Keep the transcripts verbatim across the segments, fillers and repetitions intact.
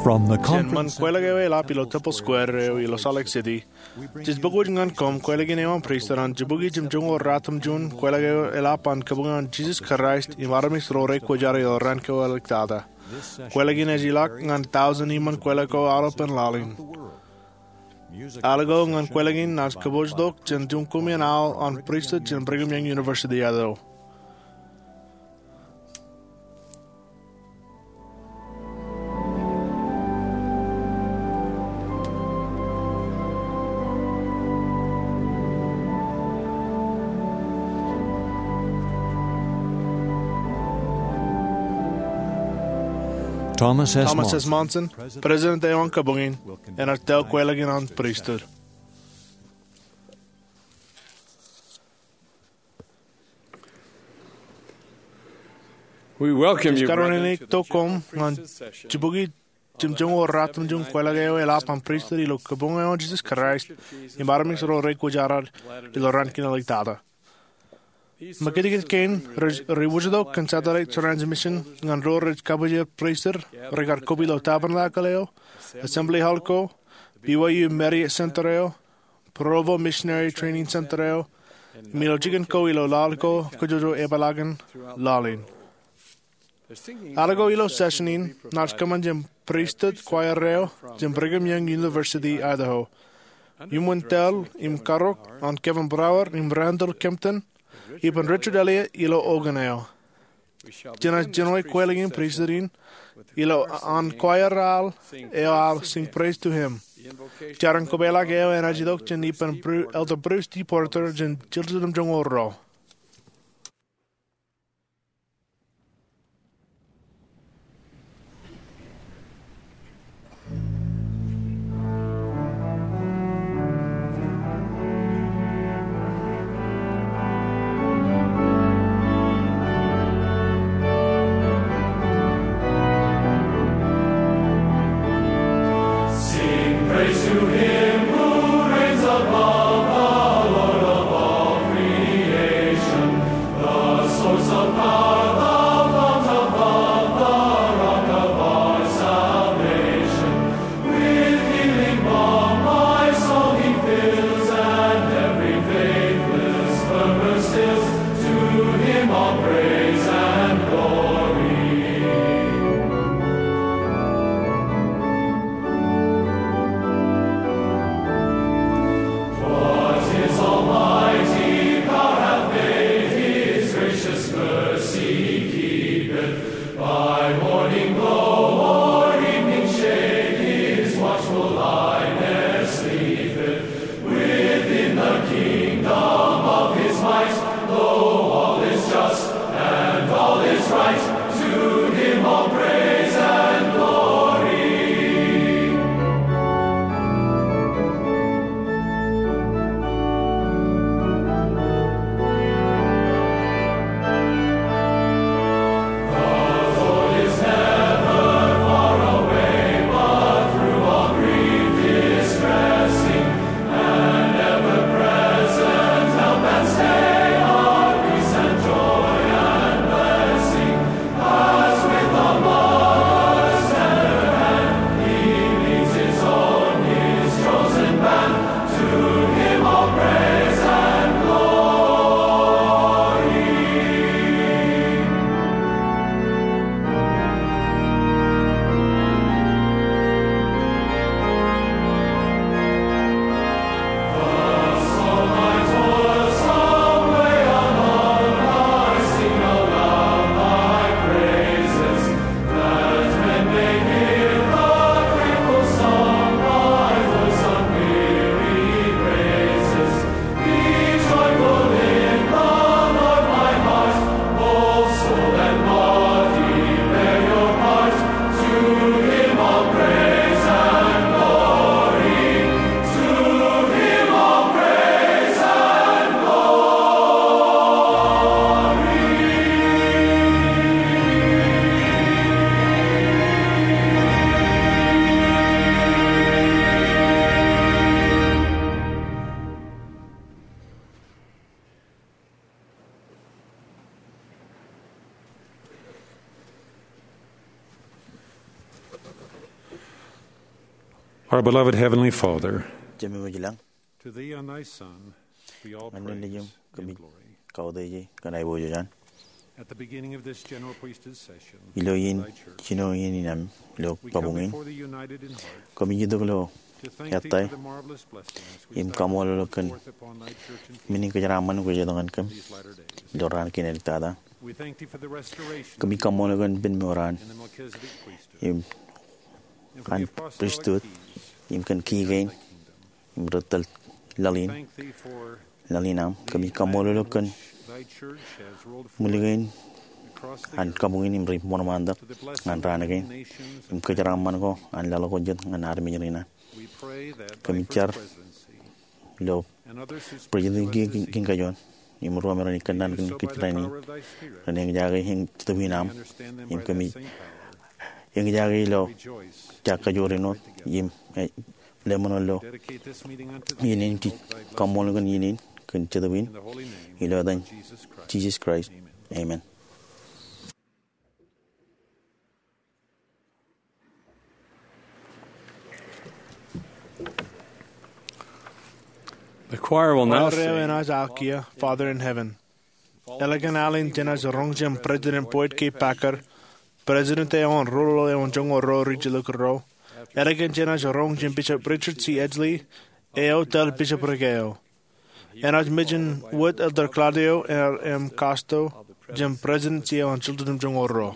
From the Jān ṃōn conference kwōjeḷā eo eḷap ilo Temple Square eo ilo Salt Lake City, jej pukot ñan koṃ kwōjeḷā in eo an pristut an jibukwi jimjuonñoul ratimjuon kwōjeḷā eo eḷap an Kabuñ eo an Jesus Christ im armej ro rekwōjarjar ilo raan ko āliktata. Kwōjeḷā in ej ilọk ñan tọujin iṃōn kwōjeḷā ko aolepān laḷ in. Al ko ñan kwōjeḷā in naaj kōpooj tok jān juon koṃeañ aō an pristut jān Brigham Young University Idaho. Thomas S. Thomas S. Monson, President eo an Kabuñ in, enaaj tōl kwōjeḷā in an pristut. We welcome you, brethren, to the General Conference of the Sisters session. Ij kōrā in tok koṃ ñan jibukwi jimjuonñoul ratimjuon kwōjeḷā eo eḷap an pristut ilo Kabuñ eo an Jesus Christ im armej ro rekwōjarjar ilo raan kein āliktata. Im kajjitōk kein rej, rej wōjtok kōn satellite transmission ñan ro rej kabbokbok pristut rekar kobwi ilo Tabernacle eo, Assembly Hall ko, B Y U Marriott Center eo, Provo Missionary Training Center eo, im ilo jikin ko ilo laḷ ko kajjojo epeḷaakin laḷ in. Al ko ilo session in naaj kōṃṃan jān pristut choir eo jān Brigham Young University Idaho, iuṃwin tōl im karok an Kevin Brauer im Randall Kempton, ippān Richard Elliott ilo organ eo. Jenaaj jinoe kwōjeḷā in pristut in ilo an choir aḷ eo aḷ Sing Praise to Him. Jar in kopeḷḷọk eo enaaj itok jān ippān Bru-, Elder Bruce D. Porter jān jiljilimjuonñoul ruo. Sing praise to him who reigns above, the Lord of all creation, the source of power, the fount of love, the rock of our salvation. With healing balm my soul he fills, and every faithless slumber stills. To him all praise and glory. Our beloved Heavenly Father, Jemem eo ilañ, to thee and thy Son be all ñan Nejiṃ praise kōmij and glory. Kautiej kōn aiboojoj an. At the beginning of this general priesthood session, ilo iien, thy church, jino iien in am, ilo we come kabuñ in, before thee united in heart, kōmij itok ilo to thank thee ettā for the marvelous blessings we im celebrate kaṃṃoolol eok kōn forth upon thy church and men in kōjeraṃṃan kwōj itok ñan kōm these latter days. Ilo raan kein āliktata. We thank thee for the restoration Kōmij kaṃṃoolol eok kōn pen mour an in the Melchizedek priesthood. Im an pristut, im kōn key kein, im ri tōl laḷ in, laḷ in aṃ. Kōmij kaṃṃoolol eok kōn ṃwil kein an kabuñ in im ri ṃoṇōṃaantak ñan raan kein, im kōjeraṃṃan ko an laḷ ko jet ñan armej rein an. Kōmij jar ilo President Kiiō Kim Kajoon im ruo me ren ikōṇaan kōn kōj rainin, ren eñjake eñ jetōb in aṃ, im kōmij eñjake ilo jab kajoor in wōt, im, eh, lemoṇo ilo iien in, kōmij kaṃṃoolol eok kōn iien in kōn jetōb in, ilo etan Jisōs Kraist. Amen. The choir will now sing. Eo enaaj aō kiiō, Father in Heaven. Ālikin al in jenaaj roñ jān President Boyd K. Packer, President eo an Rūḷ eo an Joñoul Ruo Ri-Jilkinro. Ālikin jenaaj roñ jān Bishop Richard C. Edgley, eo tōl bishopric eo. Enaaj mention wōt Elder Claudio R. M. Costo jān President eo an Chilton Joñoul Ruo.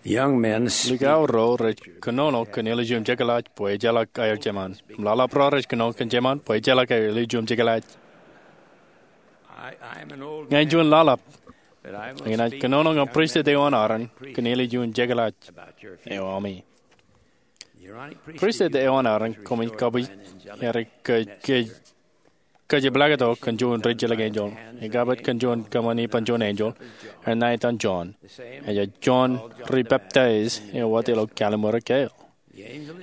Likao ro rej kōnono kōn ālikin jekḷaj bwe ejjeḷọk aer jemān. Im ḷaḷap ro rej kōnono kōn jemān bwe ejjeḷọk aer ālikin jekḷaj. Ña in juon ḷaḷap, ak inaaj kōnono ñan pristut eo an Aron kōn ālikin jekḷaj eo ami. Pristut eo an Aron koṃij kabwij er ke, ke kōjepḷaaktok kōn juon rijjelōk enjeḷ. Ej kabbōt kōn juon kōṃṃan ippān juon enjeḷ, eo ṇa etan John. Ej John ri-peptaij eo wōt ilo Kallim̧ur Kael.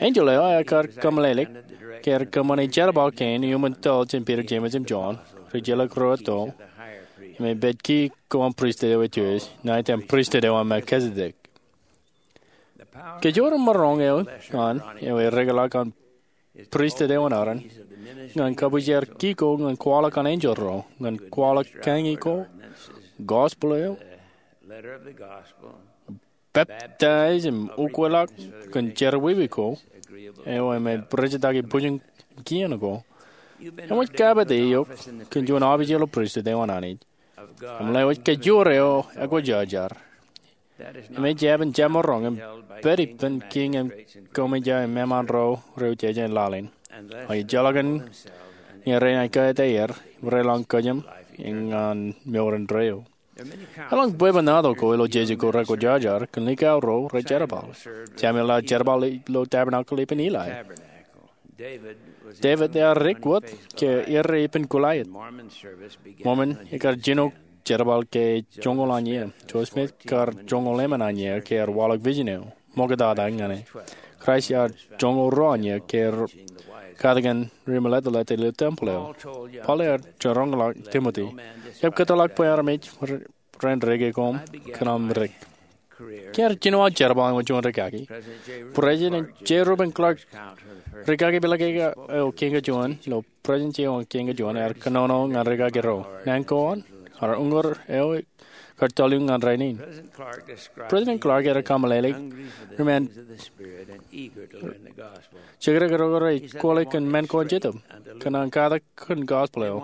Enjeḷ eo ekar kōmeḷeḷeik ke er kōṃṃane jerbal kein iuṃwin tōl jān Piter, Jemes im John, rijjelōk ro etto, im ej pād kiiō an pristut eo ej juon, ṇa etan Pristut eo an Melkisedek. Kajoor im maroñ eo an eo ereḷọk an pristut eo an Aron ñan kabwijer kiiō ñan kwaḷọk an enjeḷ ro, ñan kwaḷọk kañi ko, gospel eo, peptaij im ukweḷọk kōn jerọwiwi ko, eo im ej rijitaki bwijin kien ko, eṃōj kabbōte eok kōn juon aopijel ilo pristut eo an Anij. Im lewōj kajoor eo ekwojarjar. Im ej jab in jab maroñ im pād ippān kiiñ im koṃij im eṃṃaan ro rej jeje in laḷ in. Ak ejjeḷọk in ñe renaaj kōttāik er, reḷọñ kōjām ñan mour indeeo. Eḷaññe bwebwenato ko ilo jeje ko rekwojarjar kōn likao ro rej jerbal. Samuel ear jerbal ilo tabernacle ippān Eli. Devid ear dik wōt ke errā ippān Goliat. Mormon ekar jino jerbal ke joñoul an iiō. Joseph Smith ekar joñoul emān an iiō ke ear waḷọk vision eo ṃoktata ñan e. Kraist ear joñoul ruo an iiō ke ear katakin ri-meḷeḷeḷe ilo tempel eo. Paul ear jerañḷọk Timothy, jab kōtḷọk bwe armej ren reke koṃ kōn aṃ dik. Ke ear jino aō jerbal ñan juon rikaki, President J. Reuben Clark, rikaki peḷḷọk eo kein kajuon ilo President eo kein kajuon, ear kōnono ñan rikaki ro. Naan ko an, ear uññūr eo ekar tōl eō ñan rainin. President Clark ear kōmeḷeḷeik ri-men jekdọk ro rej kwōle kōn men ko an Jetōb, kōṇaan katak kōn gospel eo.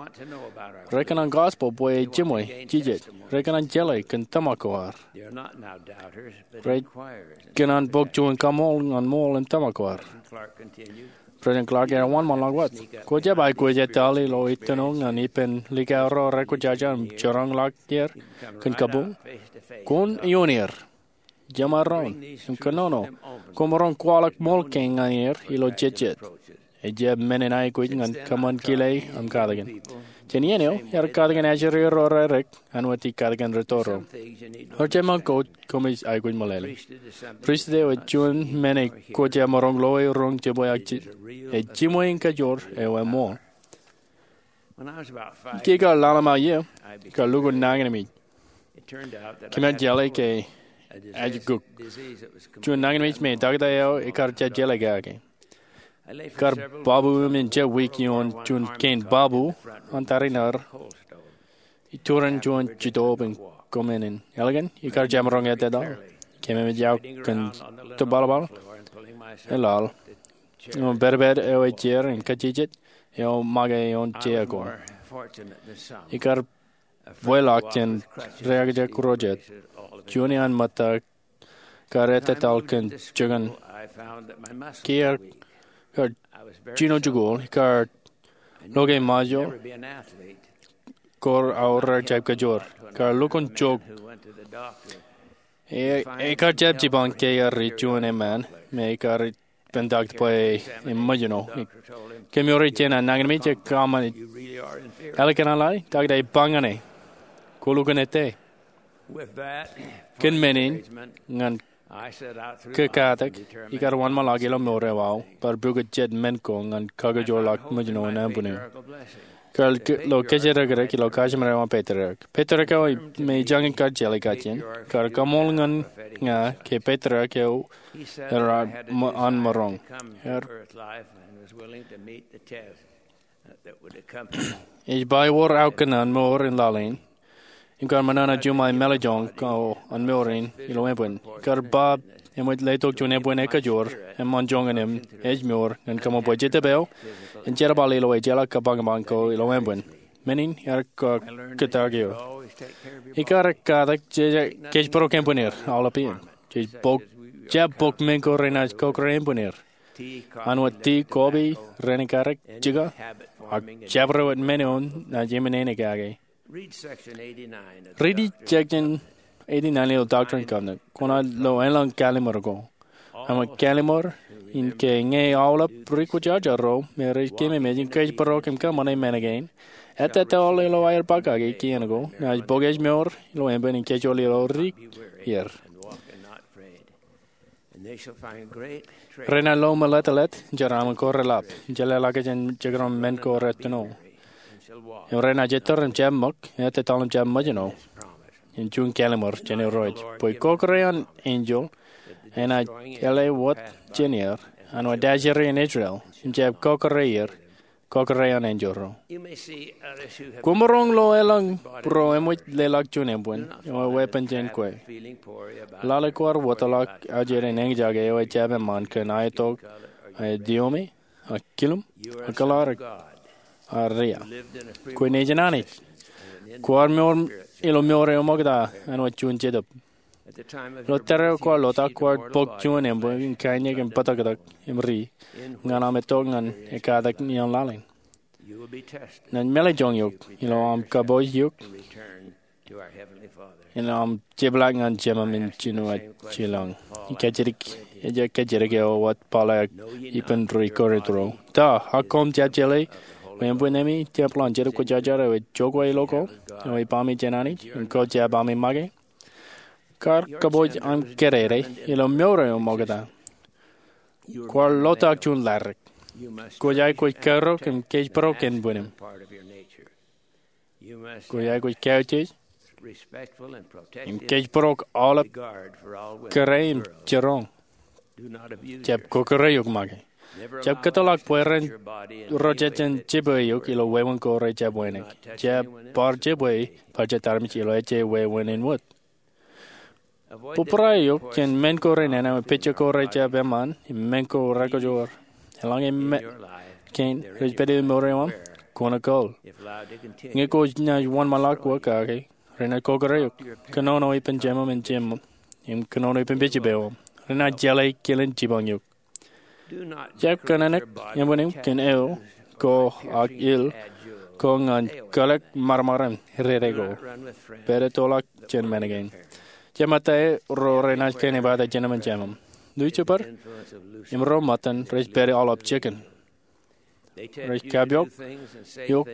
Rekōṇaan gospel bwe ej jiṃwe jijet. Rekōṇaan jeḷā kōn tōmak ko ad. Rekōṇaan bōk juon kaṃool ñan ṃool im tōmak ko ad. President Clark ear wōnṃaanḷọk wōt, kwō jab aikuj etal ilo ettino ñan ippān likao ro rekwojarjar im jerañḷọk er kōn kabuñ? Kwōn ioon er, jemaroñ im kōnono, kwōmaroñ kwaḷọk ṃool kein ñan er ilo jejjet. Ejab men in aikuj ñan kōṃṃan kile im katakin. Jān iien eo, ear katakin ajri ro redik, āinwōt ij katakin rūtto ro. Ewōr jemān ko koṃij aikuj meḷeḷe. Pristut eo ej juon men eo kwō jab maroñ loe roñ jibwe ak ej jiṃwe in kajoor eo eṃṃool. Ke ikar lale ṃae iiō, ikar lukkuun nañinmej. Kōm ar jeḷā ke ajkuk. Juon nañinmej me takta eo ekar jab jeḷā kake. Ikar babu im in jab wiik ioon juon kein babu an tariṇaer iturin juon jitōb in kōṃṃan in. Ālikin, ikar jab maroñ etetal. Kōm eṃōj aō kōn tōbalbal, eḷaḷ, ioon pedped eo ej jeor im kajjitōk eo make ioon jeia ko. Ikar bwilọk jān ri-architect ro jet. Juon iaan ṃōtta kar etetal kōn jikin. Ke ear kar jino jikuuḷ, ikar loke ṃajeḷ ko aorōk jab kajoor. Kar lukkuun jok. E, ekar jab jipañ ke ear ri juon eṃṃan me ekar ippān takta bwe eṃōjṇọ. Kōmro ri jān an nañinmej ej kōṃṃane. Ālikin an lale, takta ej ba ñan e, kwō lukkuun ettā. Kōn men in ñan kōkatak, ikar wōnṃaanḷọk ilo mour eo aō bar pukot jet men ko ñan kakajoorḷọk ṃōjṇọ in ānbwinniō. Kar lo kōjatdikdik ilo kajimān eo an patriark. Patriark eo me ijañin kar jeḷā kajjien, kar kaṃool ñan ña ke patriark eo er an maroñ. Er, ej ba ewōr aō kōṇaan mour in laḷ in, im kar ṃōṇōṇō juṃae mālejjoñ ko an mour in ilo ānbwin. Kar ba eṃōj letok juon ānbwin ekajoor eṃṃan joñan im ājmour ñan kōṃṃan bwe Jetōb eo en jerbal ilo ejjeḷọk kapañpañ ko ilo ānbwin. Men in ear kōttak eō. Ikar kōttak kōjparok ānbwin er aolep iien. Jej bōk, jab bōk men ko renaaj kọkkure embūnier. An wōt tii, kọọpi, rein ekarik, jika, ak jabdewōt men eo naaj emān kake. Riiti section eighty-nine ilo Doctrine and Covenants. Kwōnaaj lo elōñ kallimur ko. Āinwōt kallimur in ke ñe aolep ri kwōjarjar ro me rej keememej im kōjparok im kōṃṃane men kein, ettā tōl ilo aer ba kake kien ko, naaj bōk ejmour ilo emān in kōjro ilo ri er. Renaaj lo meḷeḷe, jeraṃṃan ko relap, im jeḷāḷọkjeṇ jān jekdọọn men ko retino. Im renaaj ettōr im jab ṃōk, ettā tōl im jab ṃōjṇọ. Im juon kallimur jān Irooj bwe kọkkure an enjeḷ enaaj eḷe wōt jān er, an wōt ajri in Israel, im jab kọkkure er, kọkkure an enjeḷ ro. Kwōmaroñ lo elōñ ro eṃōj leḷọk juon embun eo eweeppān jān kwe. Lale kwaar wōtlọk ajri in eñjake eo ejab eṃṃan kōn aetok, aetiome, ak kilum, ak kōḷarik, ak ria. Kwe nejin Anij. Kwaar mour ilo mour eo ṃokta āinwōt juon jetōb. Ilo tōre eo kwaar lotak, kwaar bōk juon embun in kaiñe im bōtōktōk im ri ñan aṃ itok ñan ekkatak ioon laḷ in. Naaj mālejjoñ eok ilo aṃ kabbokbok eok im aṃ jepḷaak ñan Jemām in jinoin jilañ. Ej kajjitōk eo wōt Paul ej ippān ri Korint ro. Ta, ak koṃ jab jeḷā bwe embun emi tempel an Jetōb Kwōjarjar eo ej jokwe ilo koṃ, eo ej baaṃi jān Anij, im ko jab ami make? Kar kabbokbok aṃ kōdede ilo mour eo ṃokta. Kwaar lotak juon ḷadik. Kwōj aikuj kaerok im kōjparok embun eṇ. Kwōj aikuj kautiej im kōjparok aolep kōrā im jiroñ. Jab kọkkure eok make. Jab kōtḷọk bwe ren ro jejjen jibwe eok ilo wāween ko rejjab wānōk. Jab bar jibwe bar jet armej ilo ejje wāween in wōt. Bōbrae eok jān men ko renana, pejek ko rejjab eṃṃan, im men ko rekajoor. Eḷaññe men kein rej pād ilo mour eo aṃ, kwōn kōl. Ñe kwōj naaj wōnṃaanḷọk wōt kake, renaaj kọkkure eok. Kōnono ippān Jemām in jemām, im kōnono ippān pejjipeo aṃ. Renaaj jeḷā kilen jipañ eok. Jab kōnōnōk embun eṇ kōn eo ko ak il ko ñan kōḷḷọk ṃadṃōd in dedeik ko. Pād ettoḷọk jān men kein. Jab ṃōttae ro renaaj kōn epata jemām in jemām. Lucifer im ro ṃōttan rej pād aolep jikin. Rej kappok eok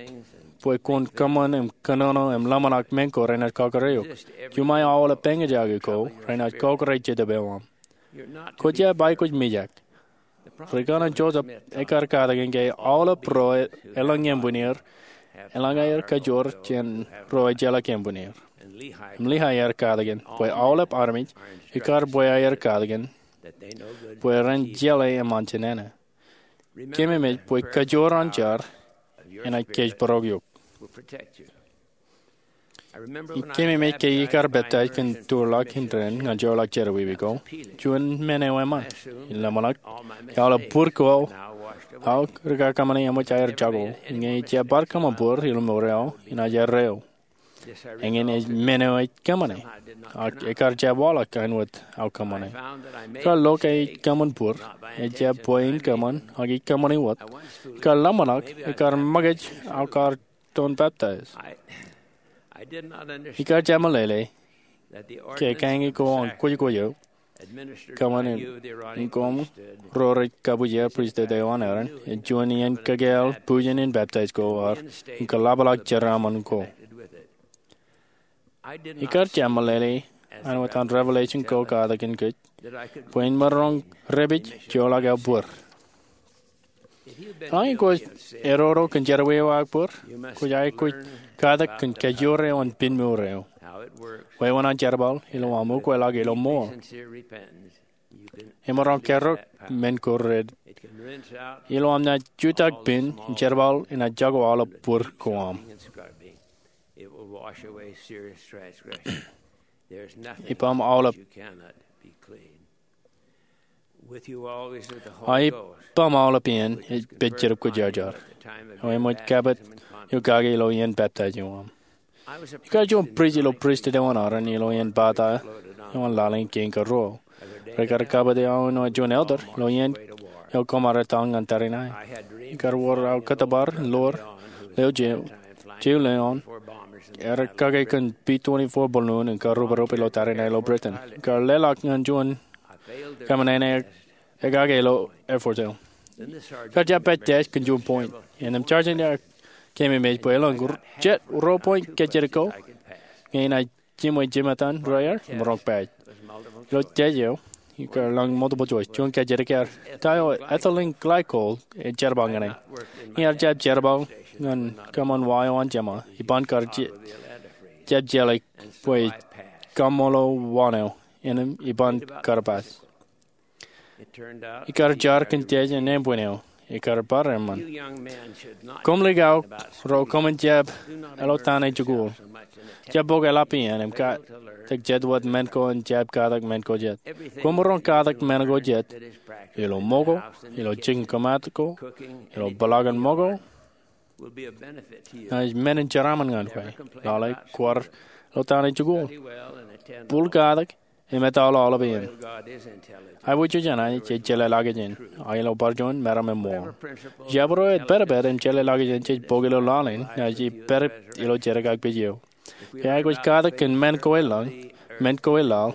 bwe kwōn kōṃṃan im kōnono im ḷōmṇak men ko renaaj kọkkure eok. Juṃae aolep eñjake ko renaaj kọkkure jetōb eo aṃ. Kwō jab aikuj mijak. Ri-kōṇaan Joseph ekar katakin ke aolep ro elōñ embun er, eḷaññe aer kajoor jān ro ejjeḷọk embun er. Im Lehi ear katakin bwe aolep armej ekar bwe aer katakin bwe ren jeḷā eṃṃan jān nana. Keememej bwe kajoor an jar enaaj kōjparok eok. Im keememej ke ikar peptaij kōn tūrḷọk indeeo ñan jeorḷọk jerọwiwi ko. Juon men eo eṃṃan in ḷōmṇak ke aolep bōd ko aō rikakōṃṃani eṃōj aer jako. Ñe ij jab bar kōṃṃan bōd ilo mour eo, inaaj erreo. Eñin ej men eo ij kōṃṃane, ak ekar jab waḷọk āinwōt aō kōṃṃane. Kar lo ke ij kōṃṃan bōd, ej jab bwe in kōṃṃan, ak ij kōṃṃani wōt. Kar ḷōmṇak, ekar ṃōkaj aō kar to peptaij. Ikar jab meḷeḷe ke kaññe ko an kwōjkwōj eo kōṃṃan in koṃ ro rej kabuja pristut eo an Aaron, ej juon iien kōkāāl bujen in peptaij ko ad im kōḷapḷọk jeraaṃṃan ko. Ikar jab meḷeḷe āinwōt an Revelation ko katakin kōj bwe in maroñ repej jeorḷọk aō bōd. Eḷaññe kwōj erodo kōn jerọwiwi eo ak bōd, kwōj aikuj katak kōn kajoor eo an piñ mour eo. Wāween an jerbal ilo aṃ ukweḷọk ilo mour. Emaroñ kaerok men ko rej. Ilo aṃ naaj jutak piñ im jerbal enaaj jako aolep bōd ko aṃ. Ippaṃ aolep. Aō ippaṃ aolep iien ej pād Jetōb Kwōjarjar. Eo eṃōj kabuñ eok kake ilo iien peptaij eo aṃ. Ikar juon prist ilo pristut eo an Aaron ilo iien pata eo an laḷ in kein karuo. Rekar kabuti aō ilo juon elder ilo iien eo koṃ ar etal ñan tariṇae. Ekar wōr aō kōttōpar in lor leo jeiū, jeiū leo an. Erkake kōn B twenty-four balloon im karruperrup ilo tariṇae ilo Britain. Ekar leḷọk ñan juon kōṃṃane eo ekake ilo airport eo. Ekar jab pād test kōn juon point. Innām sergeant eo ekememej bwe elōñ jet ruo point kōjatdikko ñe inaaj jiṃwe jimetan ro aer im roñ pād. Ilo test eo, ekar lōñ multiple choice. Juon kōjatdik ear, ta eo ethylene glycol ejerbal ñan e? Ñe ear jab jerbal ñan kōṃṃan wa eo an jeṃa, iban kar jab jeḷā bwe kaṃṃoolol wa eo, innām iban kar pass. Ekar jar kōn test eo naan point eo, ekar bar eṃṃan. Koṃ likao ro koṃwin jab eḷotaan ej jikuuḷ. Jab bok eḷap iien im katak jet wōt men ko im jab katak men ko jet. Koṃ maroñ katak men ko jet ilo ṃōko, ilo jikin kōmaat ko, ilo peḷaakin ṃōko, ej men in jeraaṃṃan ñan kwe. Lale kwaar eḷotaan ej jikuuḷ. Bōk katak im etal aolep iien. Aiboojoj an Anij ej jeḷā laajin, ak ilo bar juon meram eṃṃool. Jabdewōt eo ej pedped im jeḷā laajin jej bok ilo laḷ in, naaj pād ilo jerkakpeje eo. Ke aikuj katak kōn men ko eḷaḷ, men ko eḷaḷ,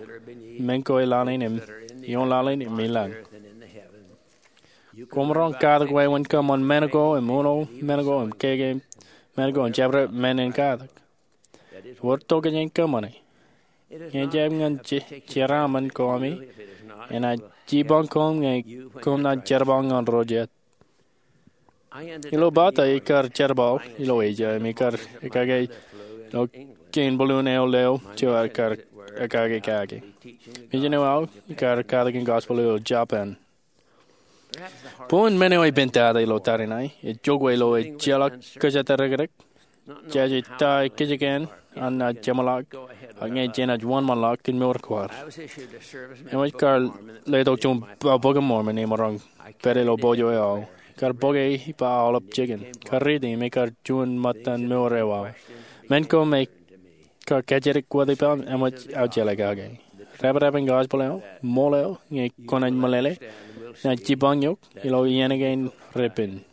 men ko eḷaḷ in im ioon laḷ in im ilañ. Koṃ maroñ katak wāween kōṃṃan men ko im uno men ko im keke men ko im jabdewōt men in katak. Wōr tokjān kōṃṃane. Ñe ejjab ñan jeraaṃṃan ko ami, enaaj jipañ koṃ ñe koṃ naaj jerbal ñan ro jet. Ilo pata ekar jerbal ilo Asia im ekar ekkake ilo kein balloon eo leo jeiū ekar ekkake kaki. Misin eo aō ekar katakin gospel ilo Japan. Bwe men eo ej pen tata ilo tariṇae, ej jokwe ilo ejjeḷọk kōjatdikdik, jaje ta eo kōjkan an naaj jeṃḷọk, ak ñe jenaaj wōnṃaanḷọk kōn mour ko ad. Eṃōj kar letok juon ba Bok in Mormon im maroñ pād ilo pojak eo aō. Kar bok e ippa aolep jikin. Kar riiti im ekar juon ṃōttan mour eo aō. Men ko me kar kōjatdik wōt ippa eṃōj aō jeḷā kake. Dāpdāp in gospel eo, ṃool eo, ñe kwōnaaj meḷeḷe, naaj jipañ eok ilo iien kein repen.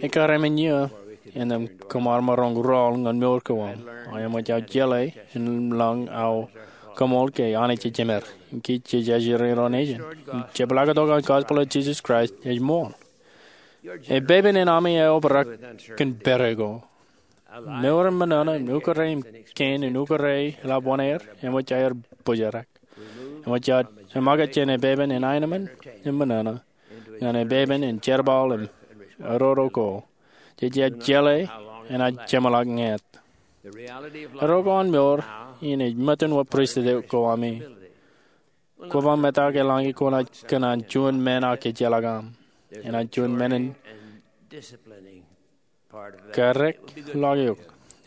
Ekar emān iiō innām koṃ ar maroñ rọọl ñan mour ko aṃ. Ak eṃōj aō jeḷā im lañ aō koṃṃool ke Anij ej jemed im kij jej ajri ro nejin. Im jepḷaaktok an gospel eo Jisōs Kraist ej ṃool. Epepen in ami eobrak kōn pere ko. Mour in ṃōṇōṇō im ukōrā im kein in ukōrā eḷap wōṇāer eṃōj aer bōjrak. Eṃōj aō eṃōkaj jān epepen in aenōṃṃan im ṃōṇōṇō ñan epepen in jerbal im eddo ko jej jab jeḷā enaaj jeṃḷọk ñāāt. Eddo ko an mour in ej ṃōttan wōt pristut ko ami. Kwō ba metak eḷaññe kwōnaaj kōṇaan juon men ak ejjeḷọk aṃ. Enaaj juon men in karreoḷọk eok.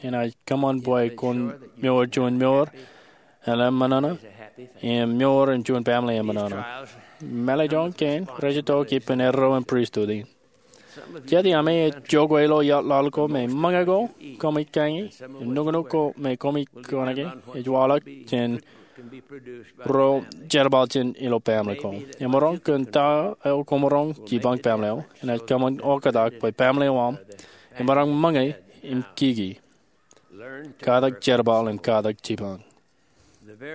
Enaaj kōṃṃan bwe kwōn mour juon mour eḷap ṃōṇōṇō im mour in juon family eṃṃōṇōṇō. Mālejjoñ kein rej itok ippān eddo in pristut in. Jet iaami ej jokwe ilo iaḷ ko me ṃōñā ko koṃij kañi im nuknuk ko me koṃij kōṇaki ej waḷọk jān ro jerbal jān ilo family ko. Emaroñ kōn ta eo kwōmaroñ jipañ family eo, enaaj kōṃṃan oktak bwe family eo aṃ emaroñ ṃōñā im kiki. Katak jerbal im katak jipañ.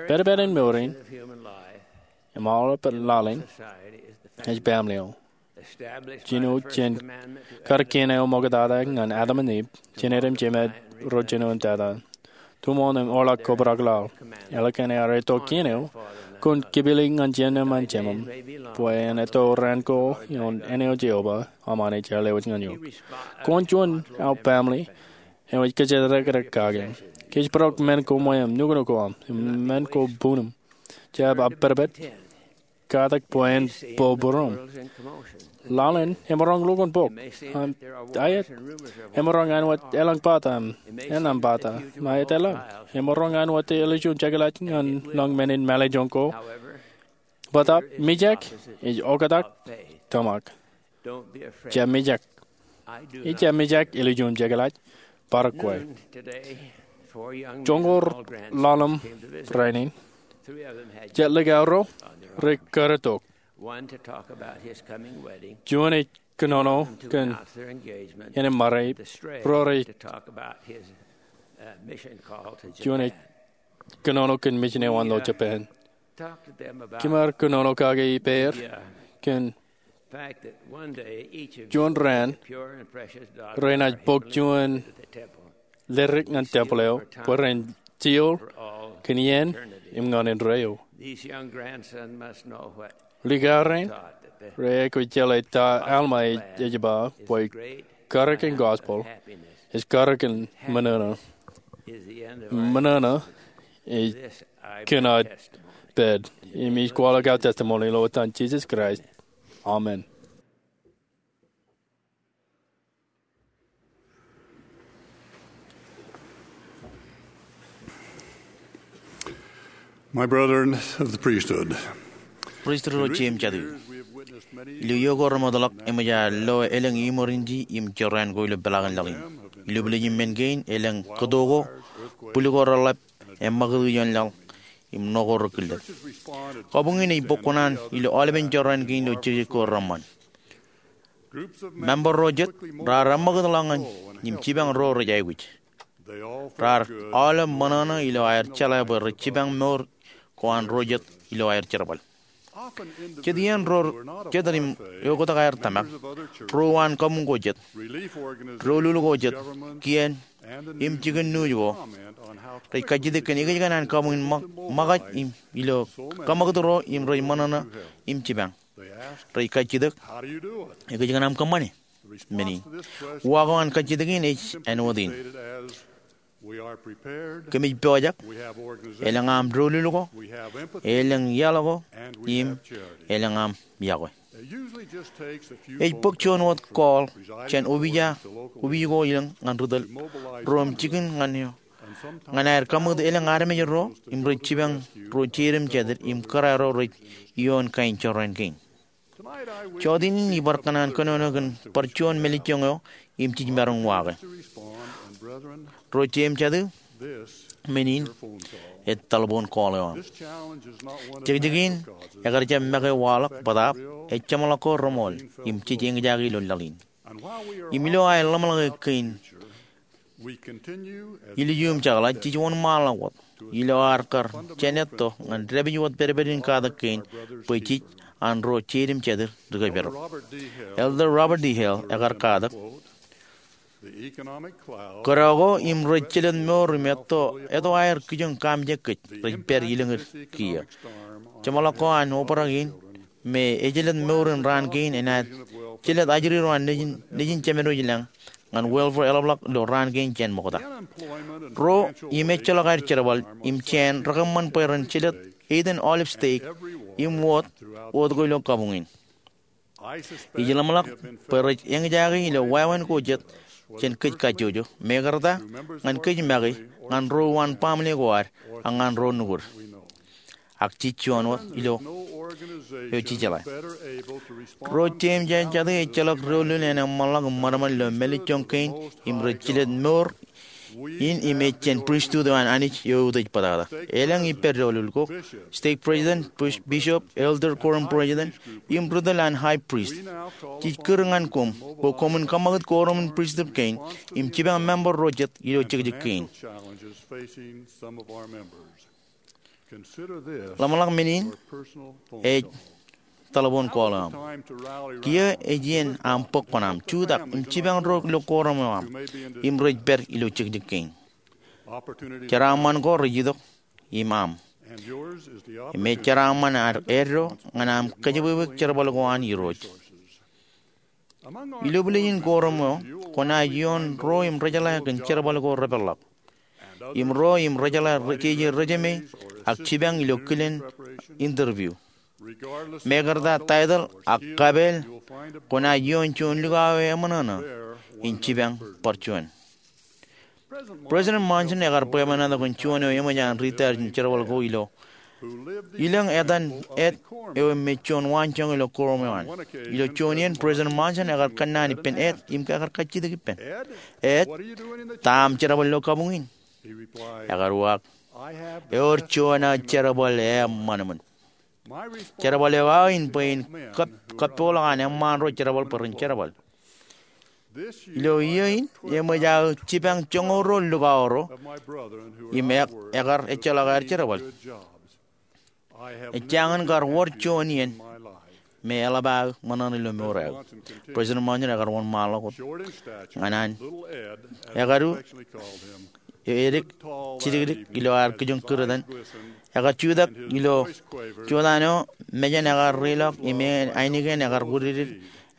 Pedped in mour in im aolep laḷ in ej family eo. Jino jān kar kien eo ṃoktata ñan Adam im Iv, jined im jemed ro jino im tata. Tuṃoon im orḷọk kobrak laḷ. Ālikin ear etto kien eo, kwōn kipili ñan jemem an jemem, bwe en etto raan ko ioon āne eo Jeova aṃ an ej lewōj ñan eok. Kwōn juon aō family eo ej kōjatdikdik kake. Kōjparok men ko ṃweeṃ, nuknuk ko aṃ, im men ko buñūṃ. Jab apedped, katak bwe en bōbōrūṃ. Laḷ in emaroñ lukkuun bok. Im aet, emaroñ āinwōt elōñ bata im ennām bata, im aet elōñ. Emaroñ āinwōt ālikin jekḷaj ñan lañ men in mālejjoñ ko. Bōtab, mijak ej oktak tōmak. Jab mijak. Ij jab mijak ālikin jekḷaj. Bar kwe. Joñoul laḷ in rainin, Jet likao ro rej karretok. Juon ej kōnono kōn āne mareip, ro rej juon ej kōnono kōn mejān eo an ilo Japan. Kimaar kōnono kake ippāer kōn juon raan renaaj bōk juon ledik ñan tempel eo bwe ren jioḷ kōn iien im ñan indeeo. Likao rein rej aikuj jeḷā ta Alma ej ba bwe karōk in gospel ej karōk in ṃōṇōṇō. Ṃōṇōṇō ej kōn aō pād. Im ij kwaḷọk aō testimony ilo etan Jisōs Kraist, amen. My brethren of the priesthood, Pristut ro jeiū im jatū, ilo iiō ko remootḷọk eṃōj aō lo elōñ emergency im jorrāān ko ilo peḷaakin laḷ in. Ilo village in men kein elōñ kōto ko, bwil ko reḷap, eṃṃakūt ioon laḷ, im ṇo ko rekillet. Kabuñ in ej bōk kuṇaan ilo aolepen jorrāān kein ilo jekjek ko reṃṃan. Member ro jet raar eṃṃakūtḷọk ñan im jipañ ro rej aikuj. Raar aolep ṃōṇōṇō ilo aer jeḷā bwe rej jipañ mour ko an ro jet ilo aer jerbal. Jet iien ro jet rej im eoktak aer tōmak, ro uwaan kabuñ ko jet, doulul ko jet, kien, im jikin nuuj ko rej kajjitōk kōn ekōjkan an kabuñ in ṃōkaj im ilo kaṃakūt ro im rej ṃōṇōṇō im jipañ. Rej kajjitōk, ekōjkan aṃ kōṃṃane men in? Uwaak eo an kajjitōk in ej āinwōt in: Kōmij pojak, elōñ aṃ doulul ko, elōñ iaḷ ko, im elōñ aṃ iọkwe. Ej bōk juon wōt call jān opiij ko ilōñ ñan ri tōl ro im jikin ñan eo ñan aer kaṃakūt elōñ armej ro im rej jipañ ro jeid im jatid im kōrā ro rej ioon kain jorrāān kein. Jọteen in ibar kōṇaan kōnono kōn bar juon mālejjoñ eo im jej maroñ uwaake. Ro jeiū im jatū, men in ej telephone call eo aṃ. Jekjek in ekar jab make waḷọk bōtaab, ej jeṃḷọk ko reṃool im jej eñjake ilo laḷ in. Im ilo aer ḷōmṇak kein ilju im jekḷaj, jej wōnṃaanḷọk wōt ilo ad kar jān etto ñan dāpij wōt pedped in katak kein bwe jej an ro jeid im jatid ri kōjparok. Elder Robert D. Hales ekar katak, kōdọ ko im rej jelōt mour im etto, etto aer kijoñ kaamijek kōj rej pād ilōñid kiiō. Jeṃḷọk ko an obrak in me ejelōt mour in raan kein enaaj jelōt ajri ro an nejin, nejin jemed wōj lañ ñan welfare eḷapḷọk ilo raan kein jān ṃokta. Ro im ejjeḷọk aer jerbal im jāān rekōṃṃan bwe ren jelōt eitan aolep stek im wōt, wōt ko ilo kabuñ in. Ij ḷōmṇak bwe rej eñjake ilo wāween ko jet jān kōj kajjojo, mekarta ñan kōj make, ñan ro uwaan baaṃle ko ad, ak ñan ro nukud. Ak jej juon wōt ilo eo jejeḷā. Ro jeiū im jatū ejjeḷọk doulul en eṃṃanḷọk im ṃadṃōd ilo mālejjoñ kein im rej jelōt mour in im ej jān pristut eo an Anij eo eutiej bōtata. Elōñ ippād doulul ko, stake president, bishop, elder quorum president, im ri tōl an high priest. Jej kūr ñan koṃ bwe koṃwin kaṃakūt quorum in pristut kein im jipañ member ro jet ilo jekjek kein. Ḷōmṇak men in ej telephone call eo aṃ. Kiiō ej iien aṃ bōk kuṇaaṃ, jutak im jipañ ro ilo quorum eo aṃ im rej pād ilo jekjek kein. Jeraaṃṃan ko rej itok im aṃ. Im ej jeraaṃṃan ad eddo ñan aṃ kōjepwebwek jerbal ko an Irooj. Ilo village in quorum eo, kwōnaaj ioon ro im rejeḷā kōn jerbal ko repeḷḷọk, im ro im rejeḷā jeje resume ak jipañ ilo kilen interview. Mekarta title ak kapeel, kwōnaaj ioon juon likao eo eṃōṇōṇō in jipañ bar juon. President Monson ekar bwebwenato kōn juon eo eṃōj an retire jān jerbal ko ilo ilōñ etan Ed eo me juon waanjoñak ilo quorum eo an. Ilo juon iien President Monson ekar kōnnaan ippān Ed im ekar kajjitōk ippān, "Ed, ta aṃ jerbal ilo kabuñ in?" Ekar uwaak, Ewōr juon aō jerbal eṃṃan ṃōn. Jerbal eo aō in bwe in kab- kabboḷọk an eṃṃaan ro jerbal bwe ren jerbal. Ilo iiō in eṃōj aō jipañ joñoul ruo lukauro im e- ekar ejjeḷọk aer jerbal. Ejjañin kar wōr juon iien me eḷap aō ṃōṇōṇō ilo mour eo. President Monson ekar wōnṃaanḷọk wōt ñan an ekadu edik jidikdik ilo ad kijoñ kūr etan. Ekar jutak ilo jutak eo, mejān ekar reiḷọk im ainikien ekar wūdikdik.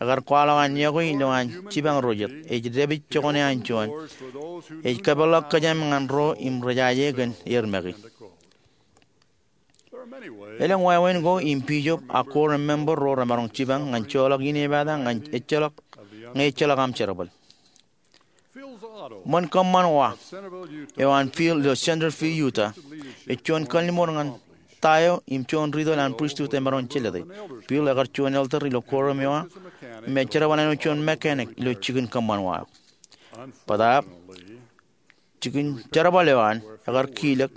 Ekar kwaḷọk an yokwe ilo an jipañ ro jet. Ej dāpij jokwane an juon. Ej kōpeḷḷọk kōjām ñan ro im rejaje kōn er make. Elōñ wāween ko im bishop ak quorum member ro remaroñ jipañ ñan joḷọk inepata ñe ejjeḷọk, ñe ejjeḷọk aṃ jerbal. Ṃōn kōṃṃan wa eo an Phil ilo Centerville, Utah, ej juon kalliṃur ñan ta eo im juon ritōl an pristut emaroñ jelōte. Phil ekar juon elder ilo quorum eo aō im ejerbal āinwōt juon mechanic ilo jikin kōṃṃan wa eo. Bōtaab, jikin jerbal eo an ekar kilōk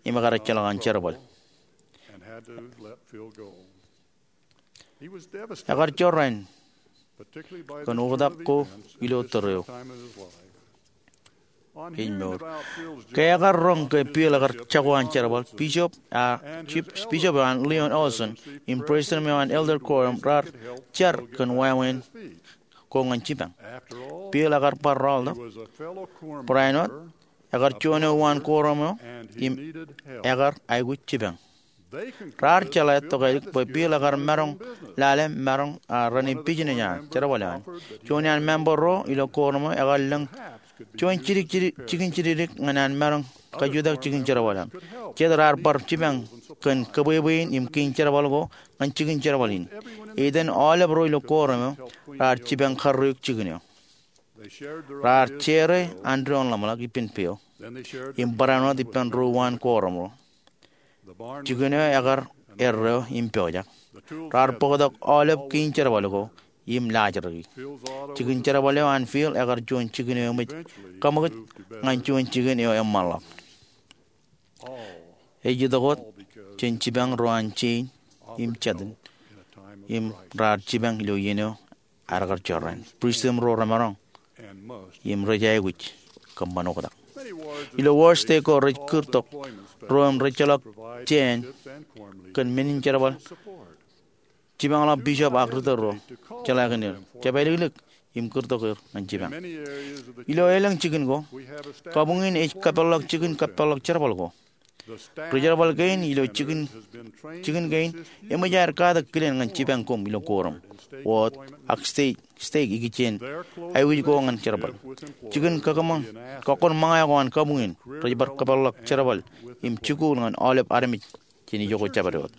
im ekar ejjeḷọk an jerbal. Ekar jorrāān kōn oktak ko ilo tōre eo in mour. Ke ekar roñ ke Phil ekar jako an jerbal, bishop, a, bishop eo an Leon Olson im president eo an elder quorum raar jar kōn wāween ko ñan jipañ. Phil ekar bar rọọltok barāinwōt ekar juon eo uwaan quorum eo im ekar aikuj jipañ. Raar jeḷā tokālik bwe Phil ekar maroñ lale maroñ, a, raan in business an jerbal eo an. Juon iaan member ro ilo quorum eo ekar lōñ juon jidik, jidik, jikin jidikdik ñan an maroñ kajutak jikin jerbal eo an. Jet raar bar jipañ kōn kōbwebwein im kein jerbal ko ñan jikin jerbal in. Etan aolep ro ilo quorum eo raar jipañ karreoik jikin eo. Raar share an doon ḷōmṇak ippān peo im barāinwōt ippān ro uwaan quorum eo. Jikin eo ekar erreo im pojak. Raar bōktok aolep kein jerbal ko im laajriki. Jikin jerbal eo an Phil ekar juon jikin eo eṃōj kaṃōkaj ñan juon jikin eo eṃṃanḷọk. Ej itok wōt jān jipañ ro an jein im jatin im raar jipañ ilo iien eo ad kar jorrāān. Pristut ro remaroñ im rej aikuj kōṃṃan oktak. Ilo wōr stake ko rej kūrtok ro im rejjeḷọk jāān kōn men in jerbal jipañḷọk bishop ak ritōl ro, jeḷā kōn er, jab āliklik im kūrtok er ñan jipañ. Ilo elōñ jikin ko, kabuñ in ej kapeḷḷọk jikin kapeḷḷọk jerbal ko. Ri jerbal kein ilo jikin, jikin kein eṃōj aer katak kilen ñan jipañ koṃ ilo quorum, wōt, ak stake, stake ikijjien aikuj ko ñan jerbal. Jikin kōkōṃōn, kōkkoṃṃōñā ko an kabuñ in rej bar kapeḷḷọk jerbal im jikuuḷ ñan aolep armej jān ijoko jabdewōt.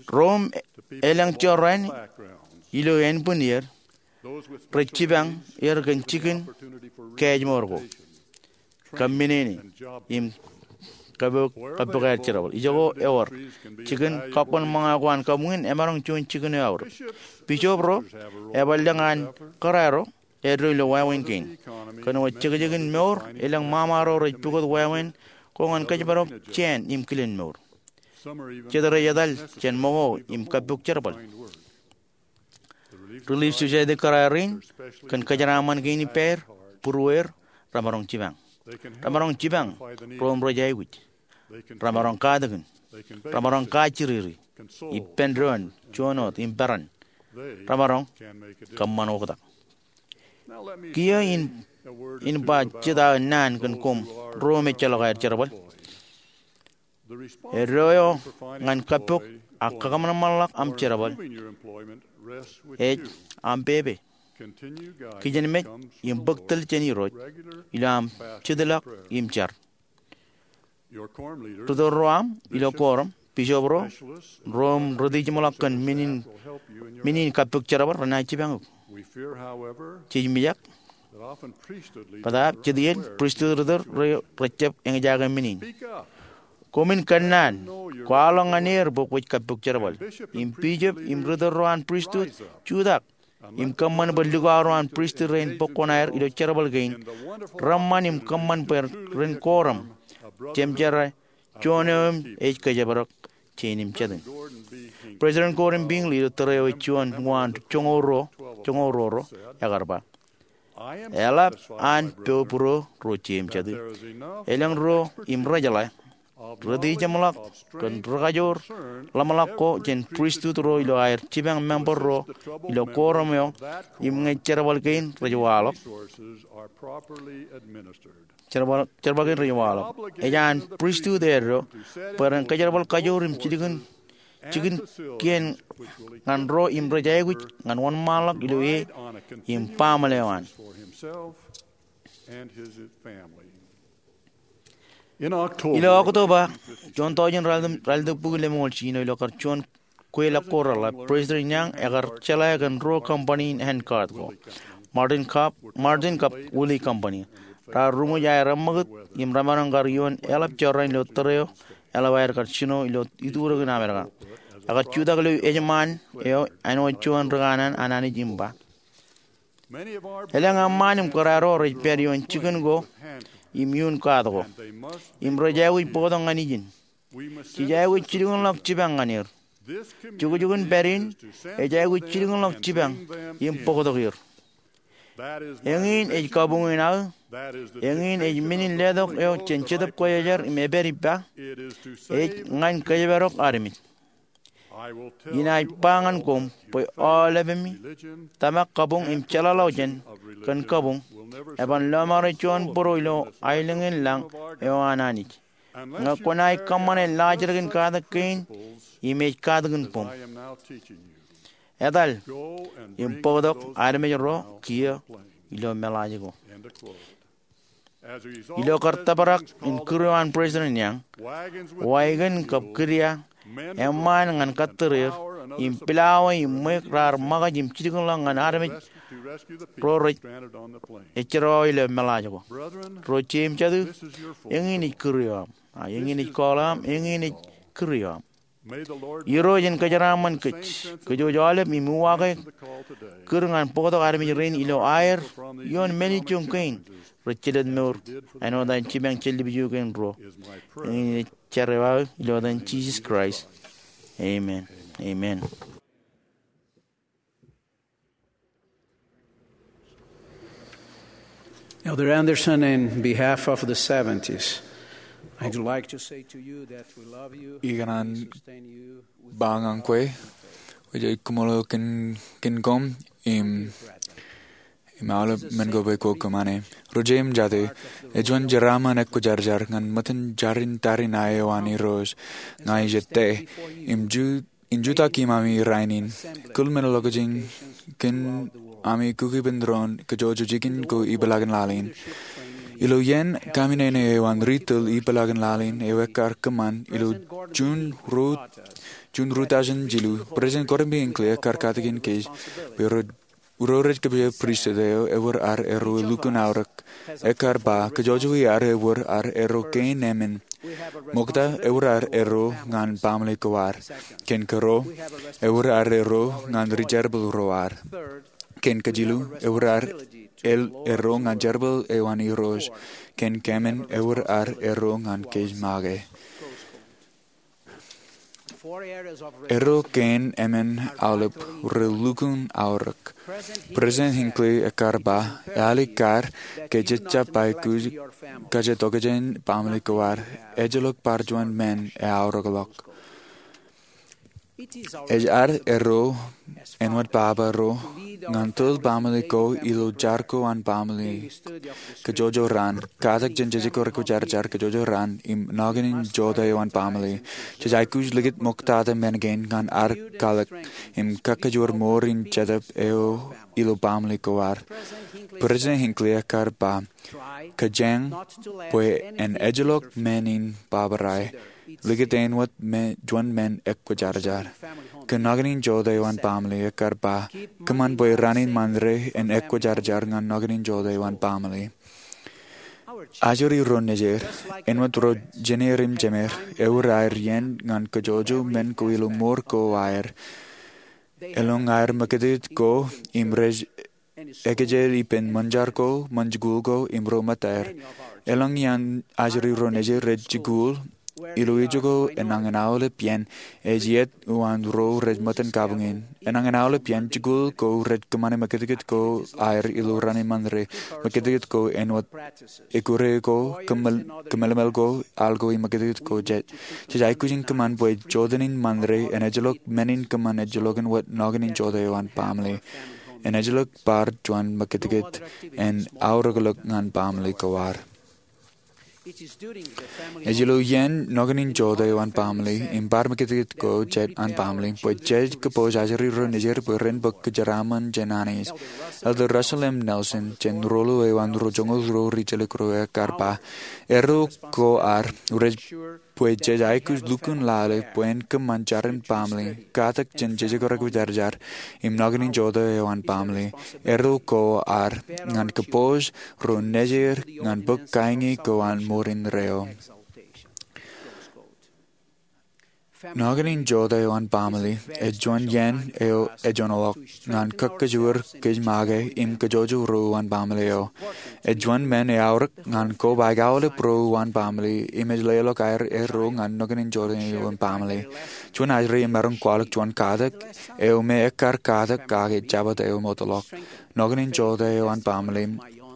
Ro im elōñ jorrāān ilo ānbwinnier rej jipañ er kōn jikin kaājmor ko, kab menene, im kappok, kappok aer jerbal. Ijoko ewōr jikin kōkkoṃṃōñā ko an kabuñ in emaroñ juon jikin eo aorōk. Bishop ro ebar lōñ an kōrā ro eddo ilo wāween kein. Kōn wōt jekjekin mour, elōñ ṃaṃa ro rej pukot wāween ko ñan kōjparok jāān im kilen mour. Jet rej etal jān ṃōko im kappok jerbal. Relief Society kōrā rein kōn kōjeraaṃṃan kein ippāer, būruweer, remaroñ jipañ. Remaroñ jipañ ro im rej aikuj. Remaroñ katakin. Remaroñ kajjiriri. Ippān doon, juon wōt, im peran. Remaroñ kōṃṃan oktak. Kiiō in, in ba jet aō naan kōn koṃ ro im ejjeḷọk aer jerbal. Eddo eo ñan kappok ak kakōṃanṃanḷọk aṃ jerbal ej aṃ pepe. Kijenmej im bōk tōl jān Irooj ilo aṃ jetḷọk im jar. Ritōl ro aṃ ilo quorum, bishop ro, ro im rej jiṃḷọk kōn men in, men in kappok jerbal renaaj jipañ eok. Jej mijak bōtaab jet iien pristut ritōl ro rejjab eñjake men in. Koṃwin kōnnaan, kwaḷọk ñan er bwe kwōj kappok jerbal. Im bishop im ritōl ro an pristut, jutak im kōṃṃan bwe likao ro an pristut rein bōk kuṇaer ilo jerbal kein, reṃṃan im kōṃṃan bwe ren korom jemjerā juon eo im ej kōjparok jān im jatū. President Gordon B. Hinckley ilo tōre eo ej juon uwaan joñoul ruo, joñoul ruo ro, ekar ba, eḷap an pojpro ro jān im jatū. Elōñ ro im rejeḷā, rūtijeṃḷọk kōn rūkajoor ḷōmṇak ko jān pristut ro ilo aer jipañ member ro ilo korom eo im ñe jerbal kein rej waḷọk. Jerbal, jerbal kein rej waḷọk. Ej an pristut eddo bwe ren kōjerbal kajoor im jikin, jikin kien ñan ro im rej aikuj ñan wōnṃaanḷọk ilo e im baaṃle eo an. Ilo Oktoba, juon tọujin raelōñ, raelōñ bukwi lemñoul jiljino, ilo kar juon kweilọk ko reḷap, President Young ekar jeḷā kōn ruo company in handcart ko, Martin kab, Martin kab Willey Company. Raar ruṃwij aer eṃṃakūt im remaroñ kar ioon eḷap jorrāān ilo tōre eo eḷap aer kar jino ilo iturikin Amerika. Ekar jutak ilo ejṃaan eo āinwōt juon ri kanaan an Anij im ba, elōñ eṃṃaan im kōrā ro rej pād ioon jikin ko im iuun kaat ko, im rej aikuj bōktok ñan ijin. Jej aikuj jilkinḷọk jipañ ñan er. Jukjukin pād in ej aikuj jilkinḷọk jipañ im bōktok er. Eñin ej kabuñ in aō. Eñin ej men in letok eo jān Jetōb Kwōjarjar im epād ippa. Ej ñan kōjparok armej. Inaaj ba ñan koṃ bwe aolepemi, tōmak kabuñ im jeḷāḷọkjeṇ kōn kabuñ, eban lọmọọr juon bōro ilo aelōñ in lañ eo an Anij, ñe kwōnaaj kōṃṃane laajrak in katak kein im ej katakin boñ. Etal im bōktok armej ro kiiō ilo meḷaaj ko. Ilo kar tōprak in kūr eo an President Young, wagon kab kidia, eṃṃaan ñan kōttōr er, im pilawā im ṃweiuk raar ṃōkaj im jilkinḷọk ñan armej ro rej ejjeḷọk ilo meḷaaj ko. Ro jān im jatū, eñin ej kūr eo aṃ. A eñin ej call eo aṃ, eñin ej kūr eo aṃ. Irooj en kōjeraaṃṃan kōj, kōj aolep im uwaake kūr ñan bōktok armej rein ilo aer ioon men ijo kein rej jelōt mour āinwōt an jipañ jān lipju kein ruo. Eñin ej jar eo aō ilo etan Jisōs Kraist. Amen. Amen. Elder Andersen, in behalf of the seventies, I'd like to say to you that we love you, ikōṇaan sustain you with ba ñan kwe, wōj ij kōṃṃool kōn, kōn koṃ im, im aolep men ko bwe kwō kōṃṃane. Ro jān im jatū, ej juon jeraaṃṃan ekwōjarjar ñan ṃōttan jar in tariṇae eo an Irooj ña ij ettā. Im ju in jutak iṃaan rainin, kōl men ḷọk jān kōn ami kukkuun doon kōjwōj jikin ko ipeḷaakin laḷ in. Ilo iien kaminene eo an ri tōl ipeḷaakin laḷ in eo ekkar kōṃṃan ilo Juun ruo, Juun ruo tọujin jilu, President Gordon B. Hinckley ekkar katakin kōj bwe ro ro rej kōpooje pristut eo ewōr ad erro elukkuun aorōk. Ekkar ba, kōjwōj ar ewōr ad erro kein emān. Ṃokta ewōr ad erro ñan baaṃle ko ad. Kōn kōrā, ewōr ad erro ñan ri jerbal ro ad. Kōn kajilu, ewōr ad el, erro ñan jerbal eo an Irooj. Kōn kemān, ewōr ad erro ñan kōj make. Erro kein emān aolep relukkuun aorōk. President Hinckley ekkar ba, ealikkar ke jej jab aikuj kōjatokjān baaṃle ko ad, ejjeḷọk bar juon men eaorōkḷọk. Ej ad erro āinwōt baba ro ñan tōl baaṃle ko ilo jar ko an baaṃle. Kōjwōj raan, katak jān jejekar ekwōjarjar kōjwōj raan im nañin in jota eo an baaṃle. Jej aikuj likūt ṃoktata men kein ñan ad kwaḷọk im kakajoor mour in jetōb eo ilo baaṃle ko ad. President Hinckley ekkar ba, kōjeañ bwe en ejjeḷọk men in baba rae. Likūt āinwōt men, juon men ekwōjarjar. Kōn nañin in jota eo an baaṃle ekkar ba, kōṃṃan bwe raan in ṃaanḷọk en ekwōjarjar ñan nañin in jota eo an baaṃle. Ajri ro nejier, āinwōt ro jener im jemer, ewōr aer iien ñan kōjwōj men ko ilo mour ko aer. Elōñ aer mōkitkit ko im rej ekejel ippān ṃōn jar ko, ṃōn jikuuḷ ko im ro ṃōttaer. Elōñ iaan ajri ro nejier rej jikuuḷ ilo ijo ko enañin aolep iien, ej iiet uwaan ro rej ṃōttan kabuñ in. Enañin aolep iien jikuuḷ ko rej kōṃṃane mōkitkit ko aer ilo raan in ṃōnre, mōkitkit ko āinwōt ekkure ko, kōmmelemel ko, al ko im mōkitkit ko. Jej aikuj in kōṃṃan bwe jotenin ṃōnre en ejjeḷọk men in kōṃṃan ejjeḷọkin wōt noknen in jota eo an baaṃle. En ejjeḷọk bar juon mōkitkit, en aorōkḷọk ñan baaṃle ko ad. Ej ilo iien noknen in jota eo an baaṃle im bar mōkitkit ko jet an baaṃle bwe jej kōpooj ajri ro nejier bwe ren bōk kōjeraaṃṃan jān Anij. Elder Russell M. Nelson, jān ruo eo an ro joñoul ruo ri jelōk ro ekkar ba, erro ko ad rej bwe jej aikuj lukkuun lale bwe en kōṃṃan jarin baaṃle, katak jān jejekorōk kwōjarjar im noknen in jota eo an baaṃle. Erro ko ad ñan kōpooj ro nejier ñan bōk kaiñe ko an mour indeeo. Noknen in jota eo an baaṃle ej juon iien eo ejoñḷọk ñan kōkkujuur kōj make im kōjojō ro uwaan baaṃle eo. Ej juon men eaorōk ñan kobaik aolep ro uwaan baaṃle im ej leḷọk aer erro ñan noknen in jota eo an baaṃle. Juon ajri emaroñ kwaḷọk juon katak eo me ekkar katak kake Jabōt eo mootḷọk. Noknen in jota eo an baaṃle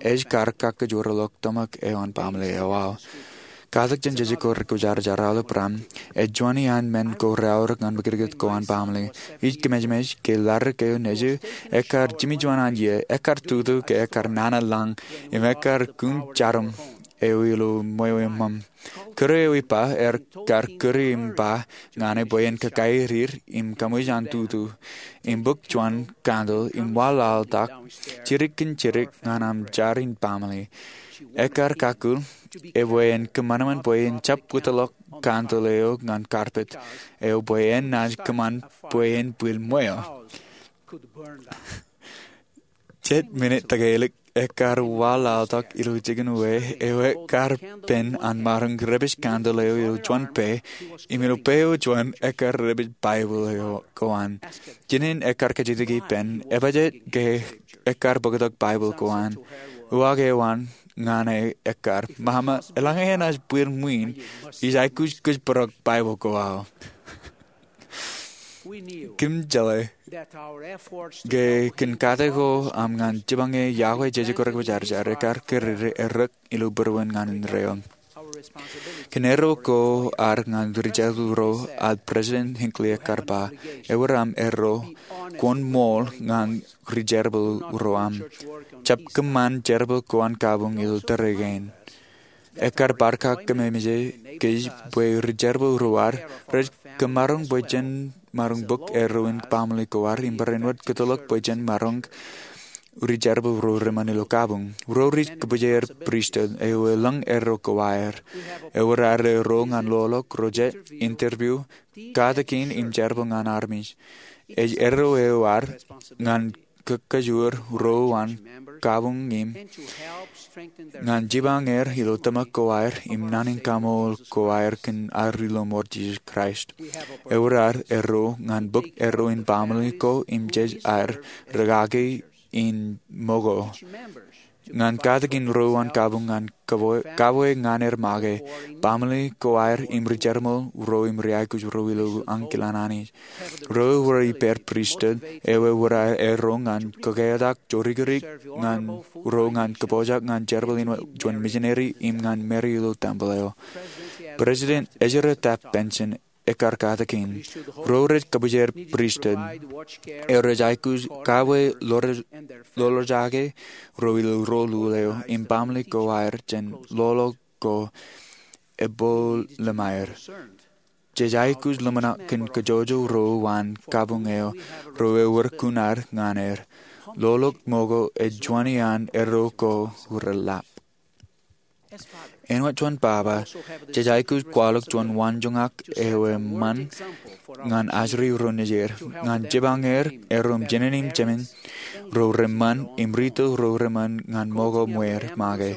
ej kar kakkōjwōrḷọk tōmak eo an baaṃle eo aō. Katak jān jejekorōk kwōjarjar aolep raṇ ej juon iaan men ko reaorōk ñan mōkitkit ko an baaṃle. Ij kōmejmej ke ḷadik eo nejū, ekkar jimjuon an iiō, ekkar tutu ke ekkar nana lañ, im ekkar kūn jarom eo ilo ṃweo eṃṃan. Kūr eo ippa ekkar kūr im ba ñane bwe en kakairir im kaṃōj an tutu im bōk juon candle im waḷaḷtak jidik kōn jidik ñan aṃ jar in baaṃle. Ekkar kakkōḷ ebwe en kōṃanṃan bwe en jab wōtlọk candle eo ñan carpet eo bwe en naaj kōṃṃan bwe en bwil ṃweo. Jet minit tōkelik ekkar waḷaḷtak ilo jikin uwe eo ekkar pen an maroñ rej pād candle eo ilo juon pe, im ilo pe eo juon ekkar rej pād Baibōḷ eo ko an. Jinen ekkar kajjitōk ippān, ebajeet ke ekkar bōktok Baibōḷ ko an. Uwaak eo an ñane ekkar, Mama, eḷaññe enaaj bwil ṃwiin, ij aikuj kōjparok Baibōḷ ko aō. Kōm jeḷā ke kōn katak ko aṃ ñan jipañ e iọkwe jejekorōk kwōjarjar ekkar kōrā errōk ilo būruon ñan indeeo. Kōn erro ko ad ñan ri jerbal ro ad, President Hinckley ekkar ba, ewōr aṃ erro, kwōn ṃool ñan ri jerbal ro aṃ. Jab kōṃṃan jerbal ko an kabuñ ilo tōre kein. Ekkar bar kakememej kōj bwe ri jerbal ro ad rej kōmaroñ bwe jen maroñ bōk erro in baaṃle ko ad im barāinwōt kōtḷọk bwe jen maroñ ri jerbal ro reṃṃan ilo kabuñ. Ro rej kōbōjāer pristut eo elōñ erro ko aer. Ewōr ad erro ñan loḷọk ro jet, interview, katakin im jerbal ñan armej. Ej erro eo ad ñan kōkkujuur ro uwaan kabuñ im ñan jipañ er ilo tōmak ko aer im naan in kaṃool ko aer kōn ad ri lọmọọr Jisōs Kraist. Ewōr ad erro ñan bōk erro in baaṃle ko im jej aer rūkaki in ṃōko. Ñan katakin ro uwaan kabuñ ñan kabwe ñan er make, baaṃle ko aer im ri jerbal ro im ri aikuj ro ilo ankilōk an Anij. Ro ewōr ippāer pristut eo ewōr erro ñan kōketak jorikirik ñan ro ñan kōpooj ñan jerbal in juon misineri im ñan māri ilo tempōḷ eo. President Ezra Taft Benson ekkar katakin, ro rej kōbōjāer pristut eo rej aikuj kabwe ḷoḷḷọkjake ro ilo roḷoḷ eo im baaṃle ko aer jān loḷọk ko ebooḷ lemāer. Jej aikuj ḷōmṇak kōn kōjojō ro uwaan kabuñ eo ro ewōr kuṇaad ñan er. Loḷọk ṃōko ej juon iaan erro ko reḷap. Āinwōt juon baba, jej aikuj kwaḷọk juon waanjoñak eo eṃṃan ñan ajri ro nejier, ñan jipañ er erro im jined im jemān ro reṃṃan im rito ro reṃṃan ñan ṃōko ṃweer make.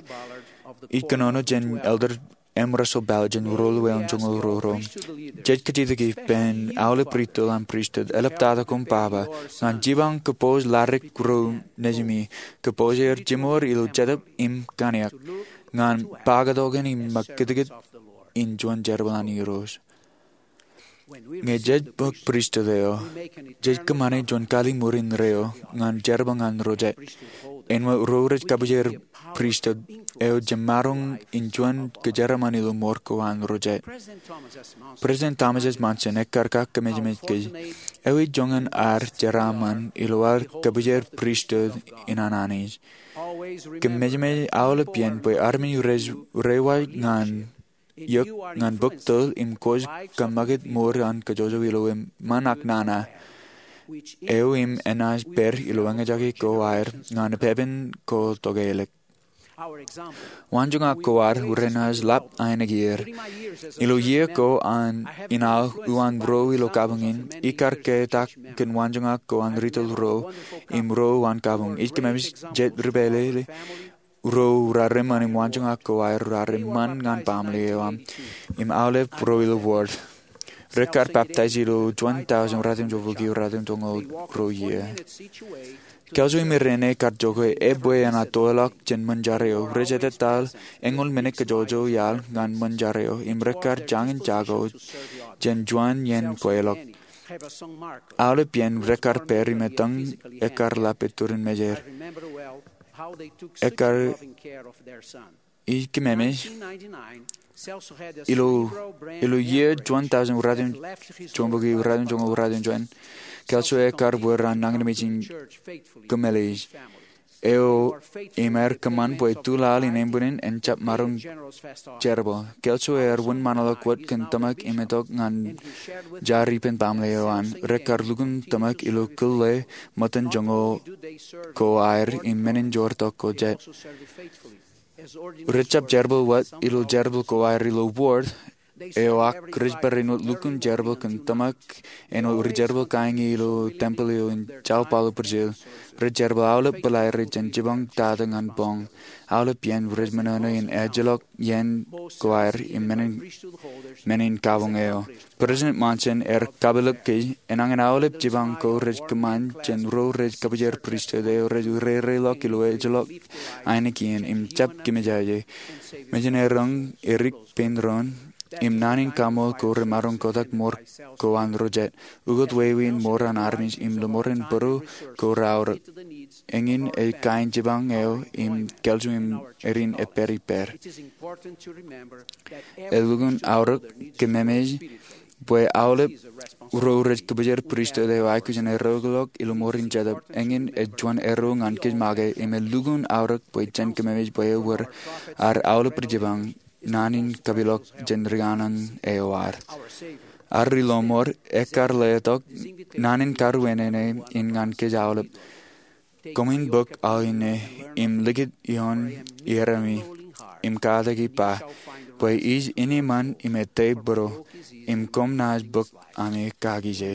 Ij kōnono jān Elder M. Russell Ballard jān ruo ḷọk eoon joñoul ruo ruo. Jej kajjitōk ippān aolep ri tōl an pristut. Eḷaptata koṃ papa ñan jipañ kōpooj ḷadik ro nejimi, kōpooj er jiṃor ilo jetōb im kaniōk ñan pakatokan im ṃakūtkūt in juon jerbal an Irooj. Ñe jej bōk pristut eo, jej kōṃṃane juon kaliṃur in reo ñan jerbal ñan ro jet. Āinwōt ro rej kabwijer pristut eo jemaroñ in juon kōjeraaṃṃan ilo mour ko an ro jet. President Thomas S. Monson ekkar kakkememej kōj, ewi joñan ad jeraaṃṃan ilo ad kabwijer pristut in an Anij? Kōmemej aolepān bwe armej rej reiwaj ñan eok ñan bōk tōl im kwōj kōṃṃakūt mour an kōjwōj ilo eṃṃan ak nana eo im enaaj pād ilo eñjake ko aer ñan epepen ko tokālik. Waanjoñak ko ad renaaj lap aeniki er. Ilo iiō ko an in aō uwaan ruo ilo kabuñ in, ikar ketak kōn waanjoñak ko an ri tōl ruo im ruo uwaan kabuñ. Ij kōmemej jet ri pālle ruo raar eṃṃan im waanjoñak ko aer raar eṃṃan ñan baaṃle eo aṃ im aolep ruo ilo ward. Rekkar baptaij ilo juon thousand ratimjuon bōki ratimjuon joñoul ruo iiō. Kelso im irein ekar jokwe ebwe enaaj toḷọk jān ṃōn jar eo. Rej etetal eñoul minit kajjojo iaḷ ñan ṃōn jar eo im rekkar jañin jako jān juon iien bweḷọk. Aolepān rekkar pād im etōñ ekkar lap ettoon mejeir. Ekkar ij kōmemej ilo ilo iiō juon thousand ratimjuon bōki ratimjuon joñoul ratimjuon, Kelso ekkar bwe raar nañinmej in kōmeḷeḷe eo im aer kōṃṃan bwe tuḷaḷ in ānbwinnin en jab maroñ jerbal. Kelso ear wūnṃaanḷọk wōt kōn tōmak im etok ñan jar ippān baaṃle eo an. Rekkar lukkuun tōmak ilo kōḷḷā ṃōttan joñoul ko aer im men in joortok ko jet. Rej jab jerbal wōt ilo jerbal ko aer ilo ward eo ak rej bar āinwōt lukkuun jerbal kōn tōmak āinwōt ri jerbal kain in ilo tempel eo in São Paulo, Brazil. Rej jerbal aolep bōḷaere jān jipañ tata ñan boñ. Aolepān rej ṃōṇōṇō in ejjeḷọk iien ko aer im men in kabuñ eo. President Monson ear kapeḷḷọk kōj, enañin aolep jipañ ko rej kōṃṃan jān ro rej kabwijer pristut eo rej rereiḷọk ilo ejjeḷọk ainikien im jab kōmejaje. Mejān eroñ erik pein doon im naan in kaṃool ko remaroñ kotak mour ko an ro jet. Ukōt wāween mour an armej im lōṃoor in būruo ko reaorōk. Eñin ej kain jipañ eo im Kelso im erin epād ippād. Elukkuun aorōk kōmemej bwe aolep ro rej kabwijer pristut eo aikuj in ereoḷọk ilo mour in jetōb. Eñin ej juon erreo ñan kōj make im elukkuun aorōk bwe jen kōmemej bwe ewōr ad aolep ri jipañ naan in kapeḷḷọk jān ri aōṇōṇ eo ad. Ad ri lọmọọr ekkar letok naan in karuwaineene in ñan kōj aolep. Koṃwin bōk aō inne im likūt ioon iaroṃi im katak ippa bwe ij eṃṃan im ettā būruo im koṃ naaj bōk ami kakije.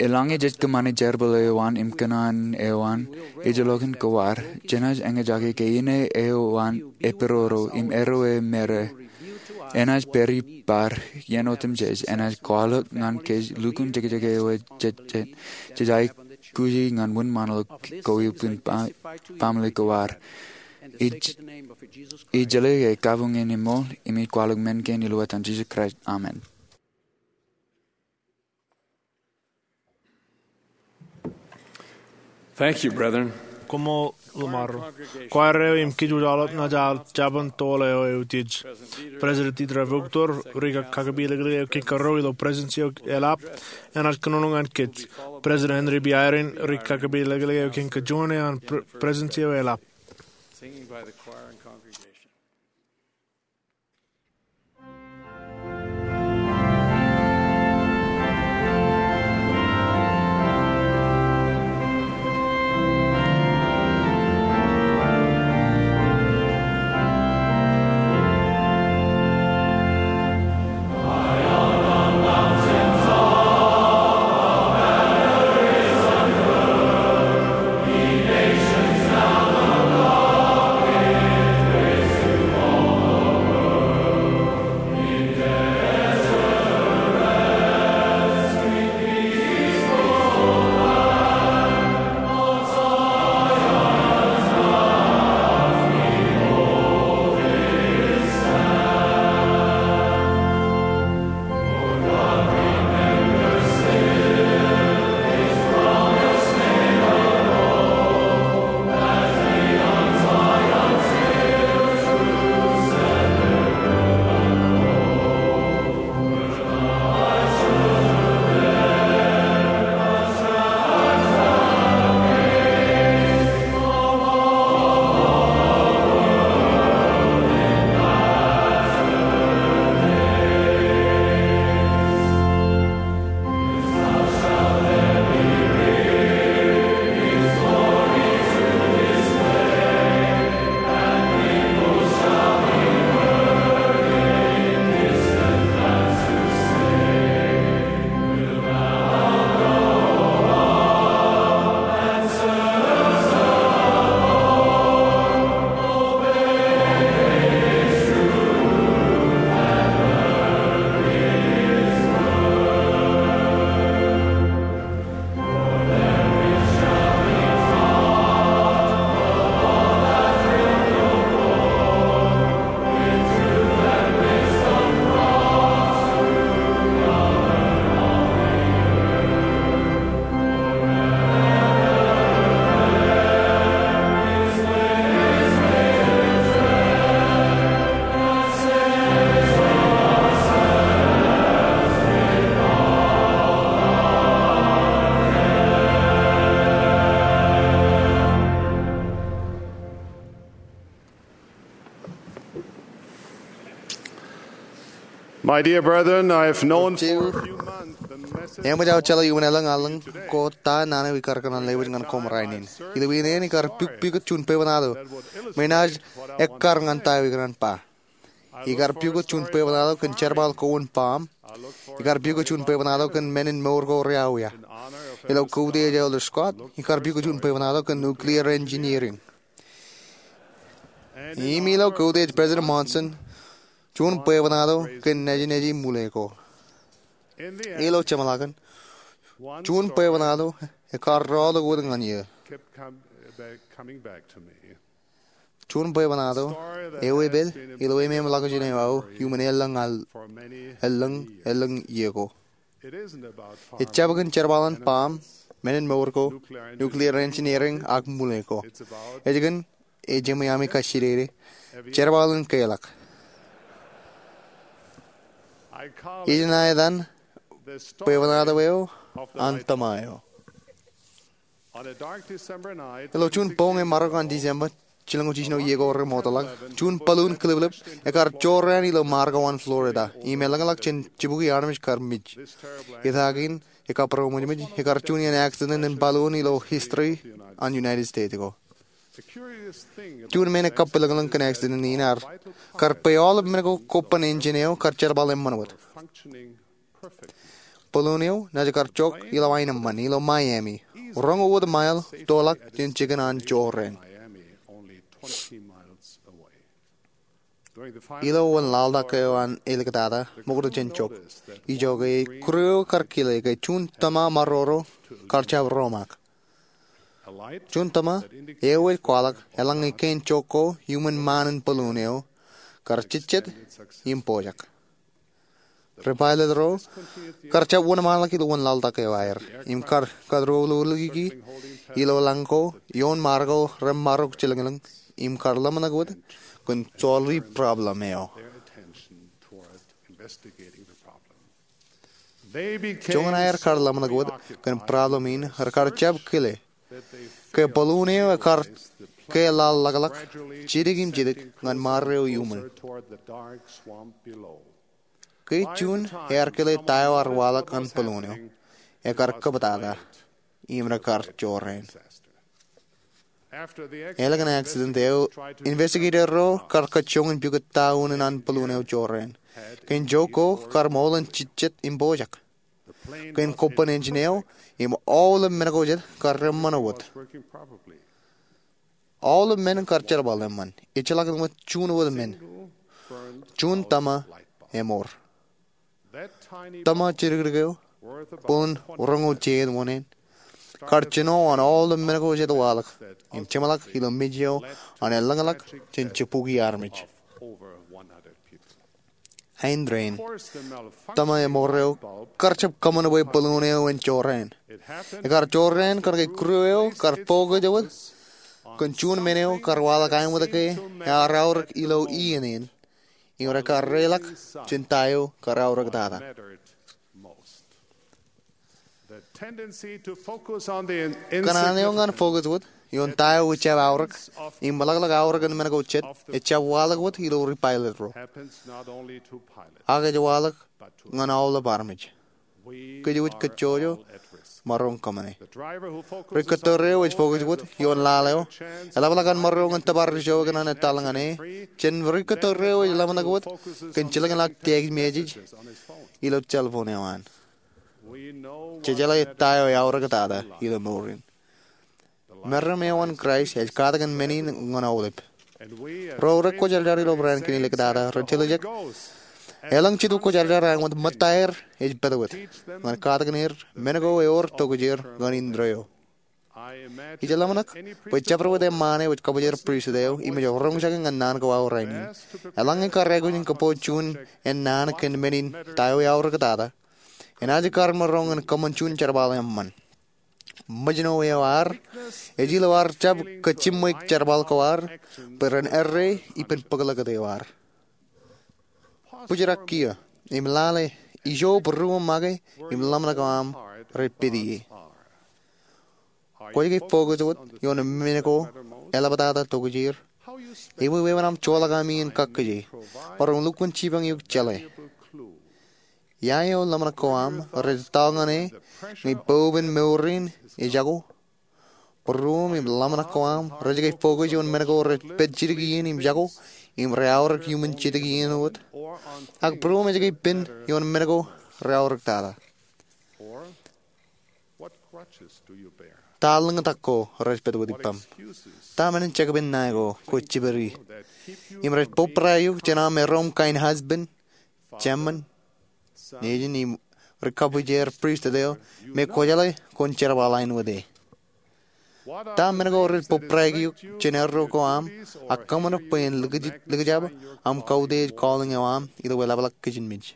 Eḷaññe jej kōṃṃane jerbal eo an im kōṇaan eo an ejjeḷọkin ko ad, jenaaj eñjake ke ine eo an eperoro im erreo emere. Enaaj pād ippād iien otemjej, enaaj kwaḷọk ñan kōj lukkuun jekjek eo jej aikuji ñan wūnṃaanḷọk ko ippān baaṃle ko ad. Ij jeḷā ke kabuñ in eṃṃool im ij kwaḷọk men kein ilo etan Jisōs Kraist, amen. Thank you, brethren. Koṃṃool ḷōṃaro. Choir eo im kōj wōj aolep naaj aō jabōn toḷ eo eutiej. President Dieter F. Uchtdorf, ri kakapeḷḷọk eo kein karuo ilo Presidency eo eḷap, enaaj kōnono ñan kōj. President Henry B. Eyring, ri kakapeḷḷọk eo kein kajuon eo an Pre-, Presidency eo eḷap. Singing by the choir and congregation. My dear brethren, I have known for a few months the message. Eṃōj aō jeḷā iuṃwin elōñ aelōñ ko ta naan eo ikar kōṇaan lewōj ñan koṃ rainin. Ilo iien in ikar pukpukot juon bwebwenato me enaaj ekkar ñan ta eo ikōṇaan ba. Ikar pukot juon bwebwenato kōn jerbal ko an Bam. Ikar pukot juon bwebwenato kōn men in mour ko reawiawi. Ilo koutiej Elder Scott, ikar pukot juon bwebwenato kōn nuclear engineering. Im ilo koutiej President Monson, juon bwebwenato kōn nejneji mule ko. Ilo jeṃḷakin, juon bwebwenato ekkar rọọltok wōt ñan eō. Juon bwebwenato eo epād ilo ememḷọkjeṇ eo aō iuṃwin elōñ al, elōñ, elōñ iiō ko. Ejjab kōn jerbal an Bam, men in mour ko, nuclear engineering ak mule ko. Ej kōn, ej eṃōj ami kajjidede, jerbal in keḷọk. Ij etan bwebwenato eo an tōma eo. Ilo juon boñ e marok an December, jilñoul jiljino iiō ko remootḷọk, juon balloon kiliplip ekkar jorrāān ilo mar ko an Florida im elōñḷọk jān jibukwi armej kar mej. Etaak in, ekabūroṃōjmōj, ekkar juon iien accident in balloon ilo history an United States ko. Juon men ekabwilōñlōñ kōn accident in ear kar bwe aolep men ko koban engine eo kar jerbal eṃṃan wōt. Balloon eo naaj kar jok ilo aenōṃṃan ilo Miami, roñoul wōt mile toḷọk jān jikin an jorrāān. Ilo wōnlaḷtak eo an āliktata ṃokta jān jok, ijoke kūr eo kar kile ke juon tōma maroro kar jab romaak. Juon tōma eo ej kwaḷọk eḷaññe kein jok ko iuṃwin ṃaan in balloon eo kar jejjet im pojak. Ri pilot ro kar jab wōnṃaanḷọk ilo wōnlaḷtak eo aer im kar kōtdọọlọki ilo lañ ko ioon mar ko remarok jilōñlōñ im kar ḷōmṇak wōt kōn solve problem eo. Joñan aer kar ḷōmṇak wōt kōn problem in, rekar jab kile ke balloon eo ekar ke laḷḷọkḷọk jidik im jidik ñan mar eo iuṃwin. Ke juon ear kile ta eo ear waḷọk ñan balloon eo, ekar kōptata im rekar jorrāān. Ālikin accident eo, investigator ro kar kajjoñ in pukot ta unin an balloon eo jorrāān. Kein jok ko kar ṃool in jejjet im pojak. Kein koban engine eo im aolep men ko jet kar eṃṃan wōt. Aolep men kar jerbal eṃṃan. Ejjeḷọk wōt juon wōt men. Juon tōma emour. Tōma jidikdik eo, boon roñoul jein wōṇāān, kar jino an aolep men ko jet waḷọk im jeṃḷọk ilo mej eo an elōñḷọk jān jibukwi armej. Āindein, tōma emour eo kar jab kōṃṃan bwe balloon eo en jorrāān. Ekar jorrāān kōnke kūr eo kar focus wōt kōn juon men eo kar waḷọk āinwōt ke ear aorōk ilo iien in im rekar reḷọk jān ta eo kar aorōktata. Kōṇaan eo ñan focus wōt ioon ta eo ejjab aorōk im ḷọkḷọk aorōk in men ko jet ejjab waḷọk wōt ilo ri pilot ro, ak ej waḷọk ñan aolep armej. Kōjwōj kajjojo maroñ kōṃṃane. Ri kōttor eo ej focus wōt ioon laḷ eo eḷapḷọk an maroñ in tōpar ijo ekōṇaan etal ñan e, jān ri kōttor eo ej ḷōmṇak wōt kōn jilkinḷọk text message ilo cell phone eo an. Jej jeḷā ta eo eaorōktata ilo mour in. Meram eo an Kraist ej katakin men in ñan aolep. Ro rej kwōjarjar ilo barāinwōt kein āliktata rej tōl ijek. Elōñ Jetōb Kwōjarjar āinwōt ṃōttaer ej pād wōt ñan katakin er men ko ewōr tokjāer ñan indeeo. Ij ḷōmṇak bwe jabdewōt eṃṃaan eo ej kabōjrak pristut eo im ej roñjake ñan naan ko aō rainin, eḷaññe kar aikuj in kōpooj juon ennaan kōn men in ta eo eaorōktata, enaaj kar maroñ in kōṃṃan juon jerbal eṃṃan. Ṃōjṇọ eo ad ej ilo ad jab kajjimwe jerbal ko ad bwe ren errā ippān bōkḷọk eo ad. Bōjrak kiiō im lale ijo būruōṃ make im ḷōmṇak eo aṃ rej pād ie. Kwōj ke focus wōt ioon men ko eḷaptata tokjāer? Ewi wāween aṃ joḷọk ami in kakkije? Maroñ lukkuun jipañ eok jeḷā. Ia eo ḷōmṇak ko aṃ rej tōl ñan e ñe popen mour in ejako? Būruōṃ im ḷōmṇak ko aṃ rej ke focus ioon men ko rej pād jidik iien im jako im rej aorōk iuṃwin jidik iien wōt? Ak būruōṃ ej ke pen ioon men ko reaorōk tata? Ta lōñtak ko rej pād wōt ippaṃ? Ta men in jekpen ṇae ko kwōj jibadi im rej bōbrae eok jān aṃ erom kain husband, jemān, nejin im ri-kabwijer pristut eo me kwōjeḷā kwōn jerbal ain wōt e? Ta men ko rej bōbrae eok jān erro ko aṃ ak kōṃṃan bwe en likjab aṃ kautiej calling eo aṃ ilo eḷapḷọk kijenmej?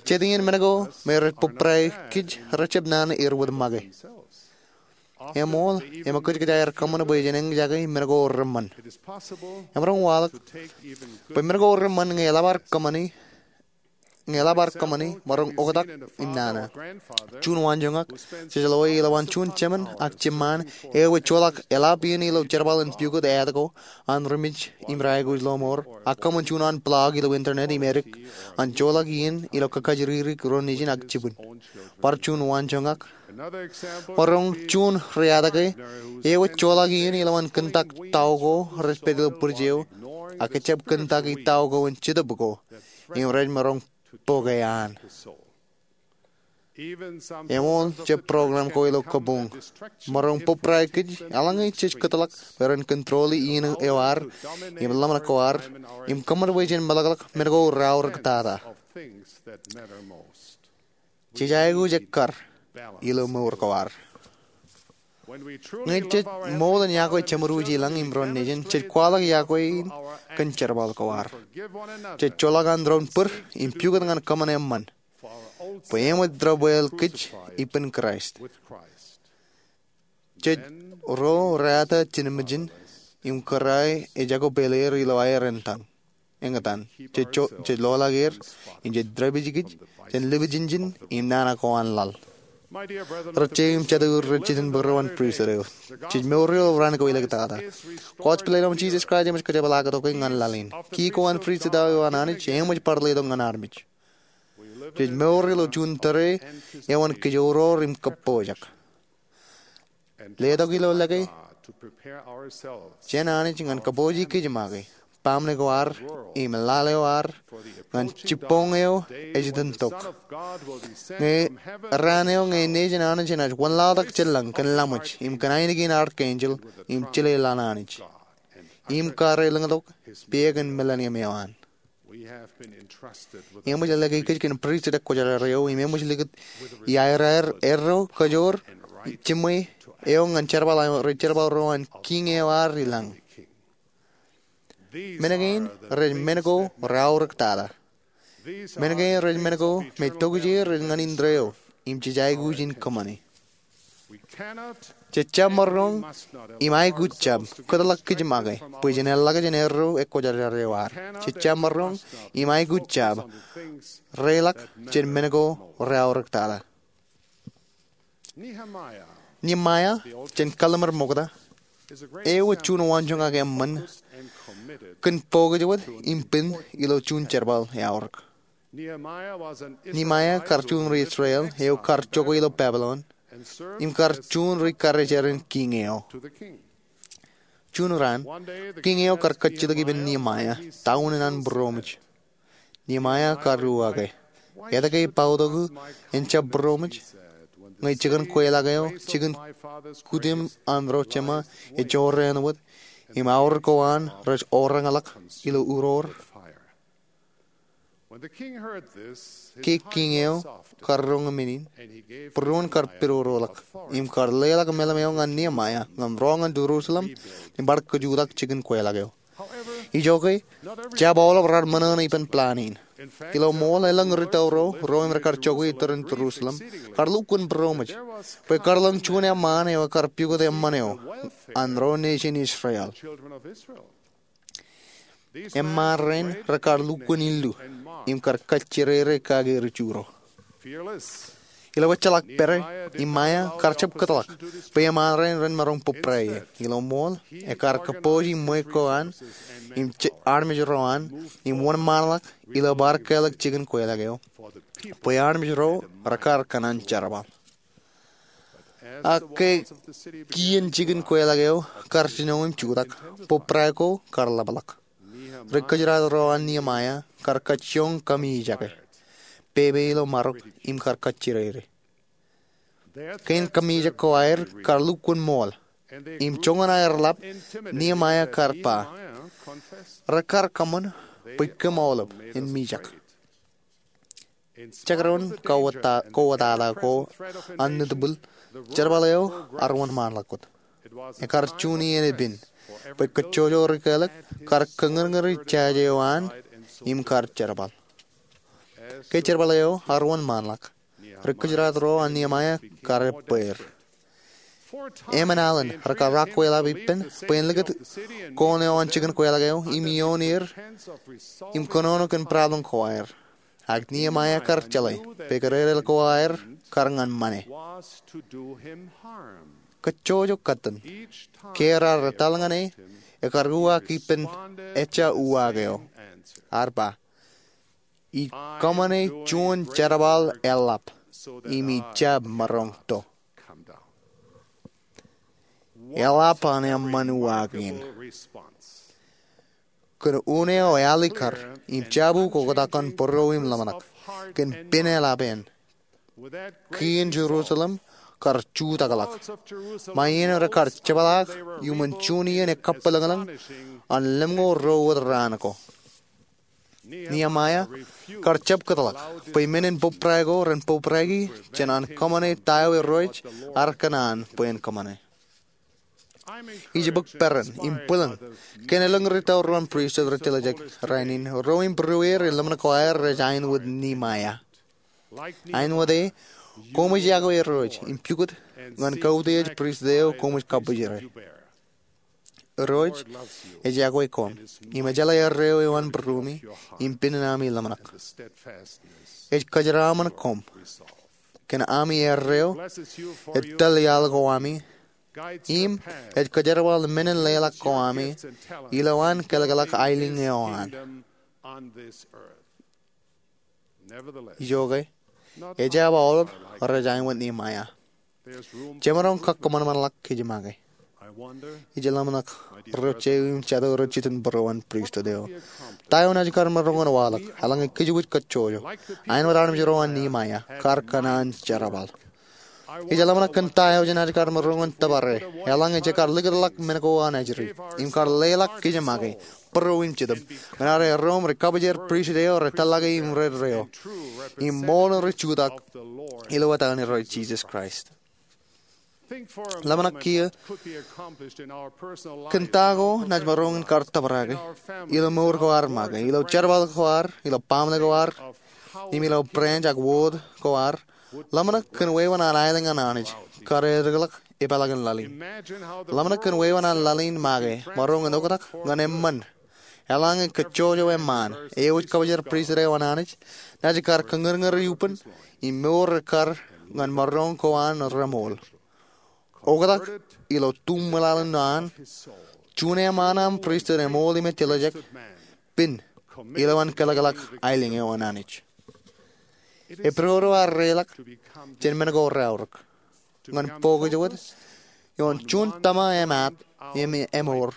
Jet iien men ko me rej bōbrae kōj rejjab naan er wōt make. Eṃool, eṃōj kōjkōj aer kōṃṃan bwe jen eñjake men ko reṃṃan. Emaroñ waḷọk bwe men ko reṃṃan ñe eḷap ad kōṃṃani ñe eḷap ad kōṃṃani, maroñ oktak im nana. Juon waanjoñak jej loe ilowaan juon jemān ak jiṃṃaan eo ej joḷọk eḷap iien ilo jerbal in pukot aet ko an ri-mej im ri-aikuj lọmọọr ak kōṃṃan juon an blog ilo internet im edik an joḷọk iien ilo kakajjirjir ro nejin ak jibwin. Bar juon waanjoñak, maroñ juon ri-atake eo ej joḷọk iien ilowaan kōntak tao ko rej pād ilo bwidej eo ak ejjab kōntak i tao ko in Jetōb ko im rej maroñ bōke an. Eṃool, jab program ko ilo kabuñ maroñ bōbrae kōj eḷaññe jej kōtḷọk bwe ren control-i iien eo ad im ḷōmṇak ko ad im kōṃṃan bwe jen meḷọkḷọk men ko reaorōk tata. Jej aikuj ekkar ilo mour ko ad. Ñe jej ṃool in yokwe jeṃōd wōj i lañ im ro nejin, jej kwaḷọk yokwe in kōn jerbal ko ad. Jej joḷọk an doon bōd im pukot ñan kōṃṃan eṃṃan bwe eṃōj debwāāl kōj ippān Kraist. Jej ro reata jinmejin im kōrā ejako pāleer ilo aer eñtaan. Eñtaan. Jej lọḷọk er im jej dāpij kōj jān lipij injin im nana ko an laḷ. Rej jeiū im jatū rej jitōnbōk ro an pristut eo, jej mour ilo raan ko elōñ tata. Kwōj pād ilo Jisōs Kraist eṃōj kōjepḷaaktok ñan laḷ in. Ki ko an pristut eo an Anij eṃōj bar letok ñan armej. Jej mour ilo juon tōre eo an kōjro im kōppojak. Letok ilo lōke jān Anij ñan kōpooje kōj make, baaṃle ko ad im lale eo ad ñan jibboñ eo ej itōntok. Ñe raan eo ñe nejin Anij enaaj wanlaḷtak jān lañ kōn laṃōj im kōn ainikien archangel im jile laḷ an Anij im kar elōñtok peekan millennium eo an. Eṃōj lōke kōj kōn pristut ekwōjarjar eo im eṃōj likūt iaeraer erro kajoor jiṃwe eo ñan jerbal rej jerbal ro an kiiñ eo ad i lañ. Men kein rej men ko reaorōk tata. Men kein rej men ko me tokjāer rej ñan indeeo im jej aikuj in kōṃṃani. Jej jab maroñ im aikuj jab kōtḷọk kōj make bwe jen eḷḷọk jān erro ekwōjarjar eo ad. Jej jab maroñ im aikuj jab reiḷọk jān men ko reaorōk tata. Nehemiah jān Kallim̧ur Ṃokta eo ej juon waanjoñak eṃṃan kōn bōk ej wōt im pen ilo juon jerbal eaorōk. Nehemiah kar juon ri-Israel eo kar jokwe ilo Babilon im kar juon ri-karijeran kiiñ eo. Juon raan, kiiñ eo kar kajjitōk ippān Nehemiah ta unin an būroṃōj. Nehemiah kar uwaake, etke ippauktok eṇ jab būroṃōj? Ñe jikin kweilọk eo, jikin kutiṃ an ro jema, ej jorrāān wōt im aorōk ko an rej orañḷọk ilo uroor. Ke kiiñ eo kar roñ men in, būruon kar pidodoḷọk im kar leḷọk meḷeḷe eo ñan Nehemiah ñan ro ñan Jerusalem im bar kajutak jikin kweilọk eo. Ijoke, jab aolep raar ṃōṇōṇō ippān plan in. Ilo ṃool, elōñ ri-tōl ro, ro im rekar jokwe iturūṃ Jerusalem, kar lukkuun būroṃōj bwe kar lōñ juon eṃṃaan eo ekar pukot eṃṃan eo an ro nejin Israel. Eṃṃaan rein rekar lukkuun illu im kar kajjirere kake ri-Ju ro. Ilo ejjeḷọk pere, Niemaia kar jab kōtḷọk bwe eṃṃan rein ren maroñ bōbrae ie. Ilo ṃool, ekar kōpooj iṃwe ko an im armej ro an im wōnṃaanḷọk ilo bar kālōk jikin kweilọk eo bwe armej ro rekar kōṇaan jerbal. Ak ke kien jikin kweilọk eo kar jino im jutak, bōbrae ko kar ḷapḷọk. Ri kōjeraad ro an Niemaia kar kajjioñ kamiijake, pepe ilo marok im kar kajjirere. Kein kamiijak ko aer kar lukkuun ṃool, im joñan aer ḷap, Niemaia kar ba rekar kōṃṃan bwe kōm aolep en mijak. Jekdọọn kowōtata ko an nitbwil, jerbal eo ear wōnṃaanḷọk wōt. Ekar juon iien epād bwe kajjojo ri kālōk kar kōñūrñūri jaje eo an im kar jerbal. Ke jerbal eo ear wōnṃaanḷọk, ri kōjeraad ro an Niemaia kar ebbeer. Emān alen rekar rọọlḷọk ippān bwe en likūt koon eo an jikin kweilọk eo im ioon er im kōnono kōn problem ko aer. Ak Niemaia kar jeḷā bwe kadedeḷ ko aer kar ñan ṃane. Kajjojo kōttan, ke raar etal ñan e, ekar uwaak ippān ejja uwaak eo. Ear ba, ij kōṃṃane juon jerbal eḷap im ij jab maroñ to. Eḷap an eṃṃan uwaak in. Kōn un eo ealikkar im jab ukoktak kōn būruo im ḷōmṇak kōn pen eḷap eṇ, kien Jerusalem kar jutakḷọk. Ṃae in rekar jepḷaak iuṃwin juon iien ekkabwilōñlōñ an lemñoul ruo wōt raan ko. Niemaia kar jab kōtḷọk bwe men in bōbrae ko ren bōbraeki jān an kōṃṃane ta eo Irooj ear kōṇaan bwe en kōṃṃane. Ij bōk peran im bwilōñ kōn elōñ ri tōl ro an pristut rej tiljek rainin, ro im būrueir in ḷōmṇak ko aer rej ain wōt Niemaia. Ain wōt e, koṃij yokwe Irooj im pukot ñan kautiej pristut eo koṃij kabbwijere. Irooj ej yokwe koṃ im ejeḷā erreo eo an būruemi im pen in ami ḷōmṇak. Ej kōjeraaṃṃan koṃ kōn ami erreo, etōl iaḷ ko ami, im ej kōjerbal men in leḷọk ko ami ilo an kōlkōlak aelōñ eo an. Ijoke, ejab aolep rej ain wōt Niemaia. Jemaroñ kakkōṃanṃanḷọk kōj make. Ij ḷōmṇak ro jeiū im jato rej jitōnbōro an pristut eo, ta eo naaj kar maroñ in waḷọk eḷaññe kōjwōj kajjojo, ain wōt armej ro an Niemaia, kar kōṇaan jerbal? Ij ḷōmṇak kōn ta eo jenaaj kar maroñ in tōpare eḷaññe jekar likūtḷọk men ko an ajri im kar leḷọk kōj make būruo im jetōb ñan ad erro im ri kabwijer pristut eo rej tōllake im rej reo im ṃool in ri jutak ilo etan Irooj Jisōs Kraist. Ḷōmṇak kiiō kōn ta ko naaj maroñ in kar tōparake ilo mour ko ad make, ilo jerbal ko ad, ilo baaṃle ko ad, im ilo branch ak wōt ko ad. Ḷōmṇak kōn wāween an aelōñ an Anij kar etikḷọk epeḷaakin laḷ in. Ḷōmṇak kōn wāween an laḷ in make maroñ in oktak ñan eṃṃan. Eḷaññe kajjojo eṃṃaan, ewōj kabwijer pristut eo an Anij, naaj kar kōñūrñūri ippān im mour ekkar ñan maroñ ko an reṃool. Oktak ilo tuṃwilaḷ in an juon eṃṃaan aṃ pristut eṃool im etiljek, pen ilo an kōlkōlak aelōñ eo an Anij. Eprodo ar reḷọk jān men ko reaorōk ñan bōk ijwōt ioon juon tōma emaat im emour,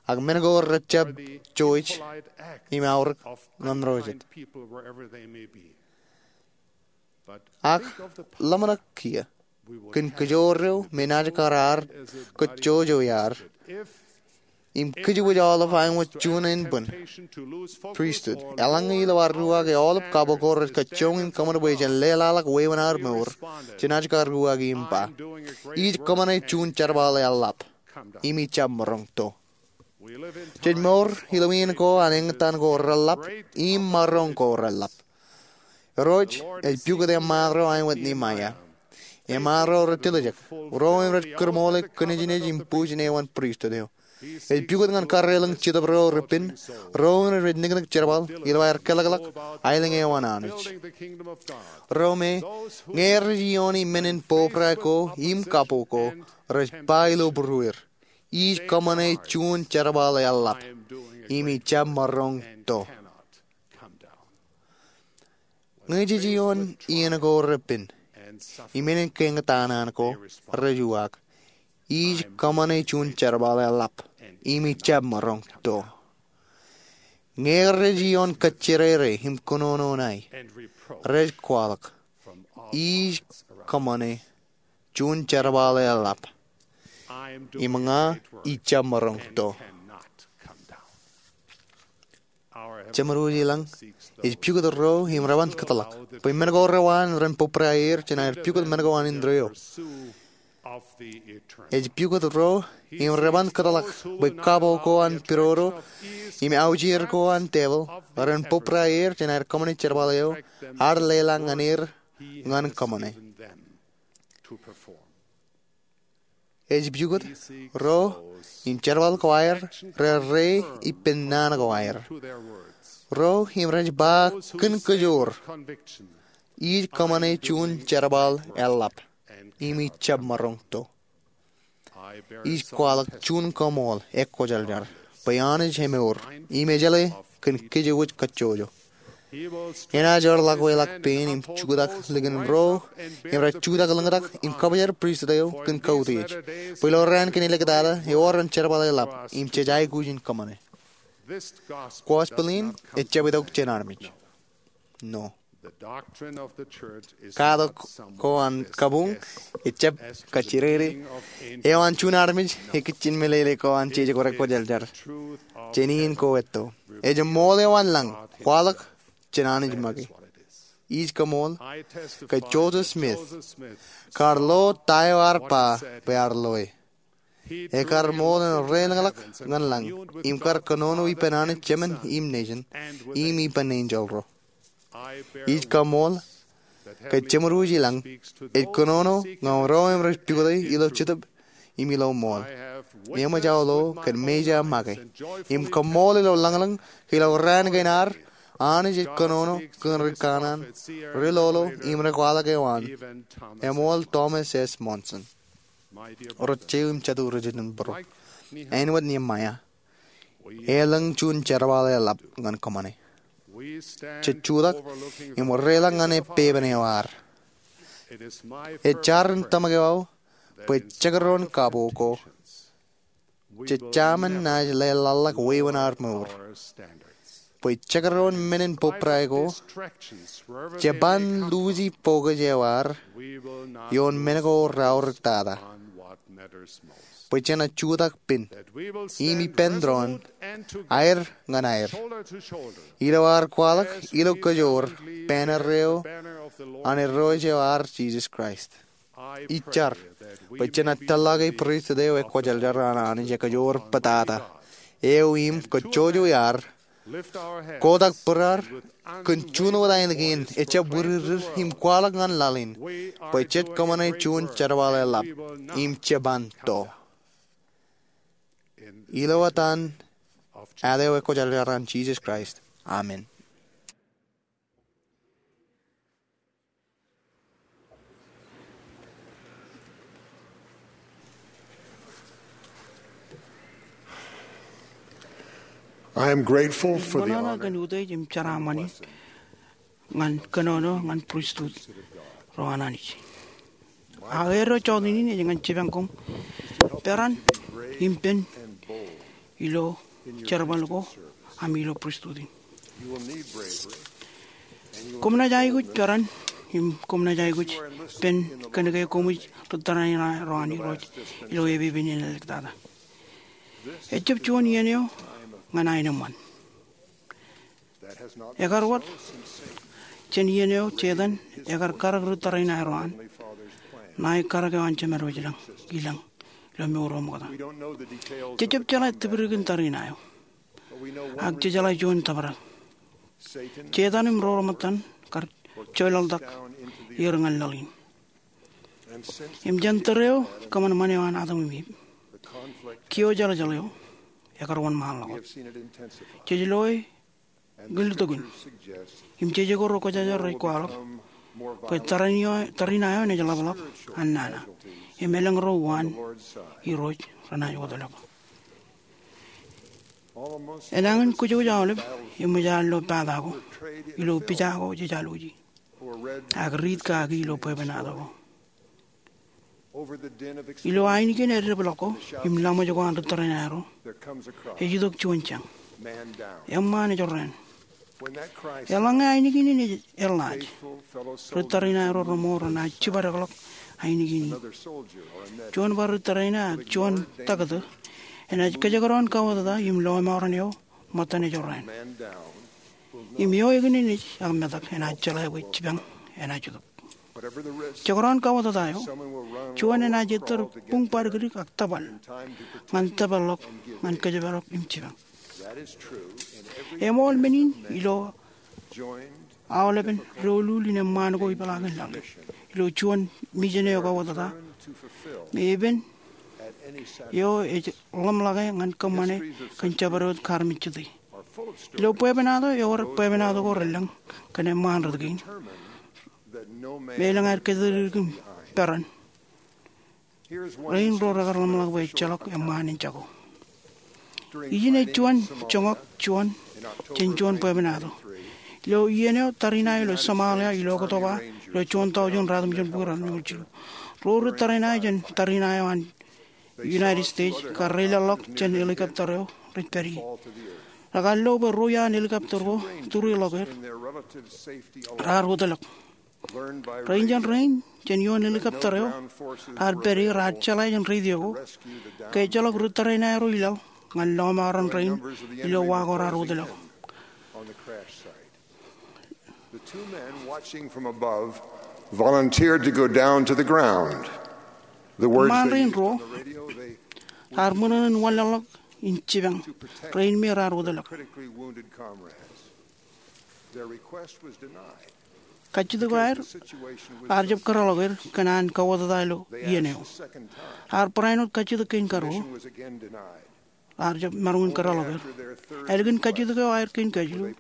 ak men ko rejjab jouj im aorōk ñan ro jet. Ak ḷōmṇak kiiō kōn kōjro me naaj kar ad kōjjojo iaad im kōjwōj aolep ain wōt juon ānbwin pristut, eḷaññe ilo ad ruwaaki aolep kab ko rej kajjioñ im kōṃṃan bwe jen leḷọk wāween ad mour, jenaaj kar ruwaaki im ba, ij kōṃṃane juon jerbal eḷap im ij jab maroñ to. Jej mour ilo iien ko an eñtaan ko reḷap im maroñ ko reḷap. Irooj ej pukot eṃṃaan ro ain wōt Niemaia, eṃṃaan ro rej tiljek, ro im rej kūrṃool kōnejnej im bujen eo an pristut eo. Ej pukot ñan karreoḷọk Jetōb ro repen, ro rej niknik jerbal ilo aer keḷọkḷọk aelōñ eo an Anij. Ro me, ñe rej iooni men in pobrae ko im kapo ko, rej ba ilo būrueir, ij kōṃṃane juon jerbal eḷap, im ij jab maroñ to. Ñe jej ioon iien ko repen im men in keñtaan ko, rej uwaak, ij kōṃṃane juon jerbal eḷap, im ij jab maroñ to. Ñe rej ioon kōjjirere im kōnono ṇae, rej kwaḷọk, ij kōṃṃane juon jerbal eḷap, im ña ij jab maroñ to. Jemedwōj ilañ ej pukot ro im re ban kōtḷọk bwe men ko re waan ren pobrae aer jān aer pukot men ko an indeeo. Ej pukot ro im re ban kōtḷọk bwe kapo ko an pidodo im aujir ko an tepil ren pobrae aer jān aer kōṃṃane jerbal eo ear leḷọk ñan er ñan kōṃṃane. Ej pukot ro im jerbal ko aer rerreo ippān naan ko aer. Ro im rej ba kōn kōjoor, ij kōṃṃane juon jerbal eḷap, im ij jab maroñ to. Ij kwaḷọk juon kaṃool ekwōjarjar bwe Anij emour im ejeḷā kōn kōjwōj kajjojo. Enaaj eor lakweḷọk pein im jutak likin ro im rej jutak lōñtak im kabajar pristut eo kōn kautiej, bwe ilo raan kein āliktata ewōr an jerbal eḷap im jej aikuj in kōṃṃane. Gospel in ejjab itok jān armej. No. Katak ko an kabuñ ejjab kajjirere eo an juon armej ekijjien meḷeḷe ko an jeje ko rekwōjarjar jān iien ko etto. Ej ṃool eo an lañ kwaḷọk jān Anij make. Ij kaṃool ke Joseph Smith, kar lo ta eo ear ba bwe ear loe, ekar ṃool en reilañḷọk ñan lañ im kar kōnono ippān Anij Jemān im Nejin im ippān enjeḷ ro. Ij kaṃool ke jemedwōj ilañ ej kōnono ñan ro im rej pukot e ilo jetōb im ilo ṃool. Eṃōj aō lo kōn mejā make im kaṃool ilo lañlōñ ke ilo raan kein ad Anij ej kōnono kōn ri kanaan, ri lolo im ri kwaḷọk eo an, eṃool Thomas S. Monson. Ro jeiū im jatū ri jitōnbōro, āinwōt Nehemiah, elōñ juon jerbal eḷap ñan kōṃṃane. Jej jutak im reilañ ñan epepen eo ad. Ej jar in tōmak eo aō bwe jekdọọn kapo ko jej jaṃin naaj leḷḷọk wāween ad mour. Bwe jekdọọn men in pobrae ko, je ban luuji pokaj eo ad ioon men ko reaorōk tata. Bwe jenaaj jutak pen im ippān doon, aer ñan aer, ilo ad kwaḷọk ilo kōjoor banner eo an Irooj eo ad Jisōs Kraist. Ij jar bwe jenaaj tōllọke pristut eo ekwōjarjar an Anij ekōjoor pātata eo im kōjjojo iar kotak bōrad kōn juon wōt aelōñ kein ejjab wūdikdik im kwaḷọk ñan laḷ in bwe jej kōṃṃane juon jerbal eḷap im je ban to. Ilo etan eo ekwōjarjar an Jisōs Kraist, amen. I am grateful for the honor. Im kōnono kōn utiej im jeraaṃṃan in ñan kōnono ñan pristut ro an Anij. Ak eddo jọteen in ej ñan jipañ koṃ peran im pen ilo jerbal ko im ilo pristut in. Koṃ naaj aikuj peran im koṃ naaj aikuj pen kōnke koṃij ri tōre in ro an Irooj ilo epepen in āliktata. Ejjab juon iien eo ñan aenōṃṃan. Ekar wōt jān iien eo Setan ekar karōk ri tōre in aer ro an ṇae karōk eo an Jemedwōj ilañ ilo mour eo ṃokta. Jejjab jeḷā tipdikdin tariṇae eo, ak jejeḷā juon tōprak. Setan im ro reṃōttan kar joḷọktak er ñan laḷ in. Im jān tōre eo kōṃanṃan eo an Adam im Iv, kiojeḷjeḷ eo, ekar wōnṃaanḷọk. Jej loe ḷọk in, im jej ko ro kwōjarjar rej kwaḷọk bwe tariṇae eo, tariṇae eo enaaj ḷapḷọk an nana, im elōñ ro uwaan Irooj renaaj wōtlọk. Enañin kwōjkwōj aolep eṃōj ad lo pata ko ilo pija ko jej alwōji, ak riit kaki ilo bwebwenato ko. Ilo ainikien eddeblọk ko im laṃōj ko an ri tariṇae ro, ej itok juon jañ. Eṃṃaan ejorrāān. Eḷaññe ainikien in ej eḷḷaaj, ri tariṇae ro reṃool renaaj jibadekḷọk ainikien in. Juon bar ri tariṇae ak juon taktō enaaj kōjekdọọn kauwōtata im lọmọọren eo ṃōttan ejorrāān. Im eo ekineneej ak metak enaaj jeḷā bwe jipañ enaaj itok. Jekdọọn kauwōtata eo, juon enaaj ettōr buñ badikdik ak tōpal ñan tōpar ḷọk ñan kōjparok im jipañ. Eṃool men in ilo aolepen doulul in eṃṃaan ko ipeḷaakin laḷ ilo juon mijen eo kauwōtata, me epen eo ej ḷōmṇake ñan kōṃṃane kōn jabdewōt kaarmejjete. Ilo bwebwenato ewōr bwebwenato ko relōñ kōn eṃṃaan rot kein me elōñ aer kōjatdikdik im peran rein ro rekar ḷōmṇak bwe ejjeḷọk eṃṃaan in jako. Ijin ej juon joñak juon jān juon bwebwenato. Ilo iien eo tariṇae eo ilo Somalia ilo Oktoba ilo juon tọujin ratimjuonbukwi ratimjuonbukwi jilu, ro ri tariṇae jān tariṇae eo an United States kar reilaḷḷọk jān helicopter eo rej pād ie. Rekar lo bwe ruo iaan helicopter ko tūriḷọk er. Raar wōtlọk. Rein jān rein jān ioon helicopter eo raar pād ie raar jeḷā jān radio ko ke ejjeḷọk ri tariṇae ro ilaḷ ñan lọmọọren rein ilo wa ko raar wōtlọk. The two men watching from above volunteered to go down to the ground. The words they used on the radio, they... Eṃṃaan rein ruo raar ṃōṇōṇō in wanlaḷḷọk in jipañ rein me raar wōtlọk. Critically wounded comrades. Their request was denied. Kajjitōk eo aer, raar jab kōrọọlḷọk er kōn an kauwōtata ilo iien eo. Raar barāinwōt kajjitōk kein karuo. Raar jab maroñ in kōrọọlḷọk er. Ālikin kajjitōk eo aer kein kajilu,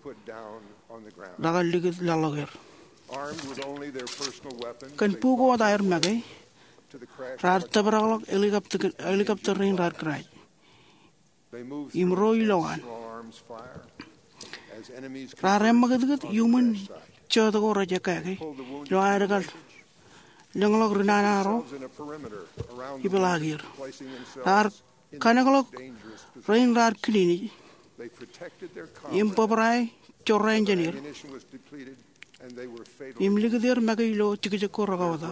rekar likūt laḷḷọk er. Kōn bukot aer make, raar tōprakḷọk helicopter rein raar crash im ro ilowaan. Raar eṃṃakūtkūt iuṃwin jota ko rej ekkā ke ilo aer kar lōñḷọk ri nana ro ipeḷaakier. Raar kanekḷọk rein raar kilinej im bōbrae jorrāān jān er im likūt er make ilo jekjek ko rekauwōta.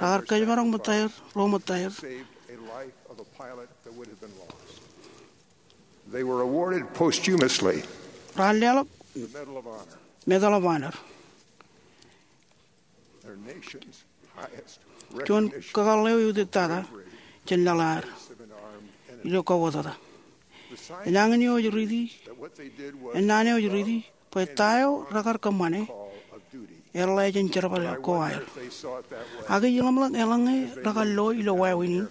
Rekar kōjparok ṃōttaer, ro ṃōttaer. They were awarded posthumously... Raar leḷọk Medal of Honor. Medal of Honor. Their nation's highest recognition. Juon kakōḷḷe eo eutiej tata jān laḷ eo aer ilo kauwōtata. Enañin eo ej riiti, ennaan eo ej riiti bwe ta eo rekar kōṃṃane eḷḷā jān jerbal ko aer. Ak ij ḷōmṇak eḷaññe rekar lo ilo wāween in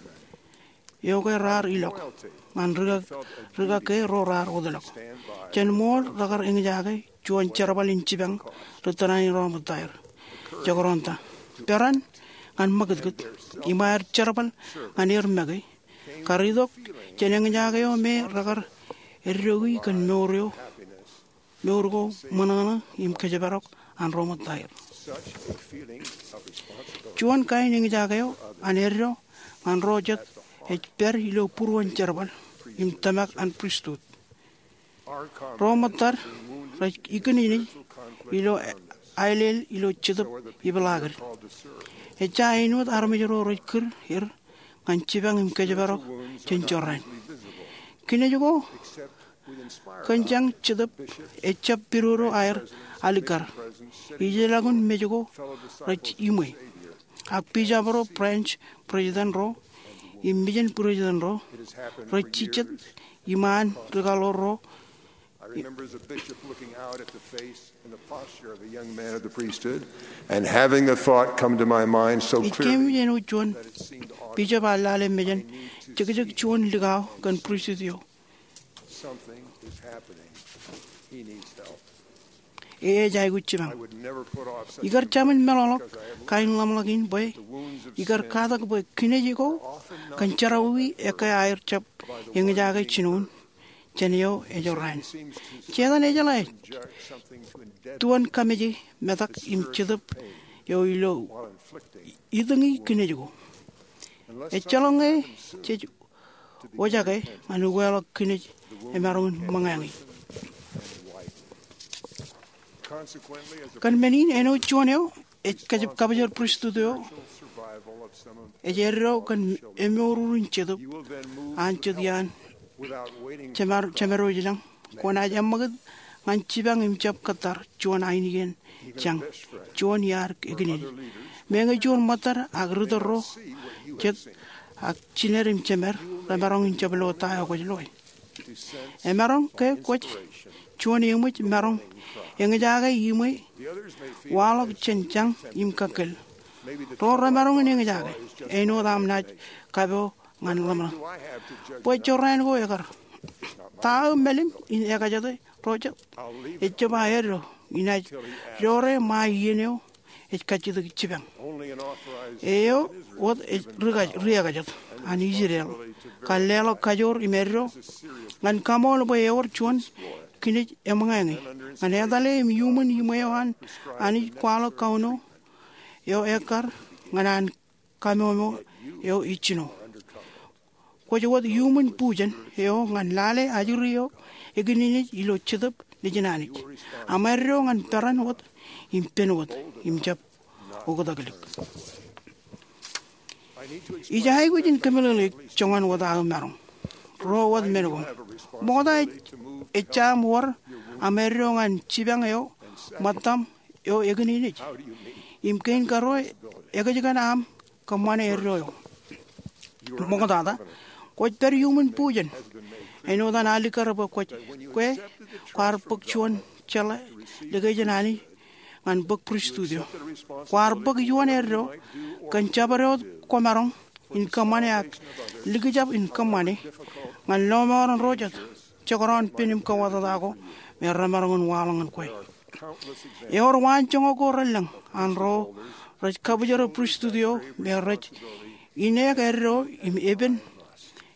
eo ke raar ilọk ñan rikak, rikak ke ro raar wōtlọk. Jān ṃool rekar eñjake juon jerbal in jipañ ri tariṇae ro ṃōttaer. Jekdọọn ta? Peran ñan ṃakūtkūt im aer jerbal ñan er make kar itok jān eñjake eo me rekar eddoiki kōn mour eo, mour ko ṃōṇōṇō im kōjparok an ro ṃōttaer. Juon kain eñjake eo an eddo ñan ro jet ej pād ilo būruon jerbal im tōmak an pristut. Ro ṃōttad rej ikinenej ilo aelel ilo Jetōb Ipeḷaakin. Ejja āinwōt armej ro rej kūr er ñan jipañ im kōjparok jān jorrāān. Kinej ko kōn jañ Jetōb ejjab pidodo aer alikkar. Ijeḷọkin mej ko rej iṃwe. Ak bishop ro, branch president ro, im mission president ro rej jijet iṃaan ri kaḷoor ro. I remember as a bishop looking out at the face and the posture of a young man of the priesthood, and having the thought come to my mind so clearly... Ij keememej āinwōt juon bishop ear lale mejān jekjek juon likao kōn pristut eo. Ej aikuj jipañ. Ikar jabōn meḷọkḷọk kain ḷōmṇak in bwe ikar katak bwe kinej ko kōn jerọwiwi ekkā aer jab eñjake jinoin jān eo ej jorrāān. Setan ejeḷā ej tuon kameje metak im jetōb eo ilo itōñi kinej ko. Ejjeḷọk ñe jej wōjake ñan ukeḷọk kinej emaroñ in ṃōñā ñe. Kōn men in āinwōt juon eo ej kab-, kabōjor pristut eo, ej eddo kōn emour in jetōb an jet iaan jemedwōj ilañ, kwōnaaj eṃṃakūt ñan jipañ im jab kōttar juon ainikien jañ, juon iar ekinini. Meñe juon ṃōttad ak ri tōl ro, jet ak jined im jemed, remaroñ in jab lo ta eo kwōj loe. Emaroñ ke kwōj juon eṃōj maroñ eñjake iṃwe waḷọk jān jañ im kakkōl. Ro remaroñ in eñjake āinwōt aṃ naaj kapo ñan ḷōmṇak. Bwe jorrāān ko ekar, ta aō mālim in ekajete ro jet? Ejjab aō eddo, inaaj doore ṃae iien eo ej kajjitōk jipañ. Eo wōt ri-, riekajet an Israel kar leḷọk kajoor im eddo ñan kaṃool bwe ewōr juon kinej eṃōñā ñe, ñan etale im iuṃwin iṃwe eo an Anij kwaḷọk kauno eo ekkar ñan an kamomo eo ej jino. Kwōj wōt iuṃwin bujen eo ñan lale ajri eo ekinejnej ilo Jetōb Nejin Anij. Aṃ eddo ñan peran wōt im pen wōt im jab oktak lik. Ij aikuj in kōmeḷeḷeik joñan wōt aō maroñ. Ruo wōt men ko. Ṃokta ej, ejja aṃ wōr aṃ eddo ñan jipañ eo ṃōttaṃ eo ekinejnej. Im kein karuo, ekōjkan aṃ kōṃṃane eddo eo. Ṃoktata, kwōj pād iuṃwin bujen āinwōt an alikkar bwe kwōj, kwe kwaar bōk juon jeḷā likjān Anij ñan bōk pristut eo. Kwaar bōk iuṃwin eddo kōn jabdewōt kwōmaroñ in kōṃṃane ak likjab in kōṃṃane ñan lọmọọren ro jet jekdọọn pen im kōwōtata ko me remaroñ in waḷọk ñan kwe. Ewōr waanjoñak ko relōñ an ro rej kabōjro pristut eo me rej ineek eddo im epen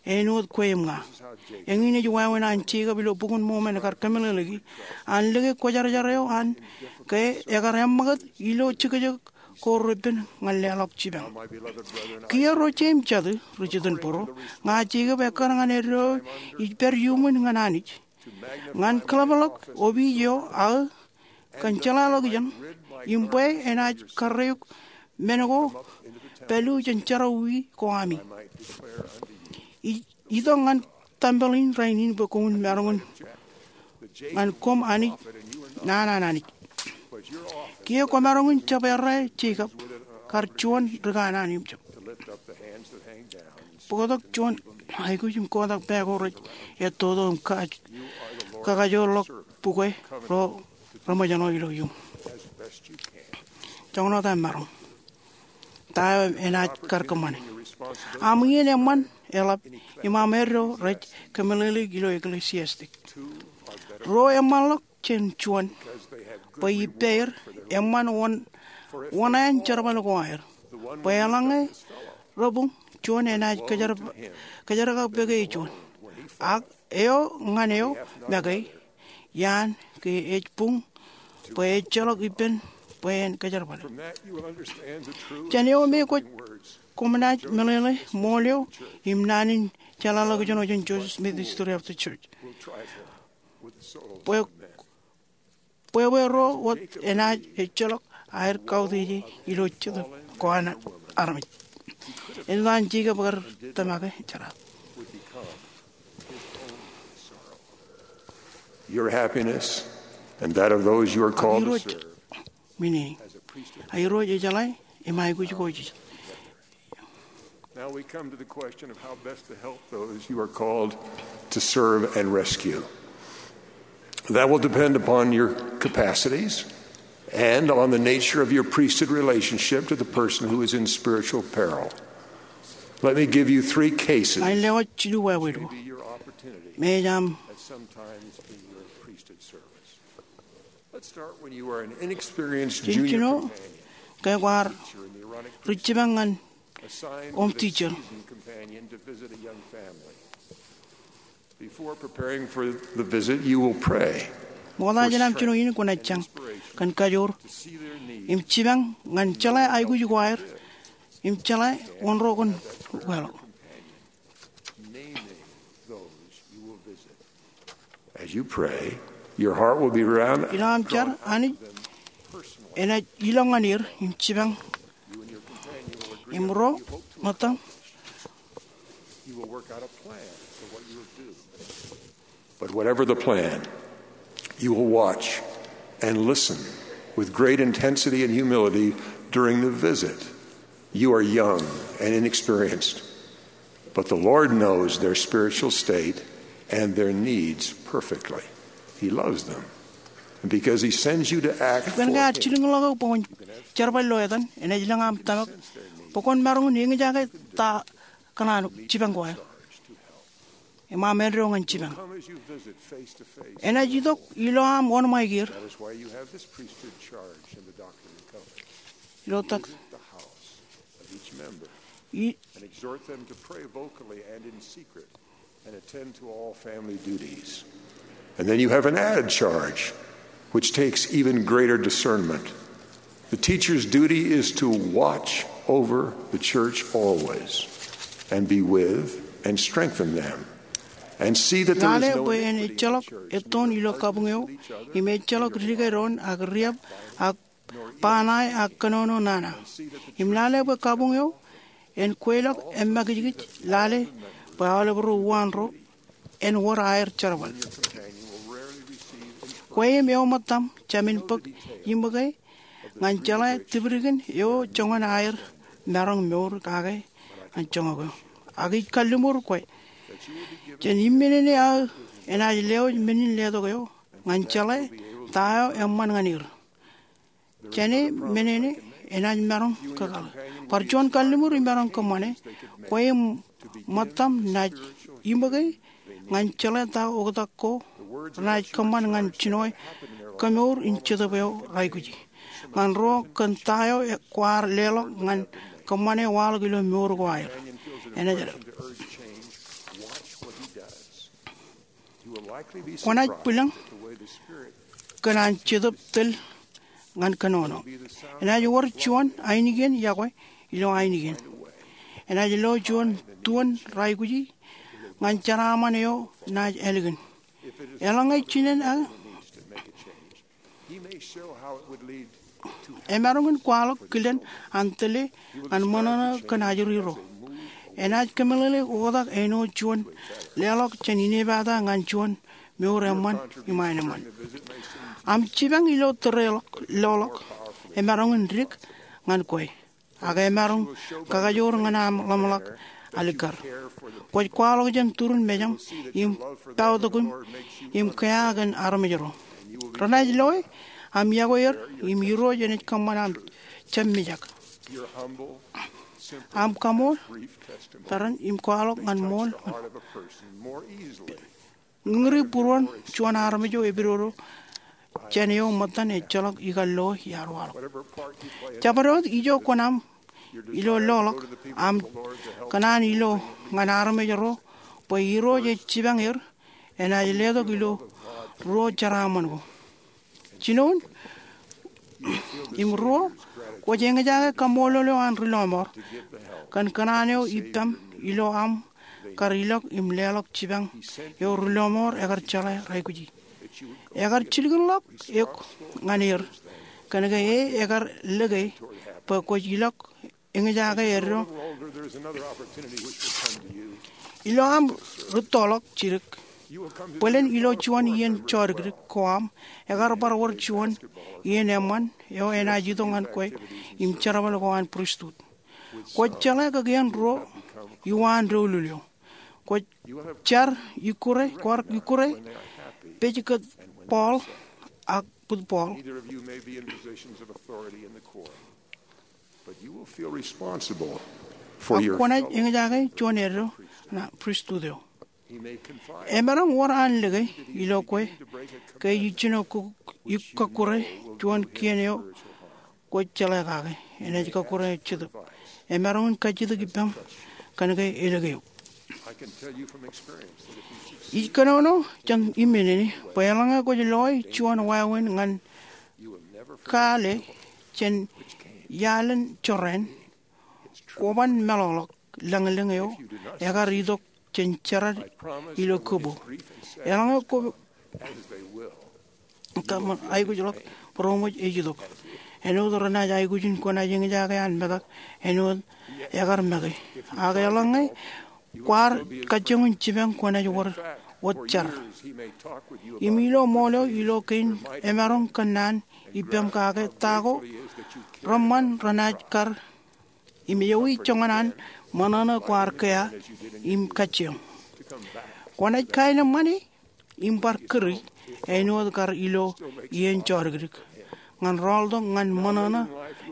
āinwōt kwe im ña. Eñin ej wāween an Jekob ilo Bok in Mormon ekar kōmeḷeḷeiki an lōke kwōjarjar eo an ke ekar eṃṃakūt ilo jekjek ko repen ñan leḷọk jipañ. Kiiō ro jeiū im jatū ri jitōnbōro, ña Jekob ekkar ñan eddo ij pād iuṃwin ñan Anij ñan kōḷapḷọk opiij eo aō kōn jeḷāḷọkjeṇ im bwe enaaj karreoik men ko pālu jān jerọwiwi ko ami. Ij itok ñan tempel in rainin bwe koṃwin maroñ in ñan koṃ Anij, naan an Anij. Kiiō kwōmaroñ in jab errā Jekob kar juon ri kanaan im jab bōktok juon aikuj im kotak pā ko rej ettoto im ka-, kakajoorḷọk bukwe ro reṃōjṇọ ilo iuṃ. Joñan wōt aṃ maroñ. Ta eo enaaj kar kōṃṃane? Aṃ iien eṃṃan eḷap im aṃ eddo rej kōmeḷeḷeik ilo Ecclesiastes. Ruo eṃṃanḷọk jān juon, bwe ippāer, eṃṃan wōn, wōṇāān jerbal ko aer. Bwe eḷaññe rebuñ, juon enaaj kōjerkakpeik juon. Ak eo ñan eo make iaan ke ej buñ bwe ejjeḷọk ippān bwe en kōjerbale. Jān eo me kwōj, koṃ naaj meḷeḷe ṃool eo im naan in jeḷāḷọkjeṇ eo jān Joseph Smith History of the Church. Bwe, bwebwe ro wōt enaaj ejjeḷọk aer kautiej ilo Jetōb ko an armej. Āinwōt an Jekob kar tōmak e jeraaṃṃan. Your happiness and that of those you are called to serve. Irooj, meaning, Irooj ejeḷā im aikuj ko ij. Now we come to the question of how best to help those you are called to serve and rescue. That will depend upon your capacities and on the nature of your priesthood relationship to the person who is in spiritual peril. Let me give you three cases. Ij lewōj jilu wāween ko. Maybe your opportunity. Maybe aṃ Sometimes in your priesthood service. Let's start when you are an inexperienced junior companion, ke kwaar ri jipañ ñan assigned a seasoned companion to visit a young family. Before preparing for the visit, you will pray. Ṃokta jān aṃ jino in kwōnaaj jañ kōn kajoor im jipañ ñan jeḷā aikuj ko aer im jeḷā wōn ro kwōn leḷọk. Naming those you will visit. As you pray, your heart will be around. Ilo aṃ jar, Anij enaaj ilọk ñan er im jipañ. Im ro ṃōttaṃ. You will work out a plan for what you will do. But whatever the plan, you will watch and listen with great intensity and humility during the visit. You are young and inexperienced, but the Lord knows their spiritual state and their needs perfectly. He loves them. And because he sends you to act for him, kōn ke ear jilkinḷọk eok bwe kwōn jerbal ilo etan, enaaj lōñ aṃ tōmak bwe kwōn maroñ in eñjake ta kōṇaan jipañ ko aer. Im aṃ eddo ñan jipañ. Enaaj itok ilo aṃ wōnṃaik er. Ilo tak. I- And exhort them to pray vocally and in secret and attend to all family duties. And then you have an added charge, which takes even greater discernment. The teacher's duty is to watch over the church always and be with and strengthen them and see that there is no iniquity in the church. Lale bwe en ejjeḷọk ettoon ilo kabuñ eo im ejjeḷọk dike doon ak riab ak ba ṇae ak kōnono nana. Im lale bwe kabuñ eo en kweilọk emmakijkij lale bwe aolep ro uwaan ro en wōr aer jerbal. Kwe im eo ṃōttaṃ jāmin bōk iṃōke ñan jeḷā tipdikdik eo joñan aer maroñ mour kake ñan joñak eo. Ak ij kalliṃur kwe jān im men in aō enaaj lewōj men in letok eo ñan jeḷā ta eo eṃṃan ñan er. Jāne men in enaaj maroñ kōkaḷ. Bar juon kalliṃur imaroñ kōṃṃane, kwe im ṃōttaṃ naaj iṃōke ñan jeḷā ta oktak ko renaaj kōṃṃan ñan jinoe kemour in jetōb eo reaikuji. Ñan ro kōn ta eo kwaar leḷọk ñan kōṃṃane waḷọk ilo mour ko aer. Enaaj Kwōnaaj bwilōñ kōn an Jetōb tōl ñan kōnono. Enaaj wōr juon ainikien yokwe ilo ainikien. Enaaj lo juon tuon reaikuji ñan jeraaṃṃan eo naaj ālikin. Eḷaññe jinen aō emaroñ in kwaḷọk kilen an tōle ñan ṃōṇōṇō kōn ajri ro. Enaaj kōmeḷeḷe oktak āinwōt juon leḷọk jān inepata ñan juon mour eṃṃan im aenōṃṃan. Aṃ jipañ ilo tōre loḷọk emaroñ in dik ñan kwe. Ak emaroñ kakajoor ñan aṃ ḷōmṇak alikkar. Kwōj kwaḷọk jān turin mejaṃ im paotok im, im kea kōn armej ro. Renaaj loe aṃ yokwe er im Irooj enaaj kōṃṃan aṃ jab mijak. Aṃ kaṃool tarrin im kwaḷọk ñan ṃool ñan ri būruon juon armej eo epidodo jān eo ṃōttan ejjeḷọk ikar loe iaar waḷọk. Jabdewōt ijo kwōn aṃ ilo loḷọk aṃ kōṇaan ilo ñan armej ro bwe Irooj ej jipañ er, enaaj letok ilo ruo jeraaṃṃan ko. Jinoin im ruo, kwōj eñjake kaṃṃoolol eo an ri lọmọọr kōn kōṇaan eo ippaṃ ilo aṃ kar ilọk im leḷọk jipañ eo ri lọmọọr ekar jeḷā reaikuji. Ekar jilkinḷọk eok ñan er kōn ke e ekar lōke bwe kwōj ilọk eñjake eddo. Ilo aṃ rūttoḷọk jidik, bōlen ilo juon iien jodikdik ko aṃ, ekar bar wōr juon iien eṃṃan eo enaaj itok ñan kwe im jerbal ko an pristut. Kwōj jeḷā kakien ruo iwaan doulul eo. Kwōj jar ikkure, kwaar ikkure pej kōn Paul ak bōd Paul. Ak kwōnaaj eñjake juon eddo ṇa pristut eo. Emaroñ wōr an lōke ilo kwe ke ij jino kōkkure juon kien eo kwōj jeḷā kake. Enaaj kōkkure eo Jetōb. Emaroñ in kajjitōk ippaṃ kōn ke elōke eok. Ij kōnono jān immān in bwe eḷaññe kwōj loe juon wāween ñan kaale jān iaḷ in jorrāān, kwōban meḷọkḷọk lañlōñ eo ekar itok jān jerad ilo kōbo. Eḷaññe kwō aikuj ḷọk, būroṃōj ej itok. Āinwōt renaaj aikuj in kwōnaaj eñjake an metak āinwōt ekar make. Ak eḷaññe kwaar kajjioñ in jipañ, kwōnaaj wōt jar. Im ilo ṃool eo ilo kein, emaroñ kōnnaan ippaṃ kake ta ko reṃṃan renaaj kar im ewi joñan an ṃōṇōṇō kwaar kea im kajjioñ. Kwōnaaj kaenōṃṃani im bar kūri āinwōt kar ilo iien jodikdik ñan rọọltok ñan ṃōṇōṇō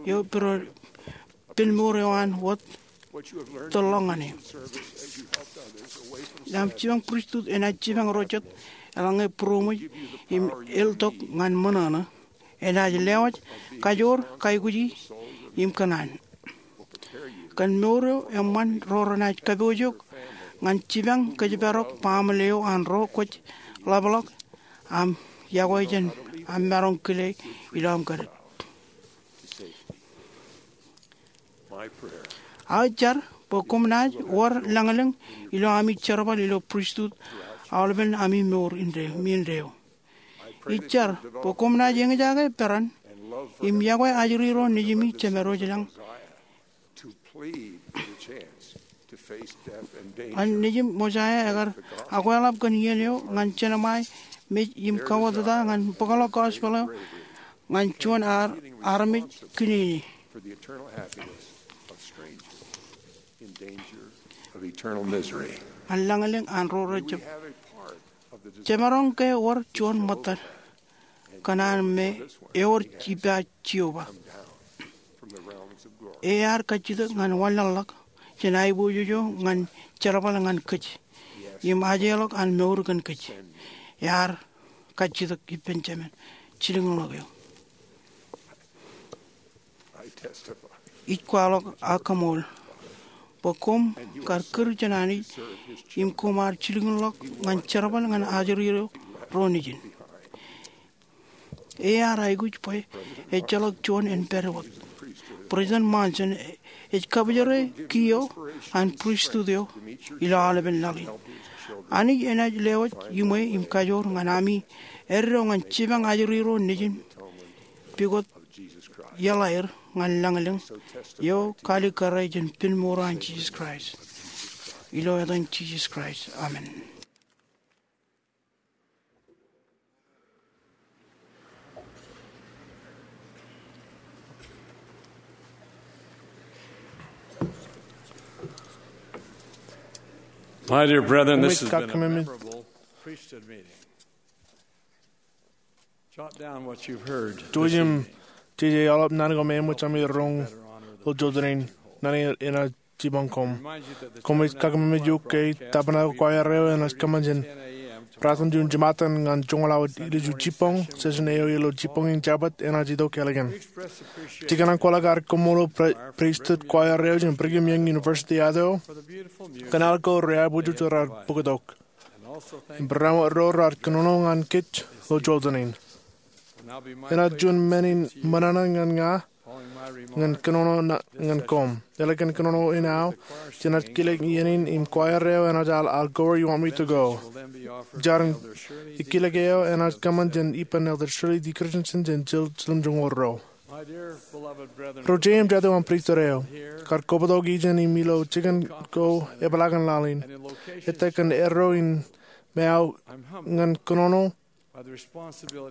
eo pil mour eo an wōt tōl ḷọk ñan e. Aṃ jipañ pristut enaaj jipañ ro jet eḷaññe būroṃōj im eltok ñan ṃōṇōṇō. Enaaj lewōj kajoor, kaikuji im kōṇaan. Kōn mour eo eṃṃan ro renaaj kapoojook ñan jipañ kōjparok baaṃle eo an ro kwōj ḷapḷọk aṃ yokwe jān aṃ maroñ kile ilo aṃ kōdōt. Aō jar bwe koṃ naaj wōr lañlōñ ilo ami jerbal ilo pristut aolepen ami mour indeeo. Ij jar bwe koṃ naaj eñjake peran im yokwe ajri ro nejimi jemedwōj lañ. An nejim Mosaia ekar akweḷap kōn iien eo ñan jenaṃae mej im kawōtata ñan bōkḷọk gospel eo ñan juon armej kiniini. An lañlōñ an ro rejab. Jemaroñ ke wōr juon ṃōttad kōṇaan me ewōr ippa Jeova. Ear kajjitōk ñan wanlaḷḷọk jān aiboojoj eo ñan jerbal ñan kōj im ajeḷọk an mour kōn kōj. Ear kajjitōk ippān Jemān jilkinḷọk eo. Ij kwaḷọk ak kaṃool bwe koṃ kar kūr jān Anij im koṃ ar jilkinḷọk ñan jerbal ñan ajri ro nejin. Ear aikuj bwe ejjeḷọk juon en pād wōt. President Monson ej kabōjere kiiō an pristut eo ilo aolepen laḷ in. Anij enaaj lewōj iṃwe im kajoor ñan ami eddo ñan jipañ ajri ro nejin pukot iaḷ aer ñan lañlōñ eo kalikkare jān pil mour an Jisōs Kraist. Ilo etan Jisōs Kraist, amen. My dear brethren, this has been a memorable priesthood meeting. Jot down what you've heard this evening. Jouj im jeje aolep naan ko me eṃōj ami roñ ilo jota in. Naan in enaaj jipañ koṃ. Koṃij kakkōmemeej eok ke tabernacle choir eo enaaj kōṃṃan jān braatōṃ juon jiṃa ñan joñoul awa ilju jibboñ, session eo ilo jibboñ in Jabōt enaaj itok ālikin. Ij kōṇaan kwaḷọk ad koṃṃool priesthood choir eo jān Brigham Young University, Idaho, kōn al ko reaiboojoj raar bōktok im barāinwōt ro raar kōnono ñan kōj ilo jota in. Enaaj juon men in ṃōṇōṇō ñan ña ñan kōnono ñan koṃ. Ālikin kōnono in aō, jenaaj kilōk iien in im choir eo enaaj al I'll Go Where You Want Me to Go. Jar in kilōk eo enaaj kōṃṃan jān ippān Elder Shirley D. Christensen jān Jiljilimjuonñoul ruo. Ro jet im jatū aṃ priesthood eo, kar kobtok ijeṇ im ilo jikin ko epeḷaakin laḷ in, ettā kōn erro in me aō ñan kōnono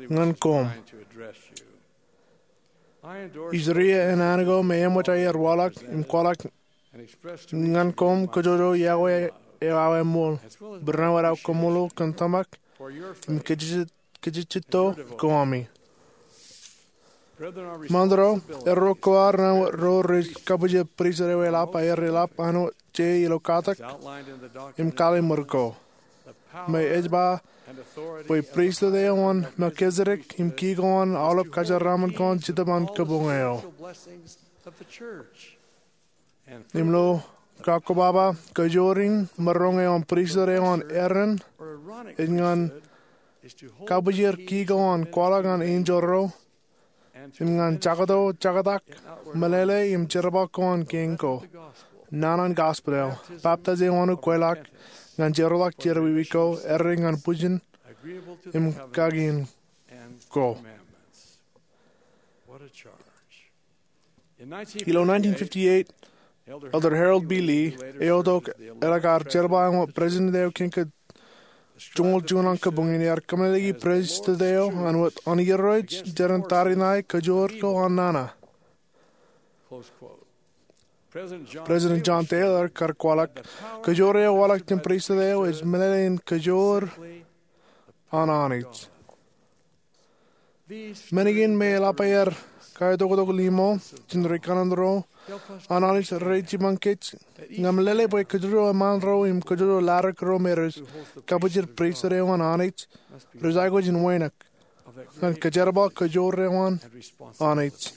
ñan koṃ. Ij riañ āne ko me eṃōj aer waḷọk im kwaḷọk ñan koṃ kōjojro yokwe eo aō eṃool, barāinwōt aō kaṃṃoolol kōn tōmak im kajejjet ko ami. Ṃaanḷọk, erro ko aō rainwōt ro rej kabwilōñ priesthood eo eḷap aer eḷap āinwōt je ilo katak im kaliṃur ko. me ej ba bwe pristut eo an Melkisedek im ki ko an aolep kōjeraaṃṃan ko an Jetōb an kabuñ eo. Im ilo kakkobaba, kajoor in maroñ eo an pristut eo an Aaron ej ñan kabwijir ki ko an kwaḷọk an enjeḷ ro im ñan jọkto jọktak meḷeḷe im jerbal ko an kein ko, naan an gospel eo, baptaiz eo an ukweḷọk ñan jeorḷọk jerọwiwi ko, errā ñan bwijin im kakien ko. Ilo nineteen fifty-eight, Elder Harold B. Lee, eo tok eḷak ar jerbal eo an President eo Kōn ke joñoul juon an kabuñ in, ear kōmeḷeḷeiki pristut eo an wōt an Irooj jeran tariṇae kajoor ko an nana. President John Taylor kar kwaḷọk, kajoor eo waḷọk jān pristut eo ej meḷeḷein kajoor an Anij. Men kein me eḷap aer kaetoktok limo jān ri kanaan ro an Anij rej jipañ kōj, ñan meḷeḷe bwe kōjro eṃṃaan ro im kōjro ladik ro me rej kabwijir pristut eo an Anij rej aikuj in wānōk ñan kajerbal kajoor eo an Anij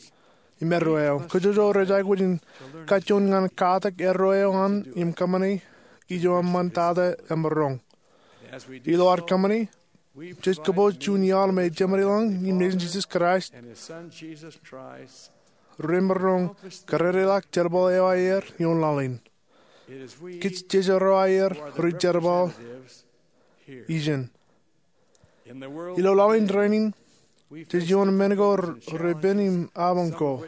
im erreo eo. Kōjro rej aikuj in kajjoon ñan katak erreo eo an im kōṃṃane ijo eṃṃantata emaroñ. Ilo ad kōṃṃane, jej kōpooj juon iaḷ me Jemān ilañ im Nejin Jisōs Kraist remaroñ kōrrereḷọk jerbal eo aer ioon laḷ in. Kōj jeje ro aer ri-jerbal ijin. Ilo laḷ in rainin, jej ioon men ko repen im abañ ko,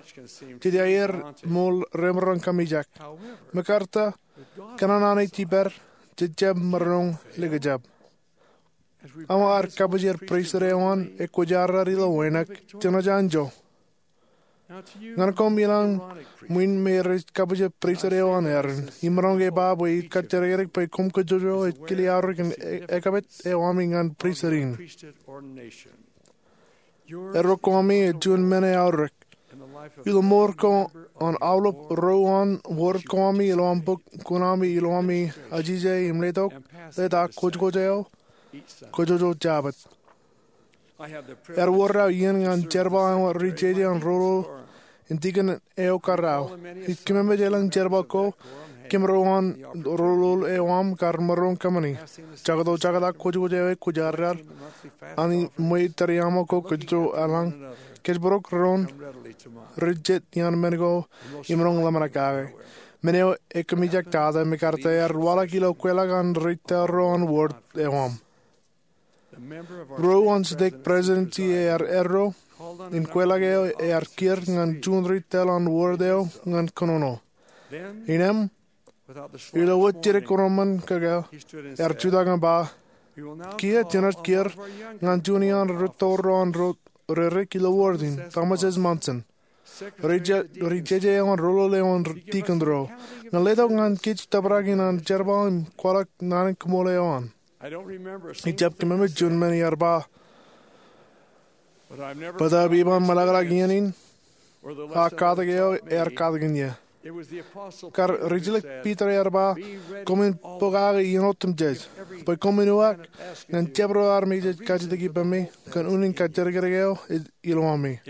jej aer ṃool remaroñ kōmijak. Mekarta, kōn an Anij ippād, jej jab maroñ likjab. Aṃ ar kabwijir pristut eo an ekwōjarjar ilo wānōk, jenaaj anjọ. Ñan koṃ ilañ ṃwiin me rej kabwijir pristut eo an Aaron, imaroñ ke ba bwe ij kajjidikdik bwe koṃ kōjro ej kile aorōk in e- ekpād eo ami ñan pristut in. Erreo ko ami ej juon men eaorōk. Ilo mour ko an aolep ro an wōr ko ami ilo aṃ bōk kuṇaami ilo ami ajije im letok, letak kwōjkwōj eo, kōjwōj Jabōt. Ear wōr aō iien ñan jerbal eo an ri-jeje an rōlōl in tikōn eo kar aō. Ij kōmemej elōñ jerbal ko kōm ro an rōlōl eo aṃ kar maroñ kōṃṃani. Jọkto jọktak kwōjkwōj eo ekwōjarjar an ṃweied tariaṃo ko kōjro eḷañ. Kōjparok doon ri-jet iaan men ko im roñ ḷōmṇak kake. Men eo ekōmijaktata mekarta ear waḷọk ilo kweilọk an ri-tōl ro an wōr eo aṃ. Ro an stek presidency ear erro in kweilọk eo ear kiiō ñan juon ri-tōl an wōr eo ñan kōnono. Innām, ilo wōt jidik kōnono kōkō, ear jutak im ba, kiiō jenaaj kiiō ñan juon iaan ri-tōl ro an ro rerik ilo wōr in, Thomas S. Monson, ri-jeje eo an rōlōl eo an tikōn ro, ñan letok ñan kōj tōprak in an jerbal im kwaḷọk naan in kōṃṃool eo an. Ij jab kōmemej juon men ear ba, bōtab iban ṃōḷaḷḷọk iien in, a katak eo ear katakin ie. Kar rijjelōk Piter ear ba, koṃwin pokake iien otemjej, bwe koṃwin uwaak ñan jabdewōt armej rej kajjitōk ippaṃ kōn unin kajjidikdik eo ej ilowami.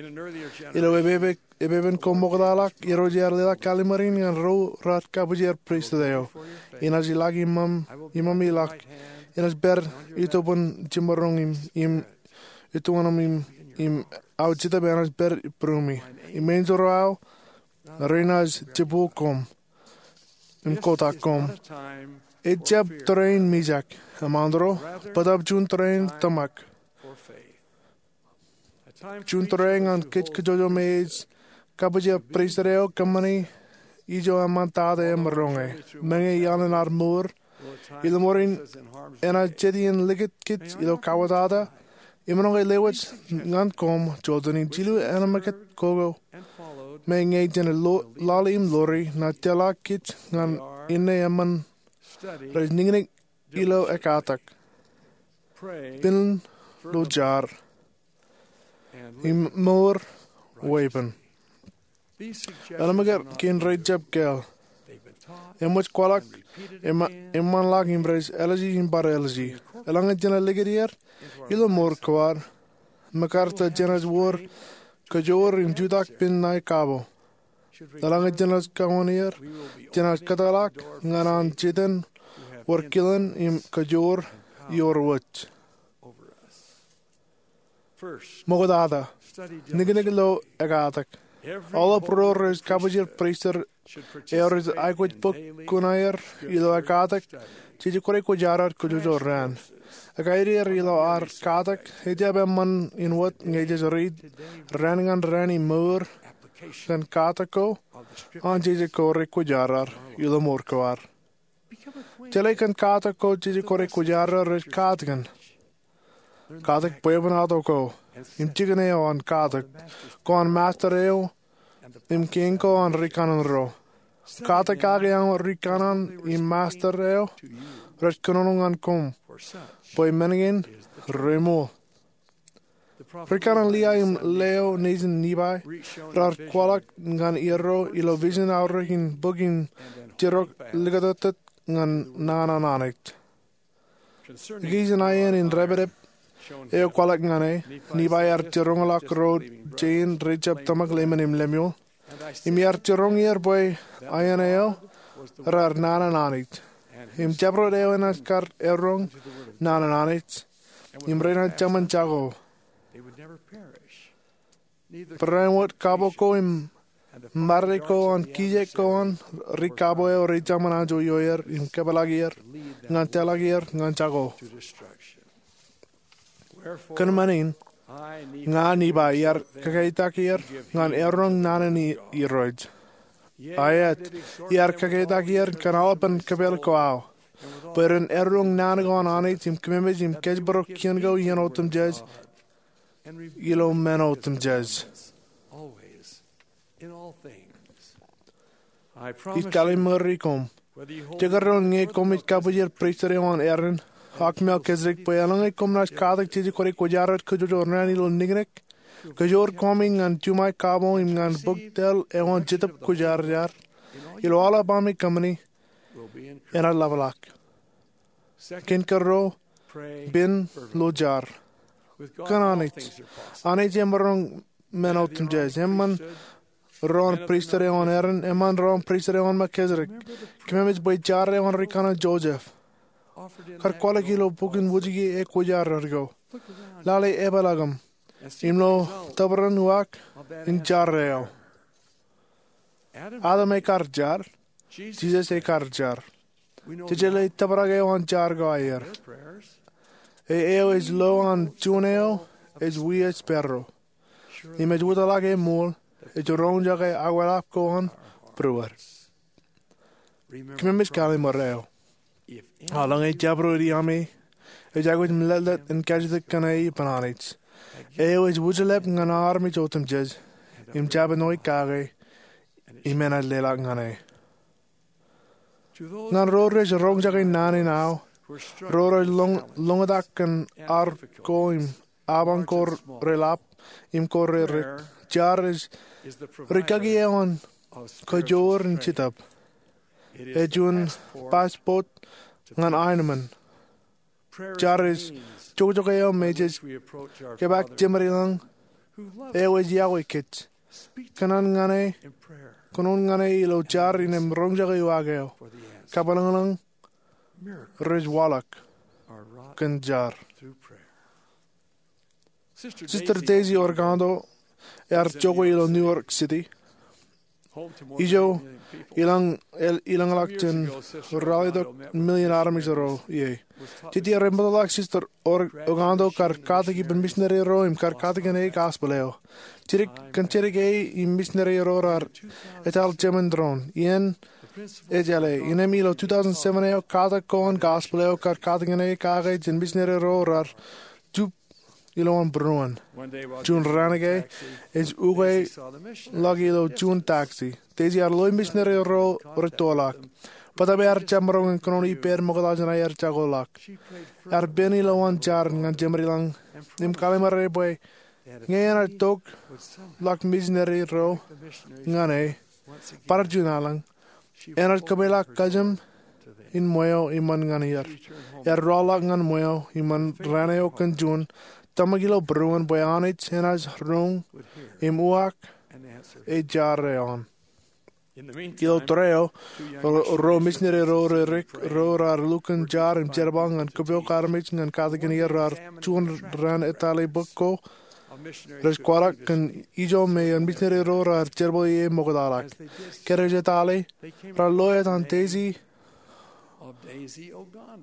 Ilo epepen ko ṃoktaḷọk, Irooj ear leḷọk kallim̧ur in ñan ro raar kabwijin pristut eo. Inaaj ilọk iṃōṃ, iṃōṃ ilọk. Inaaj pād itoban jiṃṃaroñ im, im itoban im, im aō Jetōb enaaj pād būruemi. Im enjeḷ ro aō, renaaj jibboñ koṃ im kotak koṃ. Ejab tōre in mijak, eṃṃan ro, bōtab juon tōre in tōmak. Juon tōre ñan kōj kōjwōj me ej kabwijin pristut eo kōṃṃani ijo eṃṃantata emaroñe. Meñe iaḷ in ad mour, ilo ṃoor in enaaj jet iien likūt kōj ilo kawōtata, im ṃōṇōṇō ke lewōj ñan koṃ, jota in jilu ānmōkōt kōkō. Meñe jān lo-, laḷ im ḷoori, naaj tōl kōj ñan inne eṃṃan rej niñniñ ilo ekkatak. Pen ilo jar im mour weeppān. Ānmōkōt kein rej jab kāāl. Eṃōj kwaḷọk, eṃ-, eṃṃanḷọk im rej ālije im bar ālije. Eḷaññe jenaaj likūt er ilo mour ko ad, MacArthur jenaaj wōr kōjoor im jutak pen ṇae kabo. Eḷaññe jenaaj kōṃṃan er, jenaaj kōtḷọk ñan an Setan wōr kilen im kōjoor ioer wōj. Ṃoktata, niknik lo ekatak. Aolep ro rej kabwijin pristut eo rej aikuj bōk kuṇaer ilo ekatak jeje kwōnaaj kwōjarjar kōjwōj raan. Ekaideer ilo ad katak, ejjab eṃṃan in wōt ñe jej riit raan ñan raan im mour kōn katak ko an jeje kwōnaaj kwōjarjar ilo mour ko ad. Jeḷā kōn katak ko jeje kwōnaaj kwōjarjar rej katakin. Katak bwebwenato ko im jikin eo an katak ko an Master eo im kein ko an rikaṇan ro. Katak kake aṃ rikaṇan im Master eo rej kōnono ñan koṃ bwe men kein reṃool. Rikaṇan Liai im Leo nejin Nifai raar kwaḷọk ñan irooj ilo vision aorōk in bōk im tirōk likūtōktōt ñan naan an Anij. Ikijjien aien in dāpdep eo kwaḷọk ñan e, Nifai ear jiroñḷọk ro jein rej jab tōmak lemon im leṃool. Im ear jiroñ er bwe aien eo raar naan an Anij. Im jabdewōt eo enaaj kar eroñ naan an Anij. Im renaaj jemān jako. Barāinwōt kabo ko im mare ko an kijeek ko an ri kabo eo rej jemān anjọ ioer im kōpeḷḷọk er ñan tōlḷọk er ñan jako. Kōn men in, ña Nifai iar kakeitak er ñan eroñ naan in irooj. Aet, iar kakeitak er kōn aolepān kōpeḷ ko aō, bwe ren eroñ naan ko an Anij im kōmemej im kōjparok kien ko iien otemjej ilo men otemjej. Ij kallimari koṃ, jekdọọn ñe koṃij kabwijin pristut eo an Aaron ak Melchizedek, bwe eḷaññe koṃ naaj katak jeje kwōnaaj kwōjarjar kōjwōj raan ilo niknik, kōjoor koṃi ñan juṃae kabo im ñan bōk tōl eo an Jetōb Kwōjarjar ilo aolep ami kōṃṃani, enaaj ḷapḷọk. Kein kōrā, pen lo jar. Kōn Anij, Anij emaroñ men otemjej. Eṃṃan ro an pristut eo an Aaron, eṃṃan ro an pristut eo an Melchizedek. Kōmemej bwe jar eo an rikaṇan Joseph, kar kwaḷọk ilo bok in wōjke ekwōjarjar ko. Lale epeḷḷọkōm im lo tōprak uwaak in jar eo. Adam ekar jar, Jisōs ekar jar. Jej jeḷā tōprak eo an jar ko aer. Eo ej lo an juon eo ej wiia sparrow. Im ej wōtlọk e ṃool, ej roñjake akwālaḷap ko an būruod. Kōmemej kallim̧ur eo. Eḷaññe jabdewōt iaami ej aikuj im leḷḷap in kajjitōk kōn e ippān Anij, eo ej wōjḷap ñan armej otemjej, im jab āinwōt kake, im enaaj leḷọk ñan e. Ñan ro rej roñjake naan in aō, ro rej loñ, loñtak kōn ar ko im abañ ko reḷap im ko rerik, jar ej rikaki eo an kōjoor in Jetōb. Ej juon passport ñan aenōṃṃan. Jar ej jokjok eo me jej kōpaak Jemedilōñ eo ej iọkwe kōj. Kōnono ñan e, kōnono ñan e ilo jar im roñjake uwaak eo. Kapilōñlōñ rej waḷọk kōn jar. Sister Daisy Orikanto ear jokwe ilo New York City. Ijo, ilañ, el, ilañḷọk jān ralitōk million armej ro ie. Jete rej bōkḷọk Sister Or-, Orikanto kar katak ippān misineri ro im kar katakin e gospel eo. Jidik, kōn jidik e im misineri ro raar etal jemān doon. Iien ej jeḷā, innem ilo two thousand seven eo katak ko an gospel eo kar katakin e kake jān misineri ro raar jup ilowaan būruon. Juon raan ke, ej ukeḷọk ilo juon taxi. Daisy ear loe misineri ro rej toḷọk. Bōtab ear jab maroñ in kōnono ippād ṃokta jān aer jakoḷọk. Ear pen ilowaan jar ñan Jemedilōñ im kallim̧ur e bwe ñe enaaj tokḷọk misineri ro ñan e bar juon lañ, Enaaj kōpeḷḷọk kajin in ṃweo iṃōn ñan er. Ear rọọlḷọk ñan ṃweo iṃōn raan eo kōn juon, tōmak ilo būruon bwe Anij enaaj roñ im uwaak e jar eo an. Ilo tōre eo, ro, ro misineri ro re rik ro raar lukkuun jar im jerbal ñan kōpooj armej ñan katakin er raar juon raan etale bōk ko rej kwaḷọk kōn ijo me eṇ misineri ro raar jerbal ie ṃoktaḷọk. Ke rej etale, raar lo etan Daisy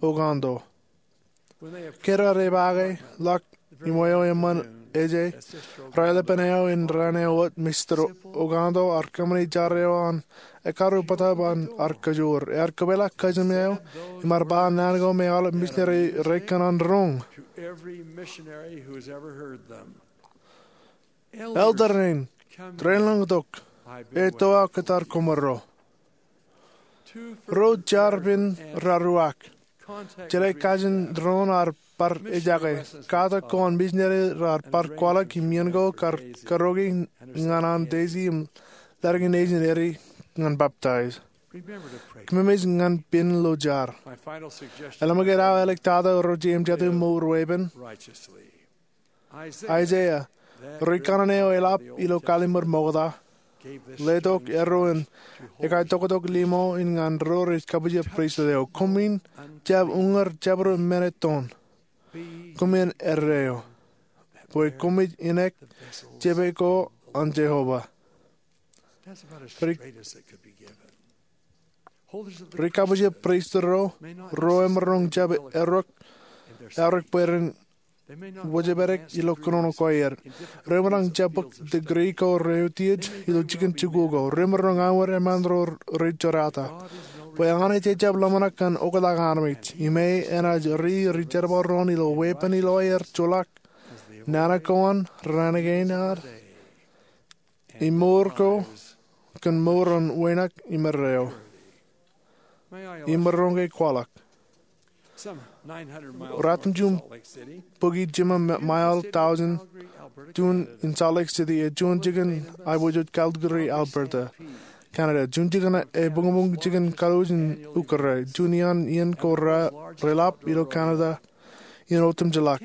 Ogando. Ke raar epaake ḷọk iṃweo eṃṃan ej, raelepin eo in raan eo wōt, Mr. Ogando ear kōṃṃani jar eo an ekkar bōtab an ear kajoor. Ear kōpeḷḷọk kajin eo im ear ba naan ko me aolep misineri rekōṇaan roñ. Elder in, treṇ ḷọk tok, etto aō kōttar koṃro. Ruo jar pen raar uwaak. Jeḷā kajin doon ear bar ejake. Katak ko an misineri raar bar kwaḷọk im iien ko kar karoke ñan an Daisy im ḷaddik nejin eri ñan baptize. Kōmij ñan pen lo jar. Eḷaññe aō āliktata ro jeiū im jatū mour weeppān. Isaiah, ri kanaan eo eḷap ilo kallim̧ur ṃokta, letok erro in ekaitok tok limo in ñan ro rej kabuj pristut eo. Koṃwin jab uññūr jabdewōt minit doon. Koṃwin erreo bwe koṃij ineek jepe ko an Jeova. Ri, ri kabuj pristut ro, ro emaroñ jab eorōk, eorōk bwe ren wōjepedek ilo kōnono ko aer. Ro emaroñ jab bōk degree ko rej utiej ilo jikin jikuuḷ ko. Ro emaroñ aṃwin eṃṃan ro rej jorata. Bwe Anij ejjab ḷōmṇak kōn oktak armej. Im e enaaj ri, ri jerbal doon ilo weeppān ilo aer joḷọk nana ko an raan kein ad im mour ko kōn mour an wānōk im erreo. Im maroñ ke kwaḷọk. Ratimjuon bukwi jiṃa ma-, mile thousand juon in Salt Lake City, ej juon jikin aiboojoj Calgary, Alberta, Canada. Juon jikin ebuñbuñ jikin kaluuj in ukōrā. Juon iaan iien ko ra, reḷap ilo Canada in otemjeḷọk.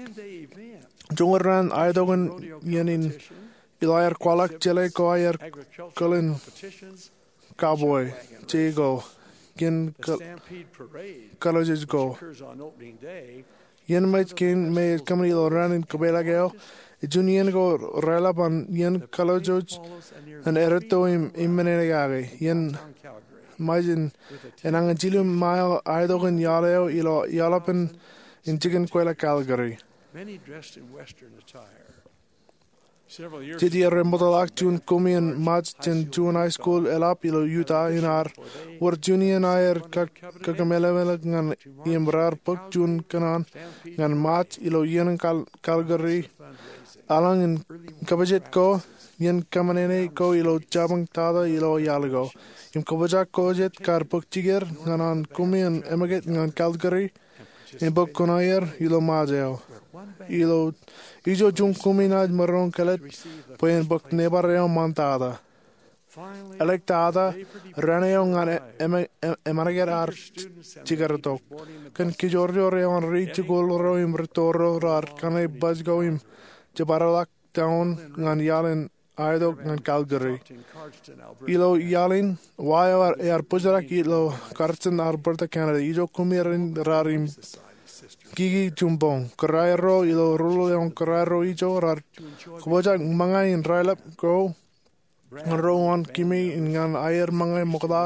Joñan raan aetokan iien in ilo aer kwaḷọk jeḷā ko aer kōḷ in cowboy, jeiū ko, iien ka-, kalojoj ko. Iien ṃōj kein me ej kōṃṃani ilo raan in kōpeḷḷọk eo, ej juon iien ko reḷap an iien kalojoj an eretto im, im men in kake. Iien ṃōj in enañin jilu mile aetokan iaḷ eo ilo iaḷ eo pen in jikin kweilọk Calgary. Jete rej ṃoktaḷọk juon koṃi in Ṃaaj jān juon high school eḷap ilo Utah in ear wōr juon iien aer ka-, kakememej ñan im raar bōk juon kōṇaan ñan Ṃaaj ilo iien Cal-, Calgary. Eḷaññe in kabujet ko, iien kōṃṃane ko ilo jabōn tata ilo iaḷ ko. Im kabwebwenato ko jet kar bōk jikier ñan an koṃi in ṃōjet ñan Calgary im bōk kuṇaer ilo Ṃaaj eo. Ilo ijo juon koṃi enaaj maroñ kāālōt bwe en bōk neighbor eo ṃaantata. Āliktata, raan eo ñan e-, em-, em-, eṃṃan kōn ad jikier tok. Kōn kijoorjoor eo an ri jikuuḷ ro im ri toro raar kaṇe baj ko im jepdewōt down ñan iaḷ in aetok ñan Calgary. Ilo iaḷ in, wa eo ear bōjrak ilo Cardston, Alberta, Canada. Ijo koṃi rein raar im kiki juon boñ. Kōrā erro ilo rūḷ eo an kōrā erro ijo raar kabwebwenato ṃōñā in raelep ko ñan ro unin kōmi in ñan aer ṃōñā ṃokta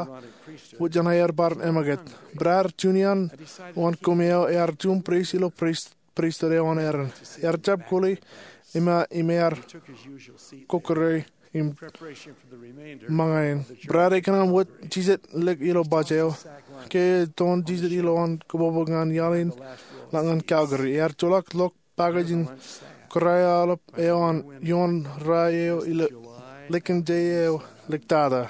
wōt jān aer bar eṃōjet. Brother Junior unin kōmi eo ear juon priest ilo priest pristut eo an Aaron. Ear jab kuli im, im ear kokkure im ṃōñā in. Brother e kōṇaan wōt jijet lik ilo baj eo. Ke eton jijet ilo an kōbōbōb ñan iaḷ in ḷọk ñan Calgary. Ear joḷọk ḷọk package in kōrā aolep eo an ioon ra eo ilo likin je eo āliktata.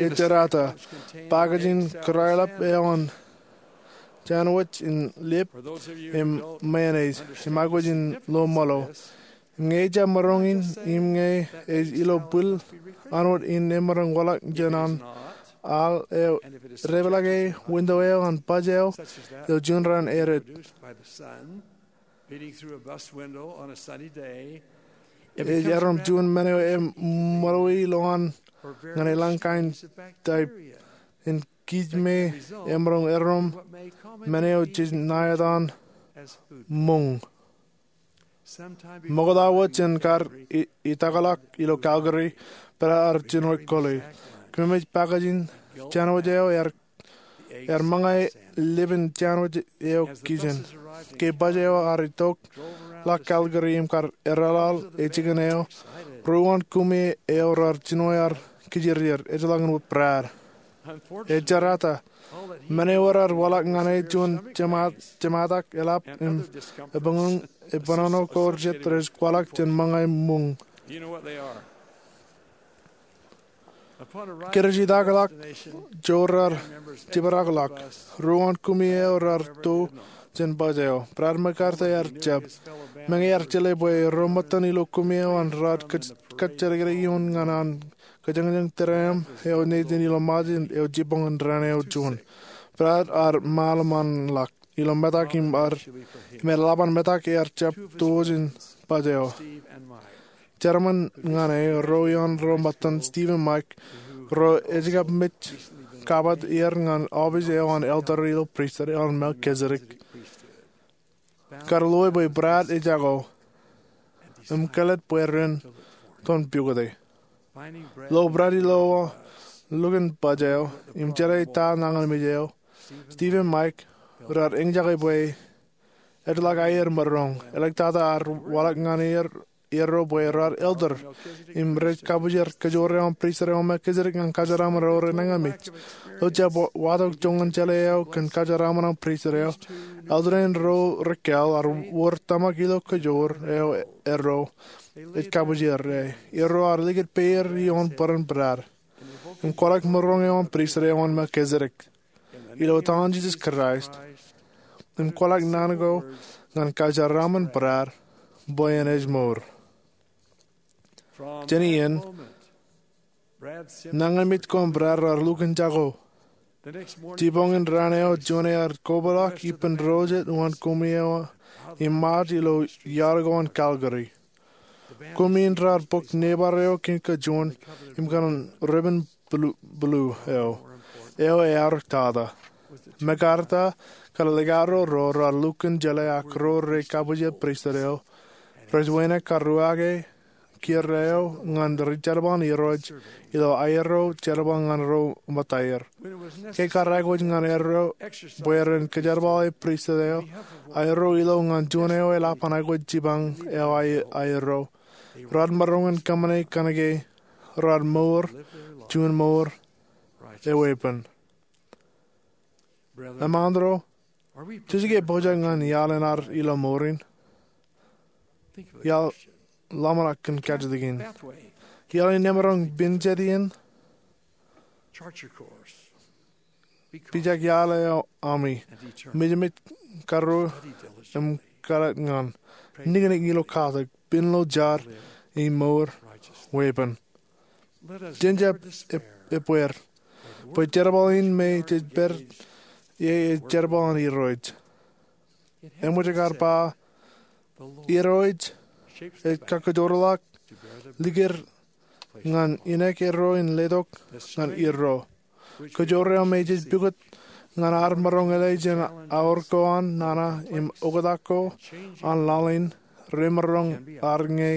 Ejjeḷọk, package in kōrā aolep eo an jān wōj in lip im mayonnaise im aikuj in lo ṃōḷo. Ñe ejjab maroñ in im ñe ej ilo bwil an wōt in emaroñ waḷọk jān an al eo, dāpḷọk e winto eo an baj eo, ilo juon raan edet. Ej erom juon men eo eṃōḷōi ilowaan ñan eḷañña kain taip in kij me emaroñ erom men eo jej ṇa etan muñ. Ṃokta wōt jān kar i-, itakḷọk ilo Calgary, Brad ear jino kōḷḷe. Kōmij pakijin jān wōj eo ear, ear ṃōñā lepin jān wōj eo kijen. Ke baj eo ear itok ḷọk Calgary im kar erḷọḷ e jikin eo, ruo uwaan kumi eo raar jino aer kijirjir, ejjeḷọk in wōt Brad. Ej jerata, men eo raar waḷọk ñan e juon jema-, jemātak eḷap im ebuñbuñ, ebōnono ko jet rej kwaḷọk jān ṃōñā muñ. Kōj itakḷọk, joor raar jibadakḷọk. Ruo uwaan kumi eo raar to jān baj eo. Brad MacArthur ear jab. Meñe ear jeḷā bwe ro ṃōttan ilo kumi eo an raar kōj-, kōjjidikdik ioon ñan an kōjañjañ tūriaṃ eo nejin ilo Ṃaaj eo jibboñ in raan eo juon. Brad ear ṃaḷōṃanḷọk ilo metak im ear, im eḷap an metak ear jab to jān baj eo. Jeraaṃṃan ñan e ro ioon ro ṃōttan, Steve im Mike, ro ej kab mej kabbokbok er ñan ọpis eo an elder ilo pristut eo an Melchizedek. Kar loe bwe Brad ej jako im kōḷḷā bwe ren ton pukot e. Lo Brad ilo lukkuun baj eo im jeḷā ta nañinmej eo, Steve im Mike raar eñjake bwe ejjeḷọk aer maroñ. Āliktata ear waḷọk ñan er, erro bwe raar elder im rej kabujar kōjoor eo an pristut eo an Melchizedek ñan kōjeraaṃṃan ro renañinmej. Ilo jab wa-, watōk joñan jeḷā eo kōn kōjeraaṃṃan an pristut eo, elder in ro rikāāl ear wōr tōmak ilo kōjoor eo erro ej kabujar e. Erro ear likūt peier ioon bōran Brad im kwaḷọk maroñ eo an pristut eo an Melchizedek ilo etan Jisōs Kraist, im kwaḷọk naan ko ñan kōjeraaṃṃan Brad bwe en ej mour. Jān iien, nañinmej ko an Brad raar lukkuun jako. Jibboñin raan eo juon ear kobaḷọk ippān ro jet uwaan kumi eo im ṃaat ilo iar ko an Calgary. Kumi in raar bōk neighbor eo kōn kajuon im kōn ribbon blue, blue eo, eo ear tata. MacArthur kar likao ro raar lukkuun jeḷā ak ro rej kabujar pristut eo rej wānōk karruwaake kiiō eo ñan ri jerbal in Irooj ilo aerro jerbal ñan ro ṃōttaer. Ke kar aikuj ñan erro bwe ren kōjerbale pristut eo, aerro ilo ñan juon eo eḷap an aikuj jipañ eo ae-, aerro, raar maroñ in kōṃṃane kōnke raar mour juon mour eweeppān. Eṃṃan ro, jej ke pojak ñan iaḷ in ad ilo mour in? Iaḷ ḷōmṇak kōn kajjitōk in. Iaḷ in emaroñ pen jet iien. Pijak iaḷ eo ami. Mejmej, karruo, im kōḷḷā ñan. Niknik ilo katak, pen ilo jar, im mour weeppān. Jen jab eb-, ebbeer. Bwe jerbal in me jej pād ie ej jerbal an Irooj. Eṃōj kar ba, Irooj ej kakkōjoorḷọk likūt ñan ineek erro in letok ñan erro. Kōjoor eo me jej pukot ñan ad maroñ ḷe jān aor ko an nana im oktak ko an laḷ in remaroñ ad ñe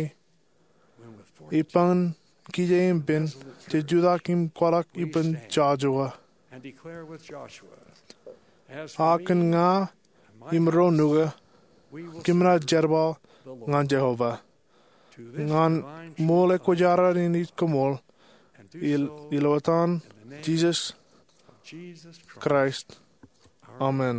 ippān kije im pen, jej jutak im kwaḷọk ippān Joshua. A kōn ña im ro nuka, kōm naaj jerbal ñan Jeova. Ñan ṃool ekwōjarjar in ij koṃṃool, il-, ilo etan Jisōs Kraist. Amen.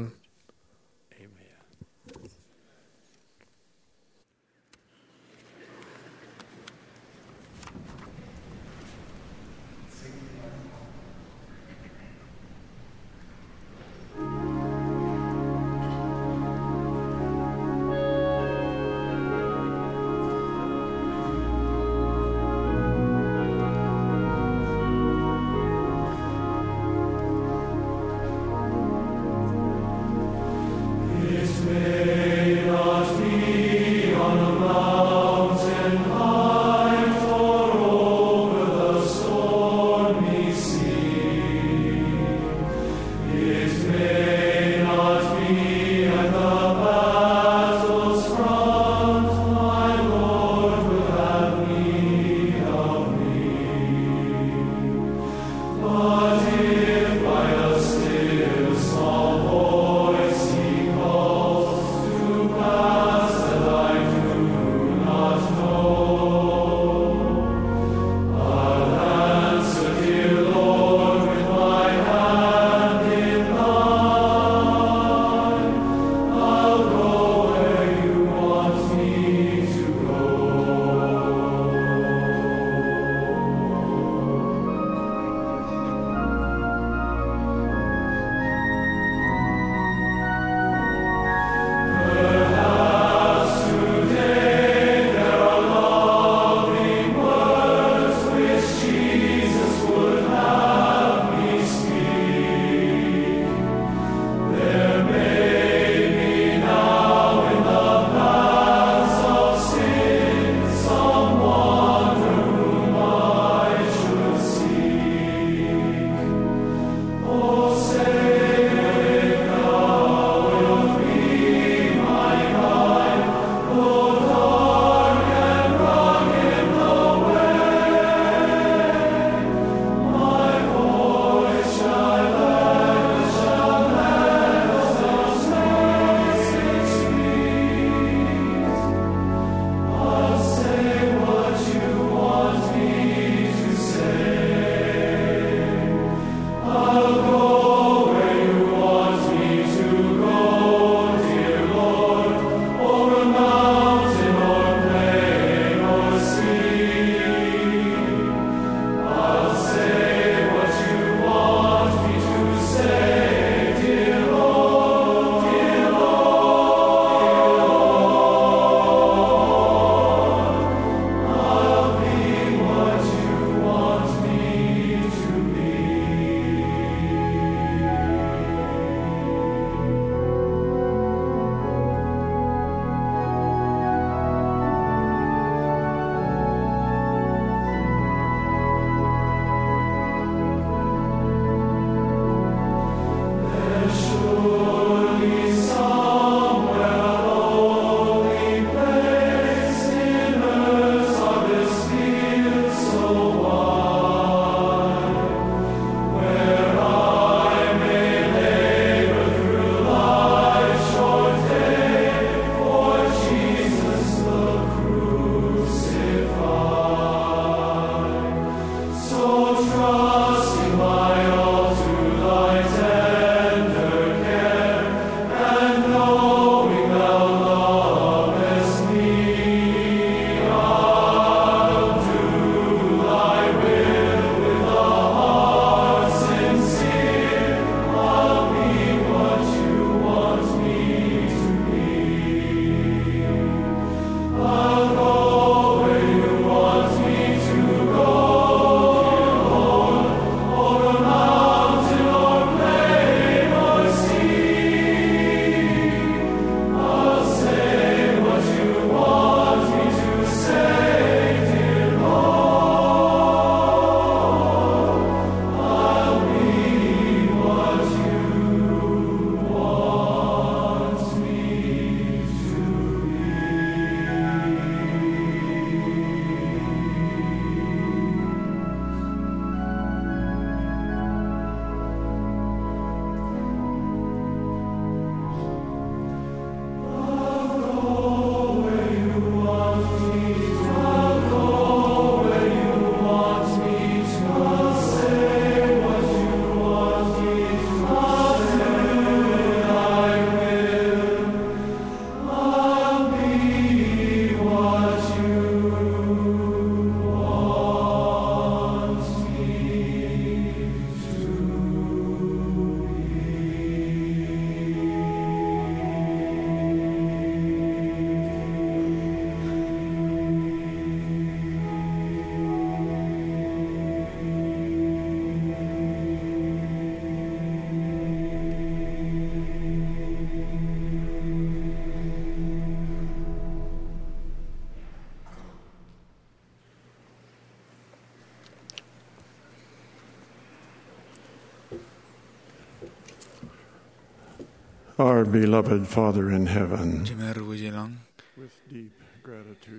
Our beloved Father in heaven, Jemed eo ej ilañ,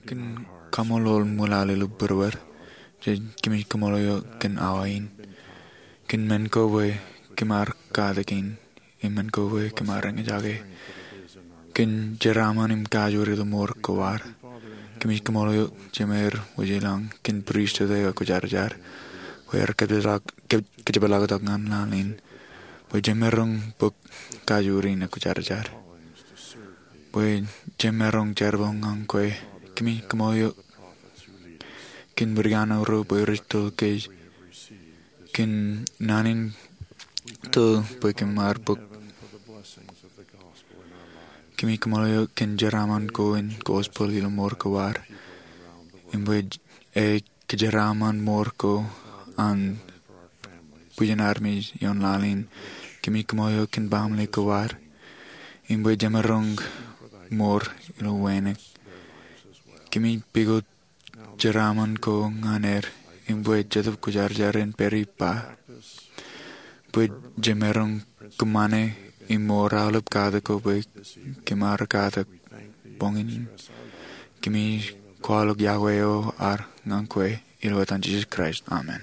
kōmij kaṃṃoolol ṃwilaḷ ilo būruod, jej kōmij kaṃṃoolol eok kōn awa in, kōn men ko bwe kōm ar katak in, im men ko bwe kōm ar eñjake, kōn jeraaṃṃan im kajoor ilo mour ko ad. Kōmij kaṃṃoolol eok, Jemed eo ej ilañ, kōn pristut eo ekwōjarjar, bwe er kōjepḷaaktok ñan laḷ in, bwe jemaroñ bōk kajoor in ekwōjarjar, bwe jemaroñ jerbal ñan kwe. Kōmij kaṃṃoolol eok kōn ri-kaṇe ro bwe rej tōl kōj kōn naan in tōl bwe kōm ar bōk. Kōmij kaṃṃoolol eok kōn jeraaṃṃan ko in gospel ilo mour ko ad, im bwe e kōjeraaṃṃan mour ko an bwijin armej ioon laḷ in. Kōmij kaṃṃoolol eok kōn baaṃle ko ad, im bwe jemaroñ mour ilo wānōk. Kōmij pukot jeraaṃṃan ko ñan er, im bwe Jetōb Kwōjarjar en pād ippa, bwe jemaroñ kōṃṃane im mour aolep katak ko bwe kōm ar katak boñin in. Kōmij kwaḷọk yokwe eo ad ñan kwe ilo etan Jisōs Kraist, amen.